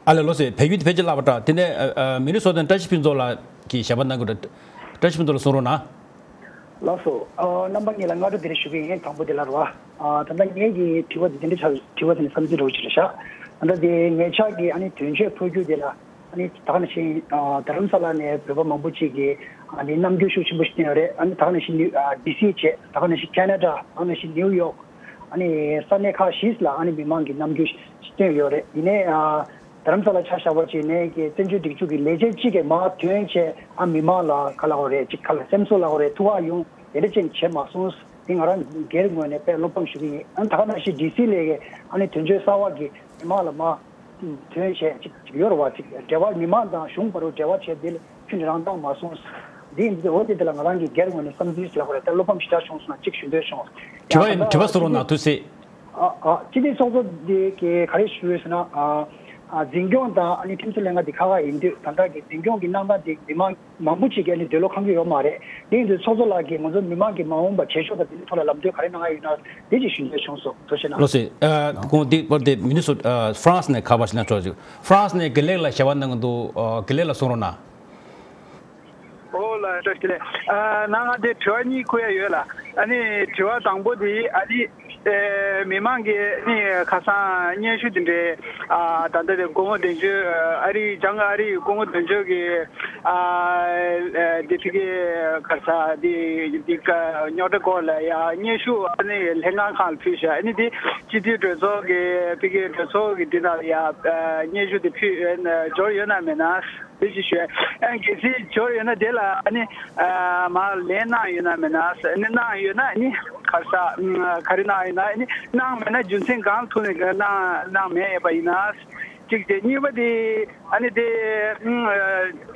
ཨ་ལས་ལགས་སོ། བལ་ཡུལ་དེ་ཕལ་ཆེར་བརླག་པ་འདྲ། དེ་ནས་ཨ་ཨ་མི་ནི་སོ་ཊ་ནས་བཀྲ་ཤིས་ཕུན་ཚོགས་ལགས་ཀྱིས་ཞལ་པར་གནང་གི་འདུག་བཀྲ་ཤིས་ཕུན་ཚོགས་ལགས་གསུང་རོགས་གནང་། ལགས་སོ། ཨ་རྣམ་པ་གཉིས་ལ་སྔ་དྲོ་བདེ་ལེགས་ཞུ་གི་ཡིན། དང་པོ་དེ་ལ་རེད་བ། ཨ་ད་ལྟ་ངེད་ཀྱི་དྲི་བ་དེ་དེ་འདྲ་ཆགས། དྲི་བ་དེ་ནི་བསམ་ཚུལ་འདྲ་བོ་ཅིག་རེད་ཤག་ད་ལྟ་དེ་ངེད་ཅག་གི་ཨ་ནི་དོན་གཅོད་འཕོ་འགྱུར་དེ་ལ། ཨ་ནི་ད་ག་ནང་བཞིན་ཨ་རྡ་རམ་ས་ལ་ནས་བོད་པ་མང་པོ་ཅིག་གིས་ཨ་ནི་རྣམ་འགྱུར་ཤུགས་ཆེན་པོ་ཞིག་བསྟན་ཡོད་རེད། ཨ་ནི་ད་ག་ནང་བཞིན་ནིའུ་ཨ་ཌི་སི་བྱས། ད་ག་ནང་བཞིན་ཁེ་ན་ཌ། ད་ག་ནང་བཞིན་ནིའུ་ཡོག་ཨ་ནི་ས་གནས་ཁག་བཞི་ལ་ཨ་ནི་མི་མང་གིས་རྣམ་འགྱུར་ཞིག་བསྟན་ཡོད་རེད། ཡིན་ནའི་ཨ་རྡ་རམ་ས་ལ་ཆ་བཞག་པ་ཅིག་ནས་ཀྱི་བཙན་བྱོལ་སྒྲིག་འཛུགས་ཀྱི་ལས་བྱེད་ཅིག་གིས་མར་ཐོན་བྱས། ཨ་མི་མང་ལ་ག་ལ་འོ་རེད། ཅིག་ག་ལ་སེམས་གསོ་ལ་འོ་རེད། ཐུགས་ཁག་ཡོང་དེ་འདྲ་ཅིག་བྱས་མ་སོང་། དེ་ང་རང་སྒེར་ངོས་ནས་དཔེ་བློ་ཕམ་ཞུ་གི་ཡིན། ཨ་ནི་ད་ག་ནང་བཞིན་ཌི་སི་ལ་ཨ་ནི་དོན་གཅོད་གསར་པ་གིས་མི་མང་ལ་མར་ཐོན་བྱས་ཅིག་ཅིག་ཡོད་རེད་བ། ཅིག་འབྲེལ་བ་མི་མང་དང་གཞུང་བར་དུ་འབྲེལ་བ་བྱས། དེ་ལ་ཁྱོན་ནས་རང་བཏང་མ་སོང་། འདི་འདི་འོ་དེ་དེ་ལ་ང་རང་གི་སྒེར་ངོས་ནས་བསམ་ཚུལ་ཞིག་ལབ་པ་རེད། ད་བློ་ཕམ་ཞེ་དྲག་བྱུང་སོང་ན་ཅིག་ཞུ་འདོད་བྱུང་། དྲི་བ་ཡིན། དྲི་བ་གསུང་རོགས་གནང་། ཐུགས་སྲིད། ཨ་ཨ་སྤྱི་འཐུས་ཚོགས་གཙོ་འདི་གི་ག་རེ་ཞུ་ཡོད་ཟེར་ན། ཨ་ཨ་འཛིན་སྐྱོང་དང་ཨ་ནི་ཁྲིམས་སྲོལ་ལྷན་ཁང་འདི་ཁག་ཁག་ཡིན་དུས། ད་ལྟ་གི་འཛིན་སྐྱོང་གི་གནང་སྟངས་འདི་མི་མང་མང་པོ་ཅིག་གིས་ཨ་ནི་འདོད་བློ་ཁེངས་ཀྱི་ཡོད་མ་རེད། དེ་ཡིན་དུས་ཚོགས་གཙོ་ལགས་ཀྱིས་ང་ཚོ་མི་མང་གི་མ་འོངས་པ་བྱེད་ཕྱོགས་དང་དེའི་ཐོག་ལ་ལམ་སྟོན་ག་རེ་གནང་ཡ་ཡོད་ན། དེ་ཅིག་ཞུ་འདོད་བྱུང་སོང་། ཐུགས་རྗེ་གནང་། ལགས་སོ། ཨ་དགོངས་དག་པར་དེ་མི་ནི་སོ་ཨ་ཧྥ་རན་སི་ནས་ཁ་པར་ཞིག་གནང་ཆོག་ཅིག་ཧྥ་རན་སི་ནས་དགེ་ལེགས་ལགས་ཞལ་པར་གནང་གི་འདུག་ཨ་དགེ་ལེགས་ལགས་གསུང་རོགས་གནང་། ཨོ་ལགས་བཀྲ་ཤིས་བདེ་ལེགས། ཨ་ནང་ང་དེ་དྲི་བ་གཉིས་བཀོད་ཡ་ཡོད་ལགས། ཨ་ནི་དྲི་བ་དང་པོ་དེ་ཨ་ནི་ཨེ་མི་མང་གིས་ཨ་ནི་ཁ་སང་སྙན་ཞུ་དེ་འདྲའི་ཨ་ད་ལྟ་དེ་སྐུ་ངོ་དོན་གཅོད་ཨ་རི་བྱང་ཨ་རི་སྐུ་ངོ་དོན་གཅོད་ཀྱིས་ཨ་ཨེ་དེ་ཕ་གི་ག་རེ་ཟ་དེ་དེ་ཀ་རྙོག་དྲ་སྐོར་ལ་ཡ་སྙན་ཞུ་ཨ་ནི་ལྷན་ཁང་ཁག་ལ་ཕུལ་ཤག་ཨ་ནི་དེ་སྤྱི་འཐུས་གྲོས་ཚོགས་ཀྱི་ཕ་གི་གྲོས་ཚོགས་ཀྱི་དེ་ནང་ལ་ཡ་ཨ་སྙན་ཞུ་དེ་ཕུལ་ཡོད་ན་འབྱོར་ཡོད་ན་མེད་ན། དེ་ཅིག་ཞུས། ཨ་གལ་སྲིད་འབྱོར་ཡོད་ན་དེ་ལ་ཨ་ནི་ཨ་མར་ལན་གནང་ཡོད་ན་མེད་ན་ཟེར། ཨ་ནི་གནང་ཡོད་ན་ཨ་ནི་ག་རེ་ཟ་ཨ་ག་རེ་གནང་ཡོད་ན། ཨ་ནི་གནང་མེད་ན་རྒྱུ་མཚན་གང་ཐོག་ནས་གནང་གནང་མེད་ཡོད་པ་ཡིན་ན། གཅིག་དེ། གཉིས་པ་དེ་ཨ་ནི་དེ་ཨ་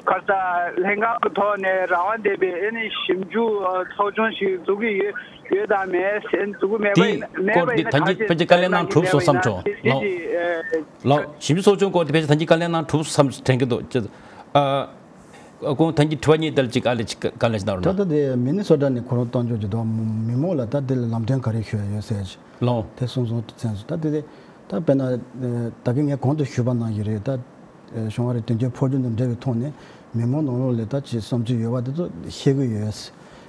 ག་རེ་ཟ་ལྷན་ཁང་གི་ཐོག་ནས་རང་དབང་ལྡན་པའི་ཨ་ནི་ཞིབ་འཇུག་ཚོགས་ཆུང་ཞིག་འཛུགས་ཀྱི་ཡོད་ཡོད་དང་མེད་ཟེར། འཛུགས་ཀྱི་མེད་པ་ཡིན་ན། དེའི་མེད་པ་སྐོར་དེ་ཡིན་ན་ད་ག་གིན་ཅིག་ཕལ་ཆེར་བཀའ་ལན་གནང་གྲུབ་སོང་བསམ་བྱུང་། ལགས། ལགས། ཞིབ་འཇུག་ཚོགས་ཆུང་སྐོར་དེ་ཕལ་ཆེར་ད་གིན་བཀའ་ལན་གནང་གྲུབ་བསམ་དྲན་གྱི་འདུག་ཨ་ཁོང་ད་གིན་དྲི་བ་གཉིས་དེ་ལ་ཅིག་ཨ་ལས་ཅིག་བཀའ་ལན་ཞིག་གནང་རོགས་གནང་། ད་ལྟ་དེ་མི་ནི་སོ་ཊ་ནས་ཁོ་རང་གཏོང་ཆོག་ཅིག་འདུག་མི་མང་ལ་ད་དེ་ལ་ལམ་སྟོན་ག་རེ་ཞུ་ཡ་ཡོད་ཟེར་ཅིག་ལགས། དེ་གསུངས་སོང་དུས་ཚོད་སུ། ད་དེ་དེ་ད་དཔེར་ན་ད་གིན་ངས་གོང་དུ་ཞུས་པ་ནང་བཞིན་རེད། ད་ཞུ་བ་རེད། དོན་གཅོད་འཕོ་འགྱུར་དང་འབྲེལ་བའི་ཐོག་ནས་མི་མང་ནང་ལོགས་ལ་ད་ཅིག་བསམ་ཚུལ་ཡོད་པ་དེ་ཚོ་བཤད་ཀྱི་ཡོད།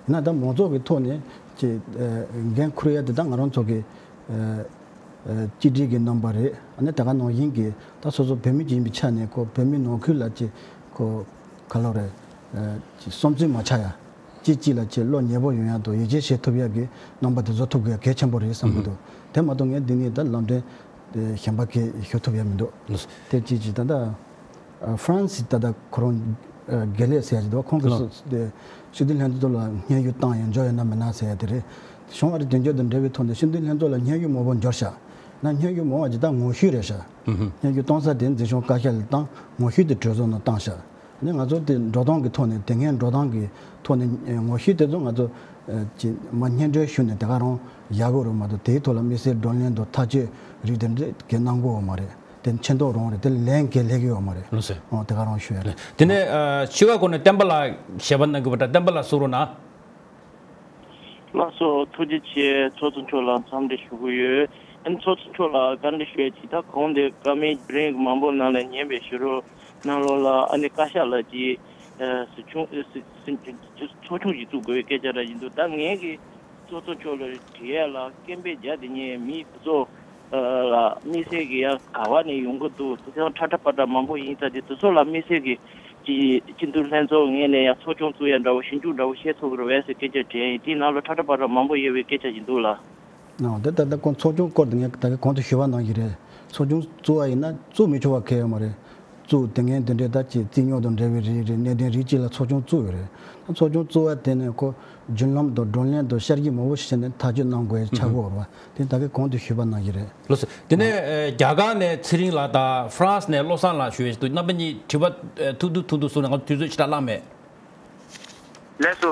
ཡིན་ན་ད་མང་ཚོགས་ཀྱི་ཐོག་ནས་ཅིག་འགན་འཁུར་ཡ་དེ་ད་ང་རང་ཚོ་གི་ཨ་ཨ་གཅིག་སྒྲིལ་གྱི་རྣམ་པ་རེད། ཨ་ནི་དེ་ག་ནང་བཞིན་གྱི་ད་སོ་སོ་བོད་མི་ཅིག་ཡིན་པའི་ཆ་ནས་ཁོ་བོད་མི་ནང་ཁུལ་ལ་ཅིག་ཁོ་ག་ལོ་རེད། ཨ་ཅིག་བསམ་ཚུལ་མ་ཆགས་ཡ། གཅིག་གཅིག་ལ་ཅིག་བློ་ཉེ་པོ་ཡོང་ཡ་དང་ཡིད་ཆེས་བྱེད་ཐུབ་ཡ་གི་རྣམ་པ་དེ་བཟོ་ཐུབ་དགོས་ཡ་གལ་ཆེན་པོ་རེད་བསམ་གྱི་འདུག་དེ་མ་གཏོགས་ངས་འདི་ནས་ད་ལམ་སྟོན་གཞན་པ་གས་ཞུ་ཐུབ་ཡ་མི་འདུག་དེ་གཅིག་གཅིག་ད་ལྟ། ཧྥ་རན་སི་ད་ལྟ་ཁོ་རང་དགེ་ལེགས་ཟེར་ཡ་ཅིག་འདུག་ཁོང་གིས་ལགས། སྲིད་འཛིན་ལྷན་ཚོགས་ལ་སྙན་ཞུ་བཏང་ཡོད། འབྱོར་ཡོད་ན་མེད་ན་ཟེར་ཡ་དེ་རེད། གཞུང་ཨ་རི་དོན་གཅོད་དང་འབྲེལ་བའི་ཐོག་ནས་སྲིད་འཛིན་ལྷན་ཚོགས་ལ་སྙན་ཞུ་མང་པོ་འབྱོར་ཤག་ན་སྙན་ཞུ་མང་བ་ཅིག་ད་ངོ་བཤུས་རེད་ཤག་སྙན་ཞུ་གཏོང་ས་དེ་འཛིན་སྐྱོང་བཀའ་ཤག་ལ་བཏང་། ངོ་བཤུས་དེ་གྲོས་ཚོགས་ནང་བཏང་ཤག་ནས་ང་ཚོ་དེ་འགྲོ་སྟངས་ཀྱི་ཐོག་ནས་དེ་སྔའི་འགྲོ་སྟངས་ཀྱི་ཐོག་ནས་ངོ་བཤུས་དེ་ཚོ་ང་ཚོ་ཅིག་མ་སྙན་སྒྲོན་ཞུས་ནས་དེ་ག་རང་བཞག་དགོས་རེད་མ་གཏོགས། དེའི་ཐོག་ལ་དམིགས་བསལ་བགྲོ་གླེང་དང་ཐག་གཅོད་རིགས་དེ་འདྲ་གས་གནང་དགོས་མ་རེད། དེ་མཆན་ཐོག་རང་རེད། དེ་ལན་གས་སླེབས་ཀྱི་ཡོད་མ་རེད། ལགས་སོ། ཨོ་དེ་ག་རང་ཞུ་ཡ་རེད། དེ་ནས་ཨ་ཕྱི་དགའ་སྐོར་ནས་བསྟན་པ་ལགས་ཞལ་པར་གནང་གི་ཡོད་པ་འདྲ། བསྟན་པ་ལགས་གསུང་རོགས་གནང་། ལགས་སོ། ཐུགས་རྗེ་ཆེ། ཚོགས་གཙོ་མཆོག་ལ་འཚམས་འདྲི་ཞུ་གི་ཡོད། ཨ་ནི་ཚོགས་གཙོ་མཆོག་ལ་བཀའ་འདྲི་ཞུ་ཡ་ཅིག་ད་གོང་དེ་བཀའ་མོལ་རིང་མང་པོ་གནང་ནས་ཉན་པའི་ཞུ་རོགས་གནང་རོགས་ལ། ཨ་ནི་བཀའ་ཤག་ལ་ཅིག་ཨ་ཟུར་ཆུང་ཨ་ཟུར་ཟུར་ཚོགས་ཆུང་ཞིག་བཙུགས་དགོས་པའི་སྐད་ཆ་ར་ཡིན་འདུག་ད་ངས་ཀྱི་ཚོགས་གཙོ་མཆོག་ལ་དྲི་ཡ་ལ་སྐད་འབོད་རྒྱག་དེ་ཉིད་མི་དེ་ཚོ་ལ་དམིགས་བསལ་གྱི་ཡང་ག་བ་ནས་ཡོང་གི་འདུག་དེ་ཚོ་ཁྲ་ཁྲ་པ་ཏྲ་མང་པོ་ཡིན་ཙང་དེ་དེ་ཚོ་ལ་དམིགས་བསལ་གྱི་སྤྱི་སྤྱི་འཐུས་ལྷན་ཚོགས་ངོས་ནས་ཡང་ཚོགས་ཆུང་བཙུགས་ཡ་འདྲ་བོ་ཞིབ་འཇུག་འདྲ་བོ་བྱེད་ཐུབ་ཀྱི་རེད་པས་ཟེར་སྐད་ཆ་དྲིས་ཡིན། དེའི་ནང་ལ་ཁྲ་ཁྲ་པ་ཏྲ་མང་པོ་ཡོད་པའི་སྐད་ཆ་ཞིག་འདུག་ལ། ཨོ་དེ་ད་ལྟ་ཁོང་ཚོགས་ཆུང་སྐོར་དེ་ངས་ད་གིན་གོང་དུ་ཞུས་པ་ནང་བཞིན་རེད། ཚོགས་ཆུང་བཙུགས་པ་ཡིན་ན་བཙུགས་མི་ཆོག་པ་གང་ཡང་ཡོད་མ་རེད། བཙུགས་དེ་ངས་དེ་འདྲའི་ད་ཅིག་རྩིས་རྙོག་དང་འབྲེལ་བའི་རིགས་རེད། གནད་དོན་རིགས་གཅིག་ལ་ཚོགས་ཆུང་བཙུགས་ཡོད་རེད། ད་ཚོགས་ཆུང་བཙུགས་པ་དེ་ནས་ཁོ་བརྒྱུད་ལམ་དང་བགྲོ་གླེང་དང་བསྐྱར་ཞིབ་མང་པོ་ཞིག་བྱས་ནས་ཐག་གཅོད་གནང་དགོས་ཡ་ཆགས་ཀྱི་ཡོད་རེད་པ། དེ་ད་གིན་གོང་དུ་ཞུས་པ་ནང་བཞིན་རེད། ལགས་སོ། དེ་ནས་ཨ་རྒྱ་གར་ནས་ཚེ་རིང་ལགས་དང་ཧྥ་རན་སི་ནས་བློ་བཟང་ལགས་ཞུ་ཡས་ཤིག་འདུག་རྣམ་པ་གཉིས་དྲི་བ་ཨ་ཐུང་ཐུང་ཐུང་ཐུང་གསུང་ན་ང་ཚོ་དུས་ཚོད་ཞེ་དྲག་བླངས་མེད། ལགས་སོ།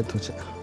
ཆེ། ཐུགས་རྗེ་ཆེ།